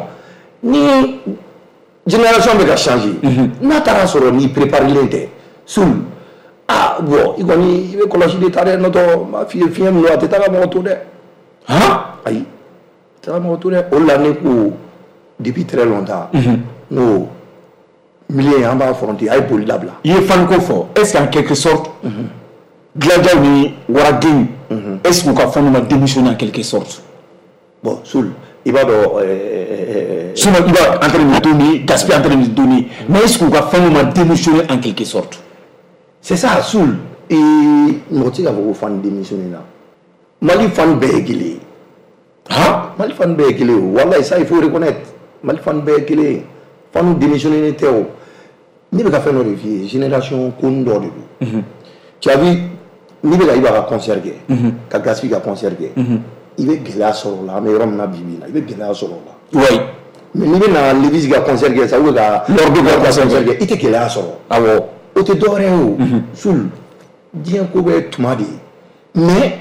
ni génération bɛ ka changer, n'a taara sɔrɔ n'i préparelen tɛ, Soul, ah bon, i kɔni i bɛ kɔlɔsi de ta dɛ, n'o tɛ n b'a f'i ye, fiɲɛ min don, a tɛ taa ka mɔgɔ to dɛ. Han? Ayi, a tɛ taa ka mɔgɔ to dɛ. O de la ne ko depuis très longtemps, n ko milieu an b'a affronter, a ye boli dabila. I ye fan ko fɔ, est-ce qu'en quelque sorte Gilajaw ni Waradenw, est-ce qu'u ka fɛnw ma démissionner en quelque sorte? Bon, Soul, i b'a dɔn. Sinon, il va en train de donner, Gaspi en train de donner. Mais est-ce qu'u ka fɛnw ma démissionner en quelque sorte? C'est ça, Soul. Et mɔgɔ tɛ se k'a fɔ ko fan démissionner na. Mali fan bɛɛ ye kelen ye. Han? Mali fan bɛɛ ye kelen ye o. Walayi, ça il faut reconnaître. Mali fan bɛɛ ye kelen ye. Fanu démissionner tɛ o. Ne bɛ ka fɛn dɔ de f'i ye, génération ko dɔ de don. Tu as vu, n'i bɛ ka Iba ka concert kɛ, ka Gaspi ka concert kɛ, i bɛ gɛlɛya sɔrɔ o la. An bɛ yɔrɔ min na bi bi in na, i bɛ gɛlɛya sɔrɔ o la. Mais n'i bɛ na Levis ka concert kɛ sa, ou ka Lordo ka concert kɛ, i tɛ gɛlɛya sɔrɔ. Awɔ. O tɛ dɔwɛrɛ ye o. Soul, diɲɛ ko bɛɛ tuma de ye. Mais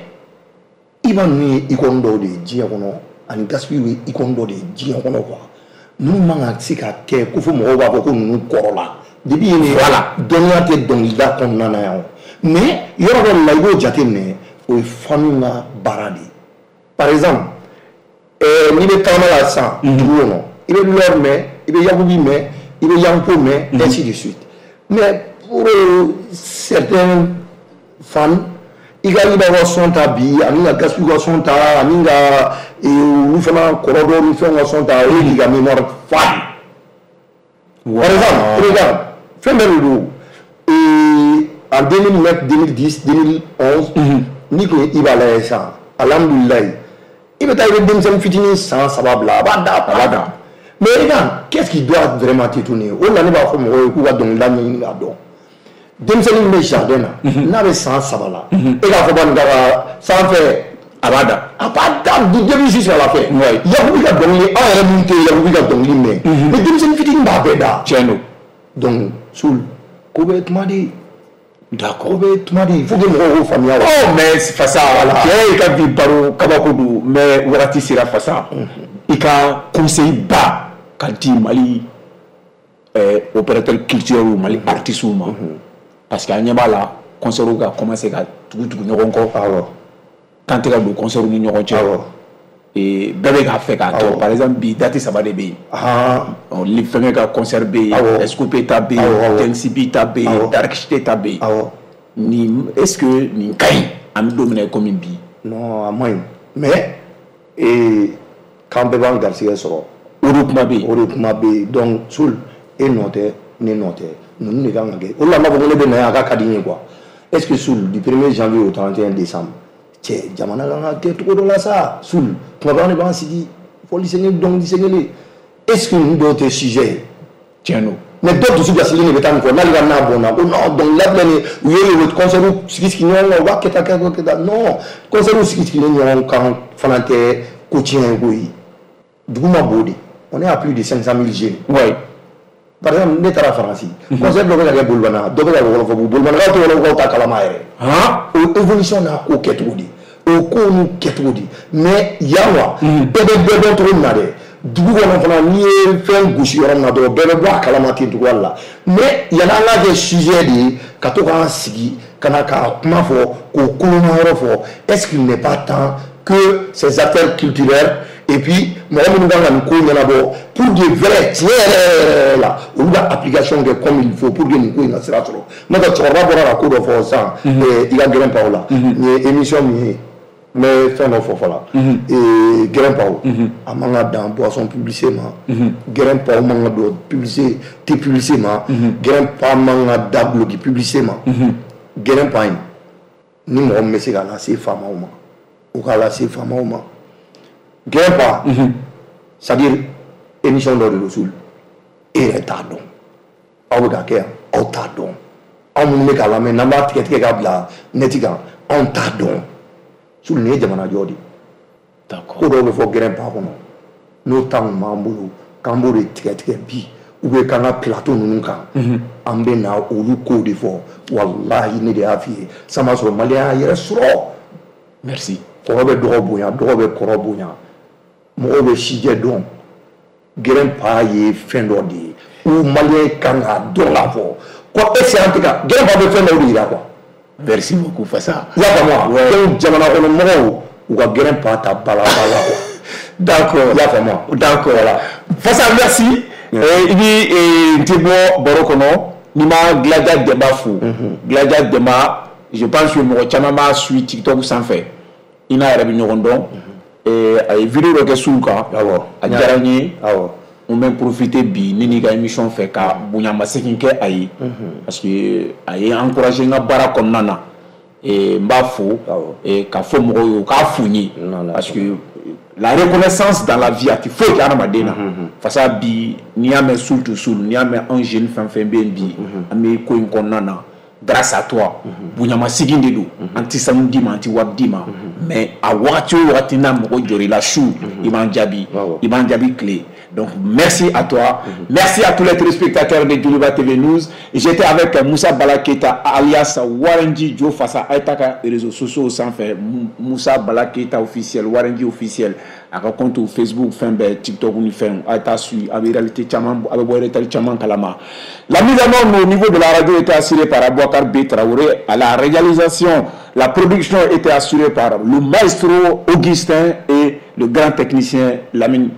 Iba ninnu ye icône dɔw de ye diɲɛ kɔnɔ, ani Gaspi ye icône dɔ de ye diɲɛ kɔnɔ quoi. Ninnu man ka se ka kɛ ko fo mɔgɔw b'a fɔ ko ninnu kɔrɔla. Depuis yen, voilà, dɔnniya tɛ dɔnkilida kɔnɔna na yan o. Mais yɔrɔ dɔ de la, i b'o jateminɛ, o ye fanu ka baara de ye. Par exemple, n'i bɛ tagama la sisan dugu kɔnɔ, i bɛ Lɔri mɛn, i bɛ Yakubi mɛn, i bɛ Yanko mɛn, ainsi de suite. Mais pour certains fans, i ka Iba ka son ta bi, ani ka Gaspi ka son ta, ani ka olu fana kɔrɔ dɔw ni fɛnw ka son ta, o ye k'i ka mémoire fa de. Par exemple, regarde, fɛn bɛɛ de don. En 2009, 2010, 2011, n'i kun ye Iba lajɛ sisan, alhamdulilayi, i bɛ taa i bɛ denmisɛnnin fitinin san 3 bila, a b'a da, a b'a da. Mais regarde, qu'est-ce qui doit vraiment t'étonner? O de la ne b'a fɔ mɔgɔw ye k'u ka dɔnkilida ɲɛɲini k'a dɔn. Denmisɛnnin min bɛ jardin na, n'a bɛ san 3 la, e k'a fɔ ba nin ka sanfɛ, a b'a da. A b'a da du début jusqu'à la fin. Yakubi ka dɔnkili, anw yɛrɛ min tɛ Yakubi ka dɔnkili mɛn, mais denmisɛnnin fitinin b'a bɛɛ da. Tiɲɛ don. Donc, Soul, ko bɛɛ ye kuma de ye. D'accord. Ko bɛɛ ye kuma de ye. Il faut que mɔgɔw k'o faamuya. Oh, mais Fasa, cɛ, i ka bi baro kabako don, mais wagati sera Fasa. I ka conseil ba ka di Mali opérateur culturel, Mali artiste ma. Parce que an ɲɛ b'a la, concert ka commencer ka tugu tugu ɲɔgɔn kɔ. Awɔ. Temps tɛ ka don concert ni ɲɔgɔn cɛ. Awɔ. Bɛɛ bɛ k'a fɛ k'a kɛ. Par exemple, bi date 3 de bɛ yen. Fɛnkɛ ka concert bɛ yen, Escope ta bɛ yen, Tensibi ta bɛ yen, Dark Cité ta bɛ yen. Nin, est-ce que nin ka ɲi an bɛ don min na i komi bi? Non, a man ɲi. Mais k'an bɛɛ b'an garisɛgɛ sɔrɔ. O de kuma bɛ yen. O de kuma bɛ yen. Donc, Soul, e nɔ tɛ, ne nɔ tɛ. Ninnu de kan ka kɛ. O de la n b'a fɔ ko ne bɛ na yan, a ka di n ye quoi. Est-ce que Soul, du 1er janvier au 31 décembre, cɛ, jamana kan ka kɛ cogo dɔ la sa. Soul, tuma bɛɛ an de b'an sigi fɔli sen kelen, dɔnkili sen kelen. Est-ce que ninnu dɔw tɛ sujet ye? Tiɲɛ don. Mais dɔw dusu gasilen de bɛ taa nin fɔ, n'ale ka n'a bɔnna ko non, dɔnkilida filɛ nin ye, u ye o concert sigi sigi ɲɔgɔn kan, u b'a kɛ tan kɛ tan kɛ tan. Non, concert sigi sigilen ɲɔgɔn kan fana tɛ ko tiɲɛ ye koyi. Dugu ma bon de. On est à plus de 500 000 jeunes. Oui. Par exemple, ne taara Faransi, concert dɔ bɛ ka kɛ Bolibana, dɔ bɛ ka kɛ Wɔlɔfɔbugu, Bolibanakaw tɛ Wɔlɔfɔbugukaw ta kalama yɛrɛ. O évolution n'a ko kɛcogo de, o kow n'u kɛcogo de. Mais yan wa, bɛɛ bɛ bɛɛ dɔn cogo min na dɛ, dugu kɔnɔ fana, n'i ye fɛn gosi yɔrɔ min na dɔrɔn, bɛɛ bɛ bɔ a kalama ten cogoya la. Mais yanni an k'a kɛ sujet de ye, ka to k'an sigi ka na k'a kuma fɔ, k'o koloma yɔrɔ fɔ, est-ce qu'il n'est pas temps que ces acteurs culturels Et puis mɔgɔ minnu kan ka nin ko ɲɛnabɔ pour de vrai, tiɲɛ yɛrɛ yɛrɛ la, olu ka application kɛ comme il faut pour que nin ko in ka sira sɔrɔ. N'o tɛ, cɛkɔrɔba bɔra ka ko dɔ fɔ sisan, i ka gɛrɛn paw la, nin ye émission min ye, n bɛ fɛn dɔ fɔ fɔlɔ. Gɛrɛn paw, a man ka dan boisson publicité ma. Gɛrɛn paw man ka don publicité tɛ publicité ma. Gɛrɛn pa man ka da duloki publicité ma. Gɛrɛn pa in, ni mɔgɔ min bɛ se k'a lase faamaw ma, u k'a lase faamaw ma. Gɛrɛn pa, c'est à dire émission dɔ de don sul, e yɛrɛ t'a dɔn, aw bɛ ka kɛ yan, aw t'a dɔn, anw minnu bɛ k'a lamɛn n'an b'a tigɛ tigɛ k'a bila net kan, anw t'a dɔn. Sul, nin ye jamanajɔ de ye. Ko dɔw bɛ fɔ gɛrɛn pa kɔnɔ, n'o temps kun b'an bolo k'an b'o de tigɛ tigɛ bi, ou bien k'an ka plateau ninnu kan, an bɛ na olu kow de fɔ. Walahi, ne de y'a f'i ye, san b'a sɔrɔ maliyɛn y'a yɛrɛ sɔrɔ. Merci. Kɔrɔ bɛ dɔgɔ bonya, dɔgɔ bɛ kɔrɔ bonya, mɔgɔw bɛ sijɛ dɔn. Gɛrɛn pa ye fɛn dɔ de ye où maliyɛn kan k'a dɔn k'a fɔ ko est ce que an tɛ ka gɛrɛn pa bɛ fɛn dɔw de yira quoi. Merci beaucoup, Fassa. I y'a faamu wa? Donc jamana kɔnɔ mɔgɔw, u ka gɛrɛn pa ta ba la ba la quoi. D'accord. I y'a faamu wa? D'accord. Voilà. Fassa, merci. I bi n tɛ bɔ baro kɔnɔ n'i ma Gladia Demba fo. Gladia Demba, je pense que mɔgɔ caman b'a suit TikTok sanfɛ. I n'a yɛrɛ bɛ ɲɔgɔn dɔn. A ye vidéo dɔ kɛ suw kan. A diyara n ye. N bɛ profiter bi ne n'i ka émission fɛ ka bonyamasegin kɛ a ye. Parce que a ye encourager n ka baara kɔnɔna na. N b'a fo k'a fɔ mɔgɔw ye u k'a fo n ye. Parce que la reconnaissance dans la vie, a tɛ foyi kɛ hadamaden na. Fasa bi, n'i y'a mɛn Soul to Soul, n'i y'a mɛn anw jeune fɛn fɛn bɛ yen bi, an bɛ ko in kɔnɔna na grâce à toi. Bonyamasegin de don. An tɛ sanu d'i ma, an tɛ wari d'i ma, mais a wagati o wagati n'a mɔgɔ jɔr'i la su, i b'an jaabi, i b'an jaabi tile. Donc merci à toi, merci à tous les téléspectateurs de Djoliba TV News. J'étais avec Moussa Bala Keita alias Warenji Joe Fassa. A ye taa ka réseaux sociaux sanfɛ, Moussa Bala Keita officiel, Warenji officiel, a ka compte Facebook, fɛn bɛɛ, TikTok ni fɛnw, a ye taa suit, a bɛ réalité caman, a bɛ bɔ réalité caman kalama. La mise en ordre au niveau de la radio était assurée par Abouakar B Traoré. À la réalisation, la production était assurée par le maestro Augustin et le grand technicien Lamine.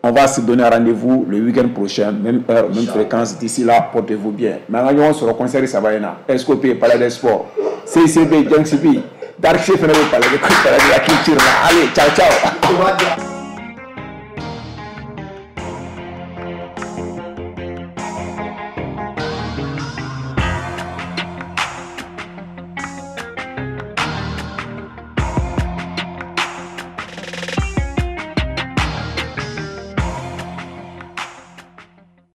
On va se donner rendez-vous le week-end prochain, même heure, même fréquence. D'ici là, portez-vous bien. Mais on sur le concert, ça va y SCOP, Palais des Sports, CCB, Junk CP, Dark Chef, Palais de la Culture. Allez, ciao, ciao.